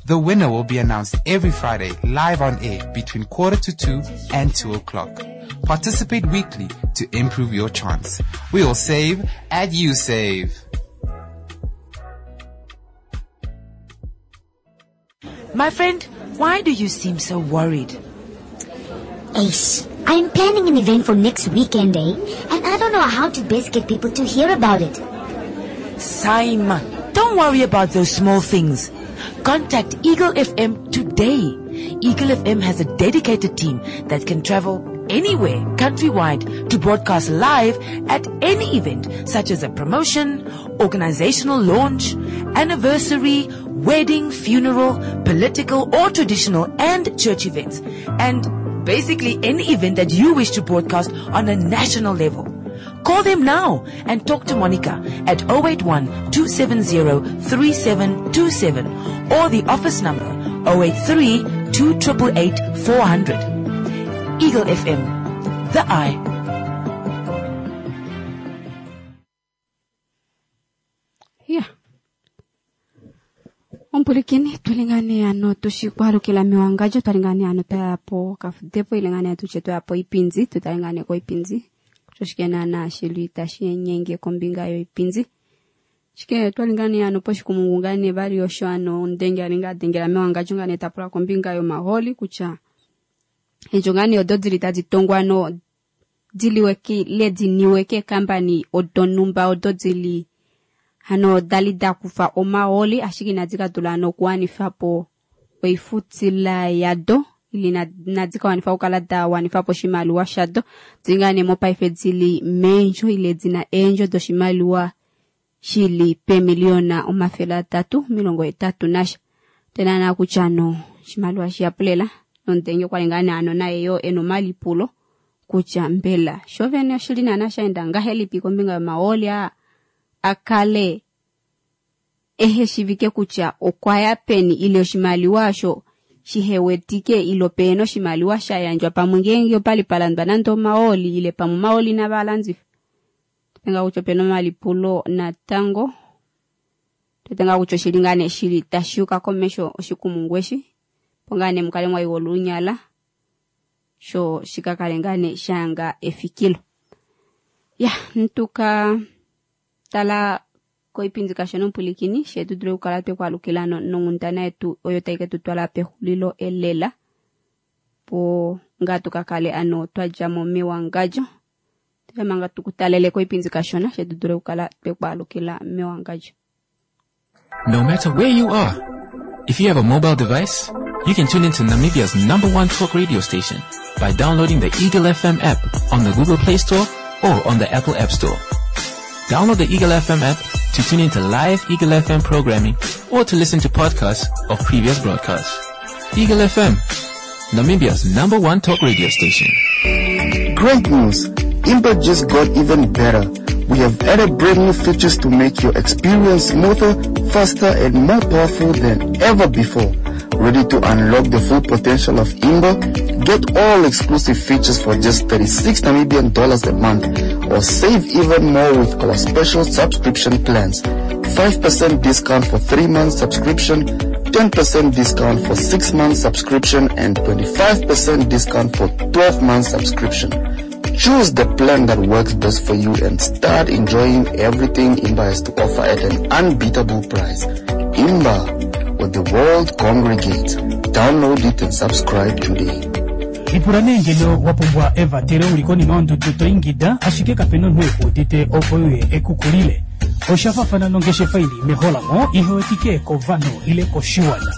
The winner will be announced every Friday live on air between quarter to two and two o'clock. Participate weekly to improve your chance. We all save at YouSave. My friend, why do you seem so worried? Ace, I'm planning an event for next weekend, eh? And I don't know how to best get people to hear about it. Simon, don't worry about those small things. Contact Eagle F M today. Eagle F M has a dedicated team that can travel anywhere countrywide to broadcast live at any event such as a promotion, organizational launch, anniversary, wedding, funeral, political or traditional and church events, and basically any event that you wish to broadcast on a national level. Call them now and talk to Monica at oh eight one, two seven zero, three seven two seven or the office number oh eight three, two triple eight, four hundred. Eagle F M, the eye. Yeah. Ompulikini tulingane ano tushikwalukila mewangajo twalingane ano twayapo kafudepo ilingane tuche twayapo ipinzi tutalingane ko ipinzi toshike na shili tashinyenge kombinga yo ipinzi shike twalingane ano poshikumungane bali osho ano ndenge alinga dengela mewangajo ngane tapula kombinga yo maholi kucha ejo ngane ododili taditongwa no diliweke lediniweke company odonumba ododili hano dali dakufa omaoli ashike inadika tula no kuwanifapo oifutila yado ili nadika wanifa okukala da wanifapo oshimaliwa shado dzingane mopaife dzili meendjo ile dzina eendjo doshimaliwa shili pemiliona omafele atatu milongo etatu nasha tena na kutya no oshimaliwa shiyapulela nondenge okwali ngaa ano naye yo ena omalipulo kutya mbela shovene oshili naana shaenda ngahelipi kombinga yomaoli aa akale ehe shivike kutya okwaya peni ile oshimaliwa asho shihewetike ilo peno oshimaliwa shayandjwa pamwe ngeenge opali palandwa nande omaoli ile pamwe omaoli navalandifa. Tenga kutya opena omalipulo natango tetenga kutya oshili ngaa nee shili tashiuka komesho oshikumungu eshi opo ngaa nee mukale mwaiwa olunyala sho shikakale ngaa nee shayanga efikilo. Ya ntuka tala koipindi kashona ompulikini shetu dule okukala twekwalukila nonghundana yetu oyo tai ke tu twala pexulilo elela po ngaa tukakale ano twadjamo mewangadjo tuyamanga tukutalele koipindi kashona shetu dule okukala twekwalukila mewangadjo. No matter where you are, if you have a mobile device, you can tune into Namibia's number one talk radio station by downloading the Eagle F M app on the Google Play Store or on the Apple App Store. Download the Eagle F M app to tune into live Eagle F M programming or to listen to podcasts of previous broadcasts. Eagle F M, Namibia's number one talk radio station. Great news! Imba just got even better. We have added brand new features to make your experience smoother, faster, and more powerful than ever before. Ready to unlock the full potential of Imba? Get all exclusive features for just thirty-six Namibian dollars a month, or save even more with our special subscription plans. five percent discount for three month subscription, ten percent discount for six month subscription, and twenty-five percent discount for twelve month subscription. Choose the plan that works best for you and start enjoying everything Imba has to offer at an unbeatable price. Imba, where the world congregates. Download it and subscribe today. Lipula nee ngeno wapumbwa evatele uli konima yondudu toingida ashike kapena omunhu ekuudite opo uye ekukulile. Oshafafana nongeshefa ili meholamo ihewetike kovanhu ile koshiwana.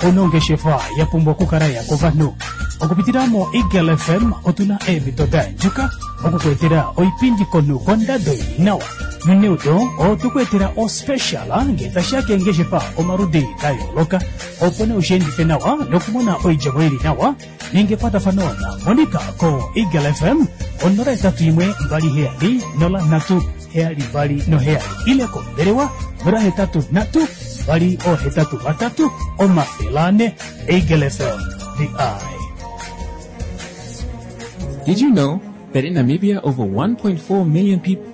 Onongeshefa yapumbwa okukala ya kovanhu. Okupitila mo Eagle F M otuna eemhito da andjuka okukuetela oipindi konhu kondado ili nawa. Noneudo otukuetela ospecial ngee tashiya keengeshefa omaludi da yooloka opo nee ushiendife nawa nokumona oidjemo ili nawa ninga ekwatafano na Monica ko Eagle F M onola etatu imwe mbali heyali nola nhatu heyali mbali noheyali ile kombelewa nola hetatu nhatu mbali ohetatu vatatu omafele ane. Eagle F M, the eye. Did you know that in Namibia over one point four million people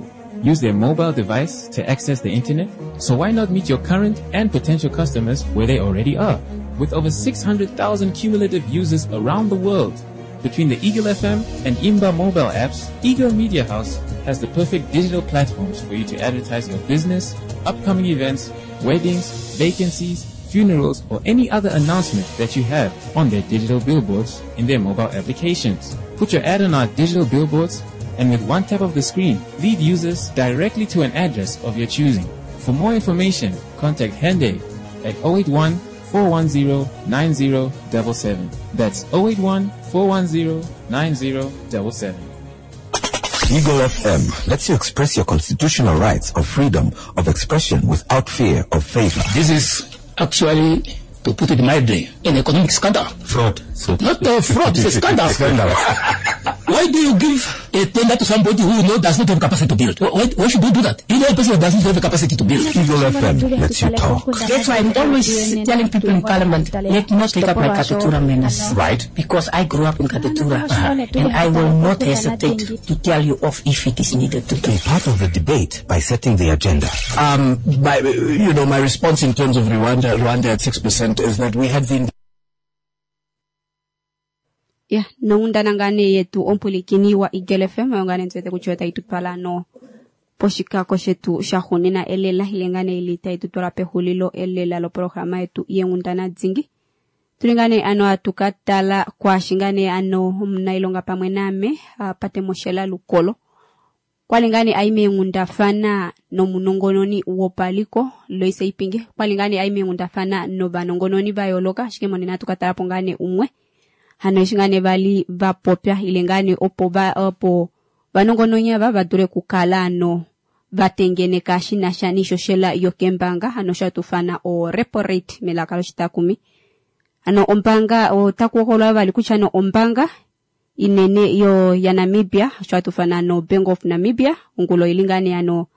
use their mobile device to access the internet? So why not meet your current and potential customers where they already are? With over six hundred thousand cumulative users around the world, between the Eagle F M and Imba mobile apps, Eagle Media House has the perfect digital platforms for you to advertise your business, upcoming events, weddings, vacancies, funerals, or any other announcement that you have on their digital billboards in their mobile applications. Put your ad on our digital billboards, and with one tap of the screen, lead users directly to an address of your choosing. For more information, contact Hende at oh eight one, four one zero nine zero double seven. That's oh eight one, four one zero, nine zero double seven. Eagle F M lets you express your constitutional rights of freedom of expression without fear of favor. This is actually, to put it mildly, an economic scandal. Fraud. So Not a fraud, it's a scandal. Scandal. Why do you give a tender to somebody who you know does not have capacity to build? Why, why should you do that? You know a person doesn't have the capacity to build. Eagle F M lets you talk. That's why I'm always telling people in Parliament, let not take up my Katutura manners. Right. Because I grew up in Katutura. And I will not hesitate to tell you off if it is needed to do. Be part of the debate by setting the agenda. Um, my, you know, my response in terms of Rwanda, Rwanda at six percent is that we had been Ya, noundana ngane yetu ompulikini wa Eagle F M oyo ngane ntswete kutya otayi tu twala no poshikako shetu shaxunina elela ile ngane ili tayi tu twala pexulilo elela loprograma yetu yenghundana dzingi. Tuli ngane ano atuka tala kwaashi ngane ano omunailonga pamwe naame, ah, Pate Moshela Lukolo. Kwali ngane ayi meenghundafana nomunongononi wopaliko Loise Ipinge. Kwali ngane ayi meenghundafana novanongononi va yooloka, ashike monena atuka tala po ngane umwe. Hano eshi ngane vali va popya ile ngane opo va, opo vanongononi ava va dule kukala ano va tengeneka shi na sha nishoshela yokembanga, hano sha tufana o repo rate melaka loshitakumi. Hano ombanga, otaku hokololwa vali kutya no ombanga inene yo ya Namibia, sha tufana no Bank of Namibia, ongulo ili ngane ano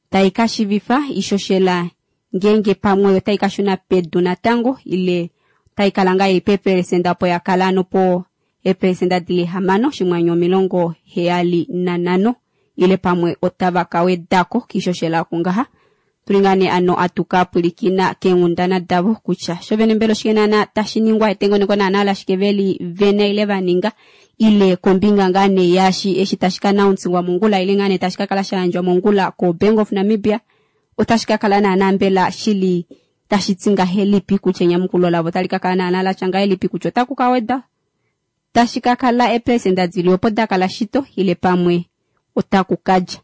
tai ka shivifa ishoshela ngenge pamwe otai ka shuna pedu natango ile tai kala ngaa ipe eperesenda po ya kala ano po eperesenda dili hamano shimwanyo omilongo heyali na nhano ile pamwe otava ka wedako kishoshela kungaha. Tulingane ano atuka pwilikina keenghundana davo kutya sho vene mbela oshike naana tashi ningwa etengeneko naana lashike veli vene ile va ninga ile kombinga ngaa nee yaashi eshi tashi ka announce-wa mongula ile ngaa nee tashi ka kala sha yandjwa mongula ko Bank of Namibia otashi ka kala naana mbela shili tashi ti ngahelipi kutya enyamukulo lavo otali ka kala naana latya ngahelipi kutya otaku ka weda tashi ka kala eperesenda dili opo da kala shito ile pamwe otaku kadja.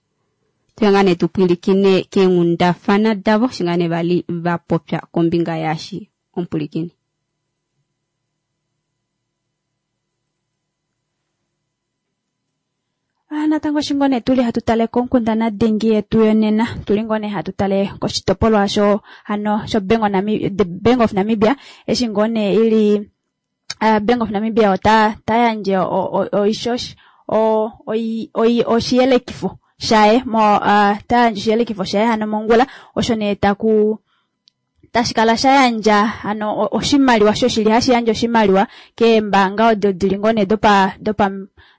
Tuyangane tupwilikine keenghundafana davo shingane vali va popya kombinga yaashi ompulikini. Ah, natango shingone tuli hatu tale konkundana dingi yetu yonena, tuli ngone hatu tale koshitopolwa sho hano sho Bank of Namibia, the Bank of Namibia eshi ngone ili, uh, Bank of Namibia ota tayanje o, o, o ishosh, o, oi, oi, oshiyelekifo shaye mo, uh, tayanje oshiyelekifo shaye hano mongula osho ne taku tashikala shayandja hano o-, oshimaliwa sho shili hashi yandja oshimaliwa keembanga odo dili ngone dopa, dopa,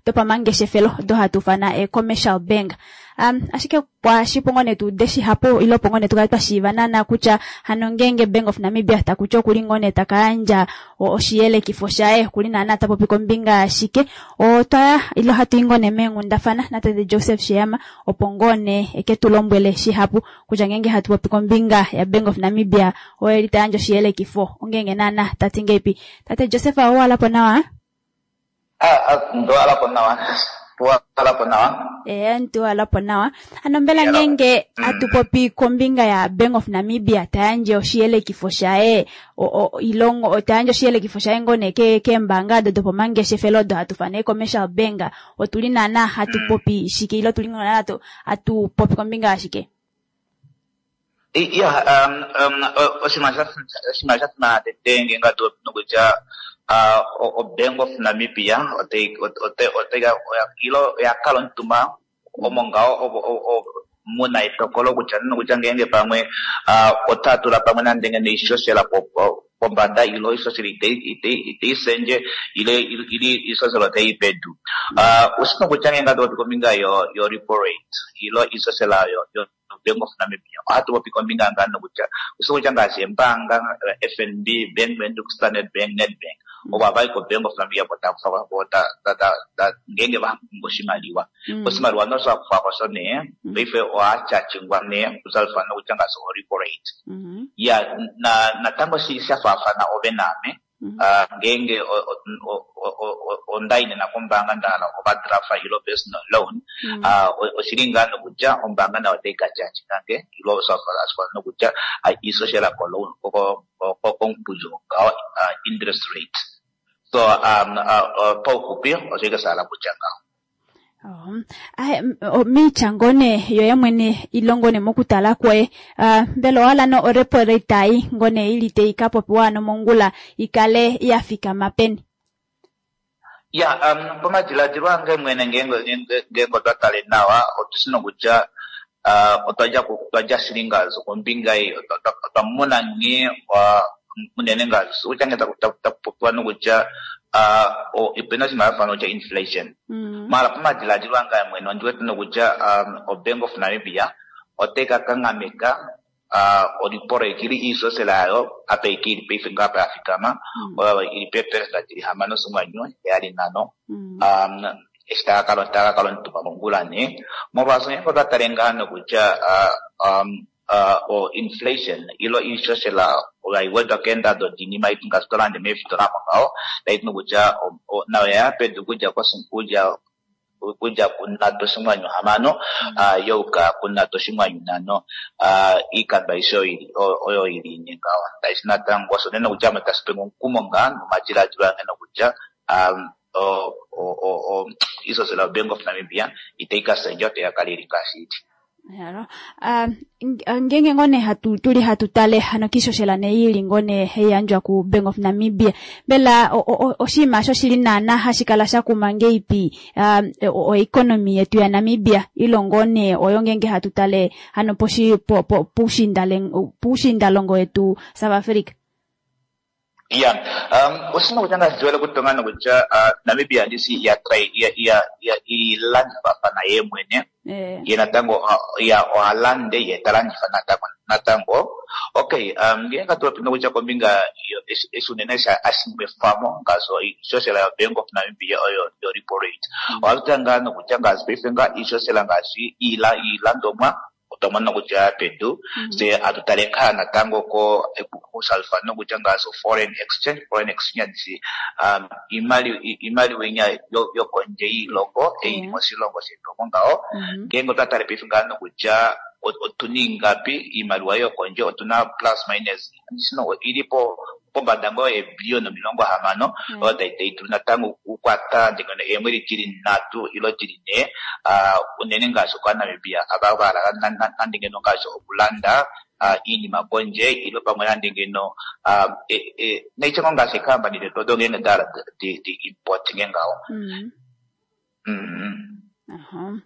dopa mangeshefelo do hatu fana e commercial bank. Um, ashike kwashi po ngone tu deshi hapo ilo po ngone tukali twashiiva naana kutya hano ngenge Bank of Namibia takutya okuli ngone takayandja o-, oshiyelekifo shaye kuli naana tapopi kombinga ashike otwaya ilo hatu i ngone meenghundafana natate Joseph Sheehama opo ngone eke tu lombwele shihapu kutya ngenge hatu popi kombinga ya Bank of Namibia oyo eli tayandja oshiyelekifo ongenge naana tati ngeipi. Tate Joseph, owalapo nawa? Ah, ah, ndowalapo nawa. Tuwalapo nawa. Eh, ntuwalapo nawa. Ano mbela Yala. ngenge Mm. atupopi kombinga ya Bank of Namibia tayandje oshiyelekifo shaye, o, o, ilongo, o, tayandje oshiyelekifo shaye ngone ke, ke mbanga do dopo mangeshefelo do hatufane commercial bank. Otuli nana hatupopi Mm. shike ilo tuli ngona atu, atupopi kombinga ashike. I, ya, um, um, o, oshinima sha, oshinima sha simana tete ngenge atu nokutya, ah, o, o Bank of Namibia, ote, ote, ote, ote, oya, ilo, oya kala omutumba, omo ngaho, o, o, o, muna etokolo kutya nokutya ngenge pamwe, ah, ota tula pamwe nande ngene ishoshela po, po, pombada ilo ishoshela ite, ite, ite isenje, ile, ile, ile ishoshela ote ipedu. Ah, osino kutya ngenge atu kombinga yo, yo repo rate, ilo ishoshela yo, yo Bank of Namibia. Ohatu popi kombinga ngano kutya, osino kutya ngaashi embanga, F N B, Bank Windhoek, Standard Bank, Nedbank. Oba vai ko Bank of Namibia bota kufa bota ta ta ta ngenge va ngoshimaliwa. Mm. Oshimaliwa no swa kufa ko sone, Mm. paife oha chachingwa ne kuzalfa no kutya ngaashi o repo rate. Mm-hmm. Ya, na, natango shi sha faafana ove naame. Ah, ngeenge o- o- o- o- o- onda yi nena kombaanga nda hala overdraft ilo personal loan, ah, o- oshili ngaa nokutya ombaanga nayo otayi ka charge ngange ilo osha nokutya ah, iishoshela ko loan ko- ko- ko- komukuli ngaho ah, interest rate. So um, uh, uh, paufupi osho ike sha hala kutya ngaho. Ahe, m- o- miitya ngone yoye mwene ilo ngone mokutala kwoye ah, mbela owa hala no orepo rate ayi ngone ili tayi ka popiwa ano mongula ikale ya fikama peni? Ya, um, pamadiladilo ange mwene ngeenge ngeenge ngeenge otwa tale nawa otushi nokutya uh, otwa dja ku- otwa dja shili ngaashi kombinga ei otwa otwa- otwa mona nghee uh, unene ngaashi kutya ngee taku taku- taku popiwa nokutya uh, o- opena oshinima shafana kutya inflation. Mala pamadiladilo ange mwene ondi wete nokutya um, o Bank of Namibia otai ka kanghameka uh, orepo rate ili iishoshela yayo apa ike ili paife ngaa apa ya fikama oyo ili peeperesenda dili hamano oshinghwanyu heyali nhano um, eshi taka kala taka kala omutumba mongula nee molwaashi ngeenge otwa tale ngaa nokutya uh, um, uh, o inflation ilo iishoshela oyo keendado diinima yetu ngaashi tolande meefitola mo ngaho taiti nokutya o- o- nayo yaya pedu kudja koshi- kudja kudja kunhatu oshinghwanyu hamano uh, yauka kunhatu oshinghwanyu nhano uh, iikando aishe oyo ili- oyo oyo ili ine ngaho taiti natango osho nee nokutya ame tashi penge omukumo ngaa nomadiladilo ange nokutya um, o- o- o- o- iishoshela yo Bank of Namibia itayi ka shendja otayi ka kala ili ngaashi ili. Yalo. Ah, ng- ah, ngenge ngone hatu tuli hatu tale hano kiishoshela ne ili ngone heiyandjwa ku Bank of Namibia mbela o- o- o- oshinima osho shili naana hashi kala sha kuma ngeipi ah, o o- economy yetu ya Namibia ilo ngone oyo ngenge hatu tale hano poshi po, po, puushindale- puushindalongo yetu South Africa? Ya, um, osina kutya ngaashi ndiwele kutonga nokutya uh, Namibia ndisi iya try iya iya iya ilandifafana ye mwene Eh. ye natango uh, ya ohalande ye talandifa natango natango okay um, ngeenge atupopi nokutya kombinga yo- eshi eshi unene sha ashimwefamo ngaashi iishoshela yo Bank of Namibia oyo yo repo rate ohatu ngaa nokutya ngaashi paife ngaa iishoshela ngaashi iila iilandomwa otwa mona kutya ya pedu se atu tale ngaa natango ko kusalfa nokutya ngaashi foreign exchange foreign exchange um, imali imaliwa inya yo- yokondje yiilongo eili moshilongo shetu omo ngaho ngeenge otwa tale paife ngaa nokutya o- otuna ingapi iimaliwa yokondje otuna plus minus sino ili po pombada ngoo eebiliyoni omilongo hamano oyo tayi tayi dulu natango okukwata ndingano eemwedi dili nhatu ilo dili nhee uh, unene ngaashi okwaNamibia ava vahala na- na- nande ngeno ngaashi okulanda uh, iinima kondje ilo pamwe nande ngeno uh, e, e, naitya ngoo ngaashi eekampani detu odo ngeenge dahala di, di import nge ngaho. Mm. mm. Aha.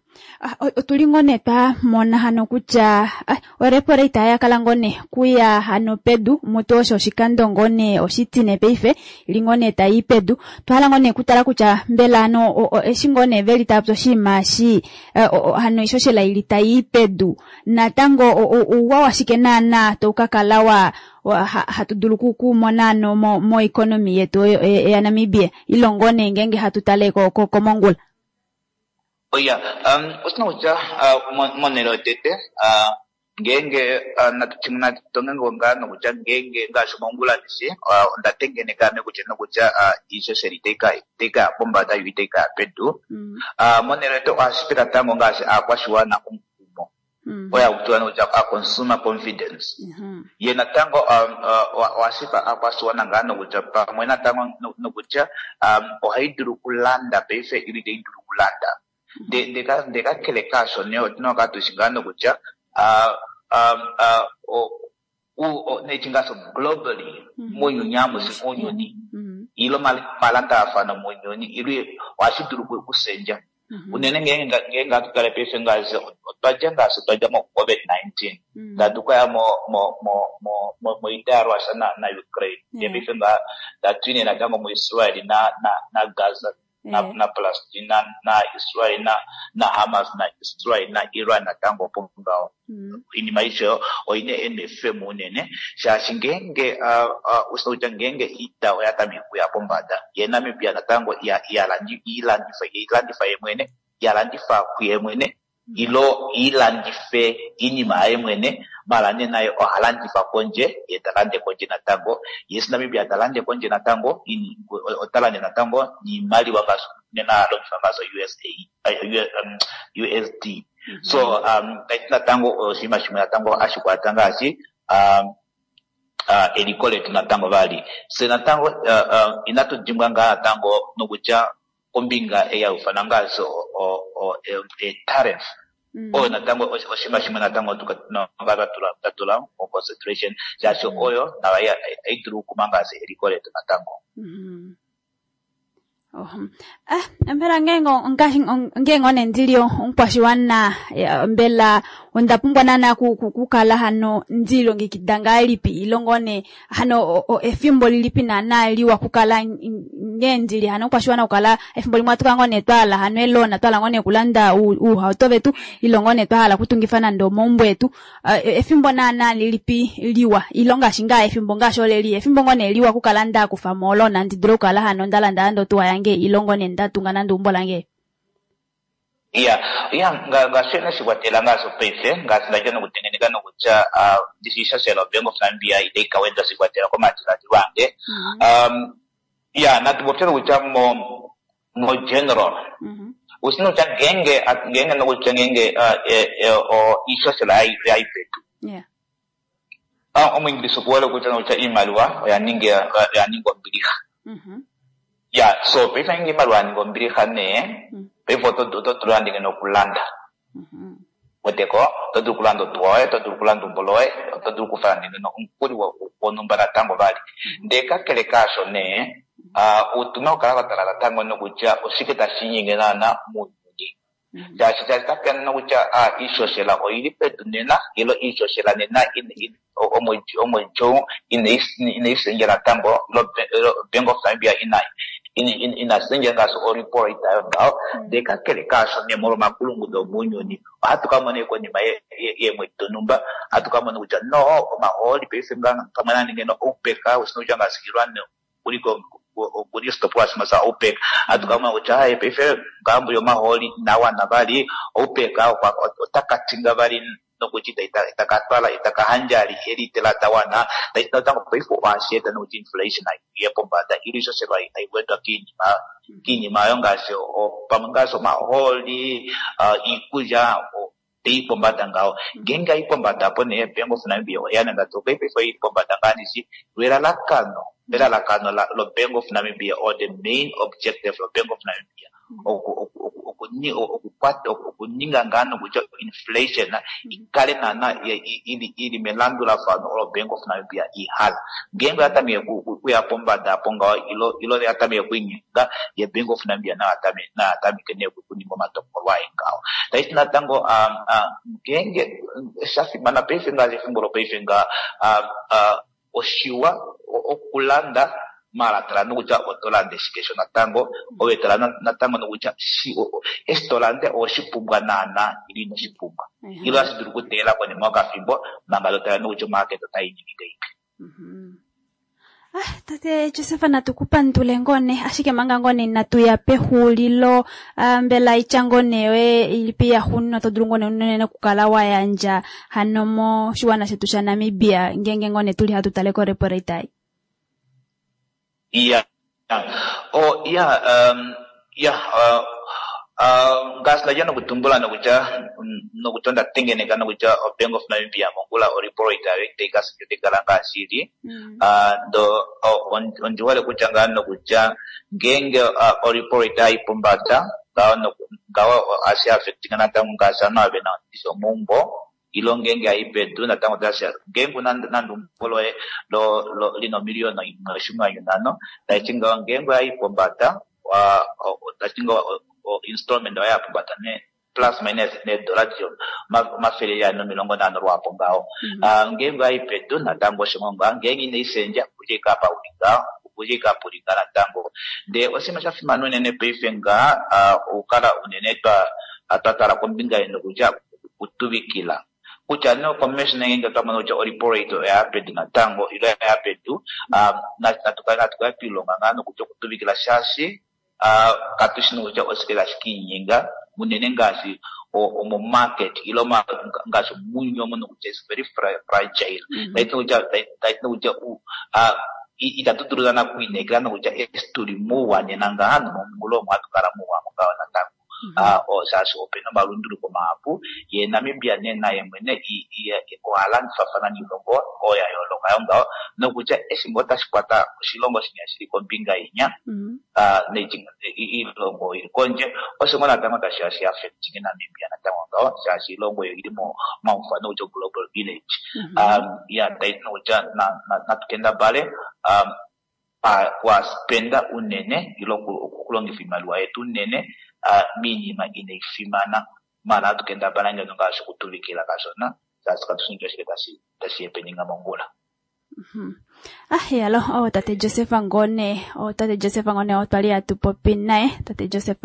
Ah, o- otuli ngone twa mona hano kutya ah, orepo rate ya kala ngone kuya hano pedu mutu osho oshikando ngone oshitine paife ili ngone tayi pedu twahala ngone kutala kutya mbela ano o- o- eshi ngone veli tapo oshinima shi eh, o- o- hano ishoshela ili tayi pedu natango o- o- ouwa washike naana toukakala wa wa- ha- hatu dulu ku- kumona ano mo, mo economy yetu eh, eh, ya Namibia ilo ngone ngenge hatu tale ko, ko, komongula. Oya, um, osina kutya uh, mo- monhele yotete uh, ngeenge uh, natu natonge ngaa nokutya ngeenge ngaashi mongula ndishi uh, onda tengeneka ame kutya nokutya uh, iishoshela itayi ka itayi kaya pombada yo itayi kaya pedu. Uh, monhele yote ohashi pe natango ngaashi aakwashiwana omukumo oyo hakutiwa nokutya a consumer confidence ye natango um, uh, ohashi pa aakwashiwana ngaa nokutya pamwe natango no- nokutya um, ohayi dulu okulanda paife ilo itayi dulu okulanda nde ndeka ndekakele kaasho nee otuna okukala tushi ngaa nokutya uh, um, uh, o- u- o- nechi ngaashi globally muuyuni amushe muuyuni ilo malandafano muuyuni ilo ohashi dulu oku- okushendja unene ngeenge ngeenge hatu tale paife ngaashi otwa dja ngaashi otwa dja mo covid nineteen tatu kaya mo mo mo mo mo moita ya Russia na na Ukraine ndee paife nga tatu natango mu Israel na na na Gaza na Eh. na Palestine na na Israel na na Hamas na Israel na Iran natango opo ngaho iinima aishe oyina N F M unene shaashi ngeenge uh, uh, usina kutya ngeenge iita oya tameke okuya pombada ye Namibia natango iya- iyalandifa ilandifa ye mwene iyalandifa kuye mwene. Ilo ilandife iinima yaye mwene, mala nee naye oha landifa kondje, ye ta lande kondje natango. Yes, Namibia ta lande kondje natango, ota lande natango niimaliwa ngaashi nena ha longifa ngaashi U S A, U S D. So, um, natango oshinima shimwe natango hashi kwata ngaashi, um, uh, eliko letu natango vali. Se natango, uh, uh, inatu dimbwa ngaa natango nokutya kombinga eya ufana ngaashi o, o, o, e, tariff. Oyo natango oshinima shimwe natango tatula mo concentration shaashi oyo nayo ai dulu okuma ngaashi eliko letu natango. Ah, mbela ngenge ngenge ndili omukwashiwana mbela onda pumbwa nana kukala hano ndilongekida ngahelipi ilongo ne hano efimbo lilipi nana liwa kukala ngendili hano omukwashiwana kukala efimbo limwe atuka ngone twala hano elona twala ngone kulanda uuhauto vetu ilongo ne twahala kutungifa nande omaumbo etu efimbo nana lilipi liwa ilonga shinga efimbo ngasho leli efimbo ngone liwa kukala nda kufa molona ndidule kukala hano ndalanda ando tuwa yange ilongo ne ndatunga nande umbo lange. Yeah, yeah, nga nga shikwatela ngaso paife ngasi ndaje nokutengeneka nokutya ndisishashela Bank of Namibia itaikawenda shikwatela komadiladilo ange. Um, yeah, natubopye nokutya mo mo general. Usino kutya ngenge ngenge nokutya ngenge o ishashela ayipetu. Yeah. Ah, omuingilisi okuwele kutya nokutya iimaliwa oyaninga oyaninga ombiliha. Mhm. Yeah, so paife nge imaliwa yaninga ombiliha nee, paife oto dulu andinge nokulanda. Weteko, oto dulu okulanda otuwa yoye, oto dulu okulanda umbo loye, oto dulu okufala ndinge omukuli wonhumba natango vali. Ndee kakele kaasho nee, otuna okukala twatala natango nokutya oshike tashi inyenge naana muuyuni. Shaashi shaashi tapeya nokutya iishoshela oili pedu nena, ilo iishoshela nena omwedhi inayi sendja natango, ilo Bank of Namibia ina ina ngaashi o-repo rate ayo ngaho. Ndee kakele kaasho nee molwa omakulungudo omuuyuni, ohatu ka mona konima yeemwedi donhumba, ohatu ka mona kutya no omahooli paife pamwe naninge no OPEC, osino kutya ngaashi Iran kuliko okuli oshitopolwa shimwe sha OPEC, ohatu ka mona kutya haye paife ngambo yomahooli inawana vali, OPEC otaka tinga vali nokuti itakatwala itakahandja elitela dawana, natango paife ohashi eta nokuti inflation aiye pombada, ili ishoshela aiwedwa kiinima kiinima ayo ngaashi pamwe ngaashi omahooli, iikulya teyi pombada ngaho. Ngenge ayi pombada apo nee Bank of Namibia oya nanga to paife oili pombada ngaanishi lwelalakano elalakano lo Bank of Namibia or the main objective lo Bank of Namibia okukwata okuninga ngaa nokutya inflation ikale naana ili melandulafano olo Bank of Namibia ihala. Ngenge oya tameke kuya pombada apo ngaho ilo ilo ya tameke okuinyenga ye Bank of Namibia nayo atameke nee okuninga omatokolo aye ngaho. Taiti natango ngenge shafimana paife ngaashi efimbo lopaife nga oshiwa okulanda mala tala nokutya oto lande shike sho natango, owe tala natango nokutya eshi to lande oweshipumbwa naana ile ino shipumbwa. Ilo ohashi dulu okuteela konima yokafimbo manga to tala nokutya omarket otai ningi ngahelipi. Ah, tate Joseph natukupandule ngone ashike manga ngone natuya pehulilo mbela itya ngone yoye ilipi ya xuno to dulu ngone unene okukala wayandja hano moshiwana shetu sha Namibia ngenge ngone tuli hatu tale ko repo rate ai. Yeah. Oh, yeah, um, yeah, uh, uh, ngaashi ndaja nokutumbula nokutya nokutya ndatengeneka nokutya o Bank of Namibia mongula o repo rate ayo itayi kala ngaashi ili. Ndo ondi hole kutya ngaa nokutya ngenge o repo rate ayi pombada ngaho ngaho ohashi affectinga natango ngaashi ovanhu ava vena omaumbo ilo ngenge ayi pedu natango otashi ngenge una nande umbo loye lo lina omiliyona imwe oshinwanyu nhano, taiti ngaho ngenge ayi pombada taiti ngaho installment oya pombada ne plus minus needola omafele ane nomilongo nhano lwaapo ngaho. Ngenge ayi pedu natango osho ngaho, ngenge inayi sendja okudja ike apa uli ngaho, okudja ike apa uli ngaho natango. Ndee oshinima shafimana unene paife nga okukala unene twatala kombinga yenokutya okutuvikila. Kutya no commission ngenge twamona kutya o repo rate oya pedu natango ilo oya pedu, natukale natukale twilonga ngaa nokutya okutuvikila shaashi katushi nokutya oshike tashi kiinyenga unene ngaashi Omo market ilo ngaashi muuyuni omo nokutya is very fragile. Taiti nokutya taiti nokutya itatu dulu naana okwiinekela nokutya eshi tuli mouwa nena ngaha nomongula omo hatu kala mouwa ngaho natango. Shaashi opena omalunduluko mahapu ye Namibia nee naye mwene oha landifafana niilongo oyo ya yooloka yo ngaho nokutya eshi ngoo tashi kwata oshilongo shinya shili kombinga inya iilongo ili kondje osho ngoo natango tashi ya shi affecting Namibia natango ngaho shaashi iilongo oyo ili momaufano kutya global village. Ya taiti nokutya natu kendabale kwaspenda unene ile okulongifa iimaliwa yetu unene miinima inayi fimana maala hatu kendabala ngeno ngaashi okutuvikila kashona shaashi katushi kutya oshike tashi happeninga mongula. Ah, yalo, oh, tate Joseph Ngone, oh, tate Joseph Ngone, otwa li hatu popi naye, tate Joseph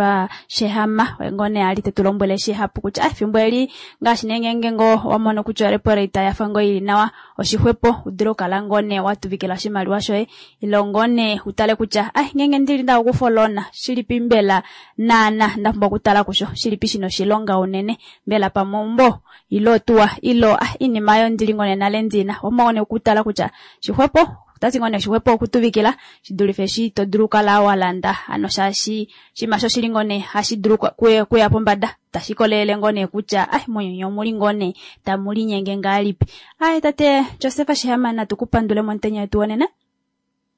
Sheehama, oye ngone ali te tu lombwele shihapu kutya, ah, efimbo eli, ngaashi nee ngeenge ngoo wa mono kutya orepo rate ya fa ngoo ili nawa, oshixwepo, u dule okukala ngone wa tuvikila oshimaliwa shoye, ilo ngone utale kutya, ah, ngeenge ndili nda okufa olona, shilipi mbela naana nda pumbwa okutala kusho, shilipi shina oshilonga unene, mbela pamwe ombo, ilo tuwa, ilo, ah, iinima yo ndili ngone nale ndina, omwa ngone okutala kutya, shixwepo, otati ngone shixwepo okutuvikila shidulife eshi to dulu okukala wa landa ano shaashi oshinima sho shili ngone hashi dulu kuya pombada tashi kolelele ngone kutya ai mounyuni omuli ngone tamu linyenge ngahelipi. Ai tate Joseph Sheehama natu kupandule momutenya wetu wonena.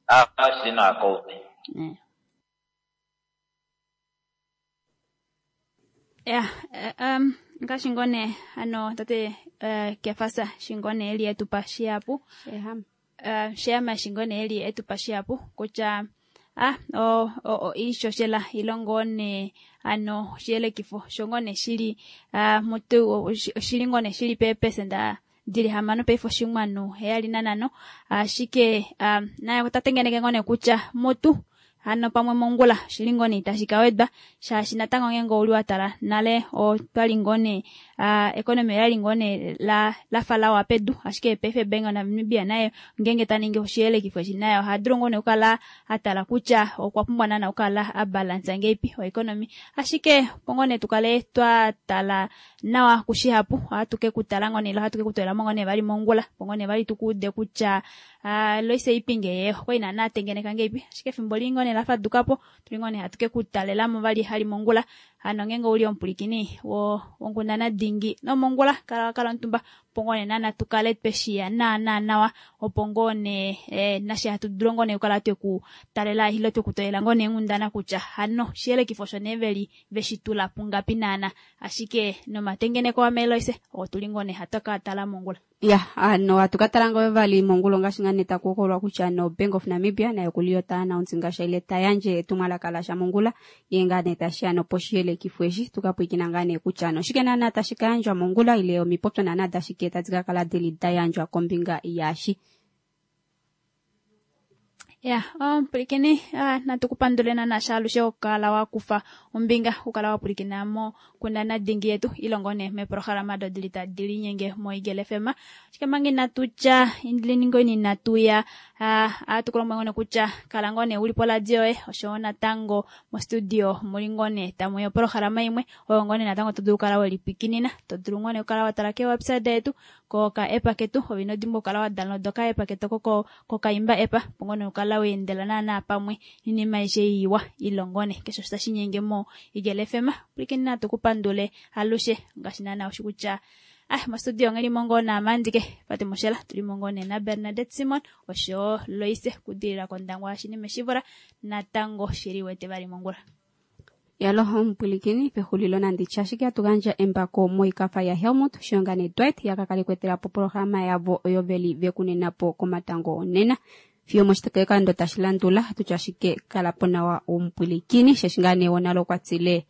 Ah, shili nawa kaume. Ya, um ngaashi ngone ano tate uh, Kefasa shingone eli etupa shihapu. Sheehama. Uh, Sheehama shingone eli etupa shihapu kutya ah o o iishoshela ilongo ne ano oshiyelekifo shongone shili uh, mutu oshili ngone shili peepesenda dili hamano paife oshimwanu heyali nanhano ashike um, naye ota tengeneke ngone kutya mutu hano pamwe mongula shili ngone itashi ka wedwa shaashi natango ngeenge ouli wa tala nale otwali ngone uh, economy oyali ngone la lafa lawa pedu ashike paife Bank of Namibia naye ngeenge ta ningi oshiyelekifo eshi naye oha dulu ngone okukala a tala kutya okwa pumbwa naana okukala a balansa ngeipi oeconomy ashike opo ngone tukale twa tala nawa kushihapu ohatu ke kutala ngone ile ohatu ke kutwela mo ngone vali mongula opo ngone vali tukuude kutya uh, Loise Ipinge ye okwali naana atengeneka ngeipi ashike efimbo li ngone la fadukapo tuli ngone hatu ke kutalelamo vali hali mongula hano ngeenge ouli omupulikini wo wonkundana dingi nomongula kala kala omutumba opo ngone naana tukale tweshiya naana nawa opo ngone eh, nashe hatu dulu ngone okukala twekutalela ile twekutolela ngone enghundana kutya hano oshiyelekifo osho nee veli veshitula pungapi naana ashike nomatengeneko ameloise otuli ngone hatu ka tala mongula. Ya, ano hatu ka tala ngoo vali mongula ngaashi ngane taku hokololwa kutya no Bank of Namibia nayo kuli yo ta announce ngaashi ile ta yandje etumwalaka lasha mongula ye ngane tashi ano poshiyelekifo eshi tukapwikina ngane kutya ano oshike naana tashi ka yandjwa mongula ile omipopyo naana tashike tadi ka kala dili da yandjwa kombinga yashi. Ya, omupulikini ah, natukupandule naana shaalushe okukala wakufa ombinga okukala wapulikina mo kundana dingi yetu ilongo ne meprograma do dili tadi linyenge mo Eagle F M. Ashike manga inatu tya indilini ngoni inatuya ah, atukulomwe ngone kutya kala ngone uli poradio yoye oshowo natango mo studio muli ngone tamu yo programa imwe oyo ngone natango to dulu okukala welipwikinina to dulu ngone okukala watala ke website yetu koka app ketu ove ino dimbwa okukala wa download oka app ketu koko kokaimba app opo ngone okukala weendela naana pamwe ninima aishe iwa ilongone keshe osho tashi nyenge mo Eagle F M. Pulikini natu kupandule alushe ngaashi naana ushi kutya ah mostudio ngeli mongo na Amandike Fatima Shela tuli mongo na Bernadette Simon osho Loise kudilila kondangwa shinime shivula natango shili wete vali mongula. Yalo omupulikini pexulilo nanditya ashike hatu gandja embako moikafa ya Helmut Shonga ne Dwight yakakale kwetela po programa yavo oyo veli vekunena po komatango onena fiyo moshitokekando tashi landula tutya ashike kala po nawa omupulikini sheshi ngaa nee wonalo kwatsile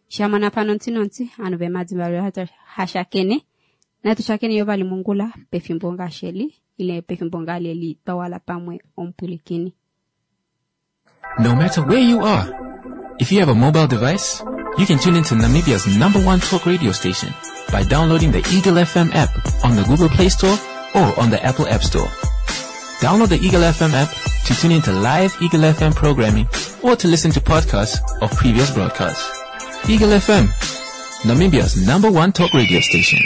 shamana pano ntsi anu vemadzimba hashakene natu shakene yo vali mongula pefimbo ngasheli ile pefimbo ngaleli twawala pamwe omupulikini. No matter where you are, if you have a mobile device, you can tune into Namibia's number one talk radio station by downloading the Eagle F M app on the Google Play Store or on the Apple App Store. Download the Eagle F M app to tune into live Eagle F M programming or to listen to podcasts of previous broadcasts. Eagle F M, Namibia's number one talk radio station.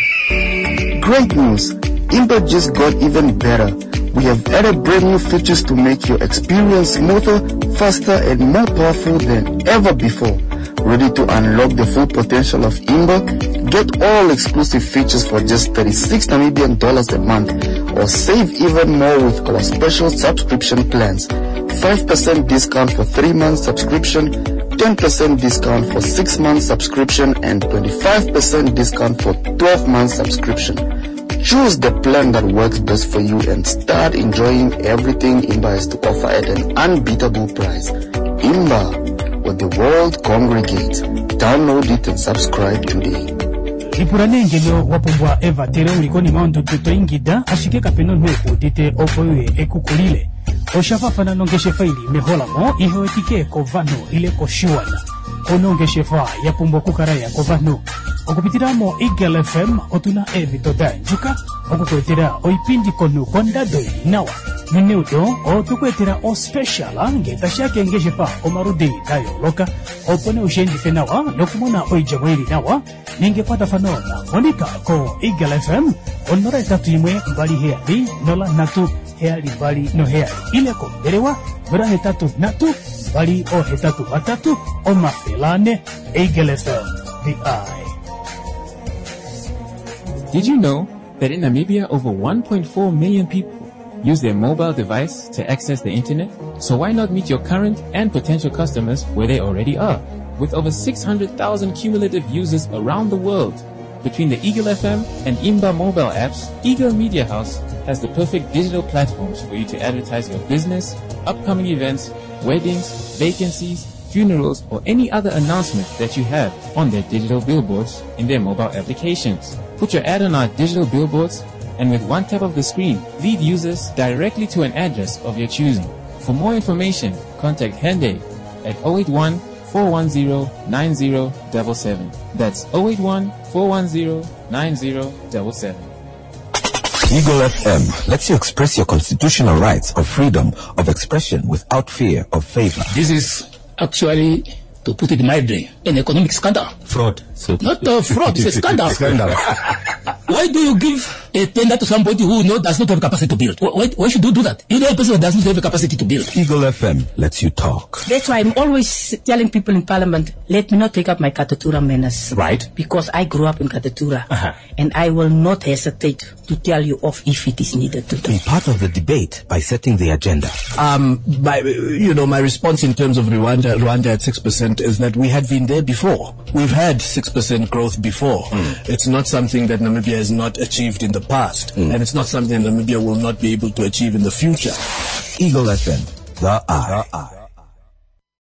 Great news! Imba just got even better. We have added brand new features to make your experience smoother, faster, and more powerful than ever before. Ready to unlock the full potential of Imba? Get all exclusive features for just thirty-six Namibian dollars a month, or save even more with our special subscription plans. five percent discount for three month subscription, ten percent discount for six month subscription, and twenty-five percent discount for twelve month subscription. Choose the plan that works best for you and start enjoying everything Imba has to offer at an unbeatable price. Imba, where the world congregates. Download it and subscribe today. Lipula nee ngeno wa pumbwa evatelo uli konima yondudu to ingida ashike kapena omunhu ekuudite opo uye ekukulile. Osha faafana nongeshefa ili meholamo ihewetike kovanhu ile koshiwana. Ono ongeshefa ya pumbwa okukala ya kovanhu. Okupitila mo Eagle F M otuna eemhito da andjuka okukuetela oipindi komunhu kondado ili nawa. Neneudo otukuetela ospecial ngee tashiya keengeshefa omaludi da yooloka opo nee ushiendife nawa nokumona oidjemo ili nawa nenge ekwatafano na Monica ko Eagle F M onola etatu imwe mbali heyali nola nhatu heyali mbali noheyali ile kombelewa nola hetatu nhatu mbali ohetatu vatatu omafele ane. Eagle F M, the eye. Did you know that in Namibia over one point four million people use their mobile device to access the internet? So why not meet your current and potential customers where they already are? With over six hundred thousand cumulative users around the world, between the Eagle F M and Imba mobile apps, Eagle Media House has the perfect digital platforms for you to advertise your business, upcoming events, weddings, vacancies, funerals, or any other announcement that you have on their digital billboards in their mobile applications. Put your ad on our digital billboards, and with one tap of the screen, lead users directly to an address of your choosing. For more information, contact Hende at oh eight one, four one zero, nine zero seven seven. That's oh eight one, four one zero, nine zero seven seven. Eagle F M lets you express your constitutional rights of freedom of expression without fear of favor. This is actually, to put it mildly, an economic scandal. Fraud. So not a fraud, it's a scandal. Scandal. Why do you give a tender to somebody who no, does not have capacity to build? Why, why should you do that? You know a person that does not have the capacity to build. Eagle F M lets you talk. That's why I'm always telling people in Parliament, let me not take up my Katutura manners. Right. Because I grew up in Katutura. Uh-huh. And I will not hesitate to tell you off if it is needed to do. Be part of the debate by setting the agenda. Um, my, you know, my response in terms of Rwanda, Rwanda at six percent is that we had been there before. We've had six percent growth before. Mm. It's not something that Namibia has not achieved in the past, mm. and it's not something Namibia will not be able to achieve in the future. Eagle F M, the eye. The eye.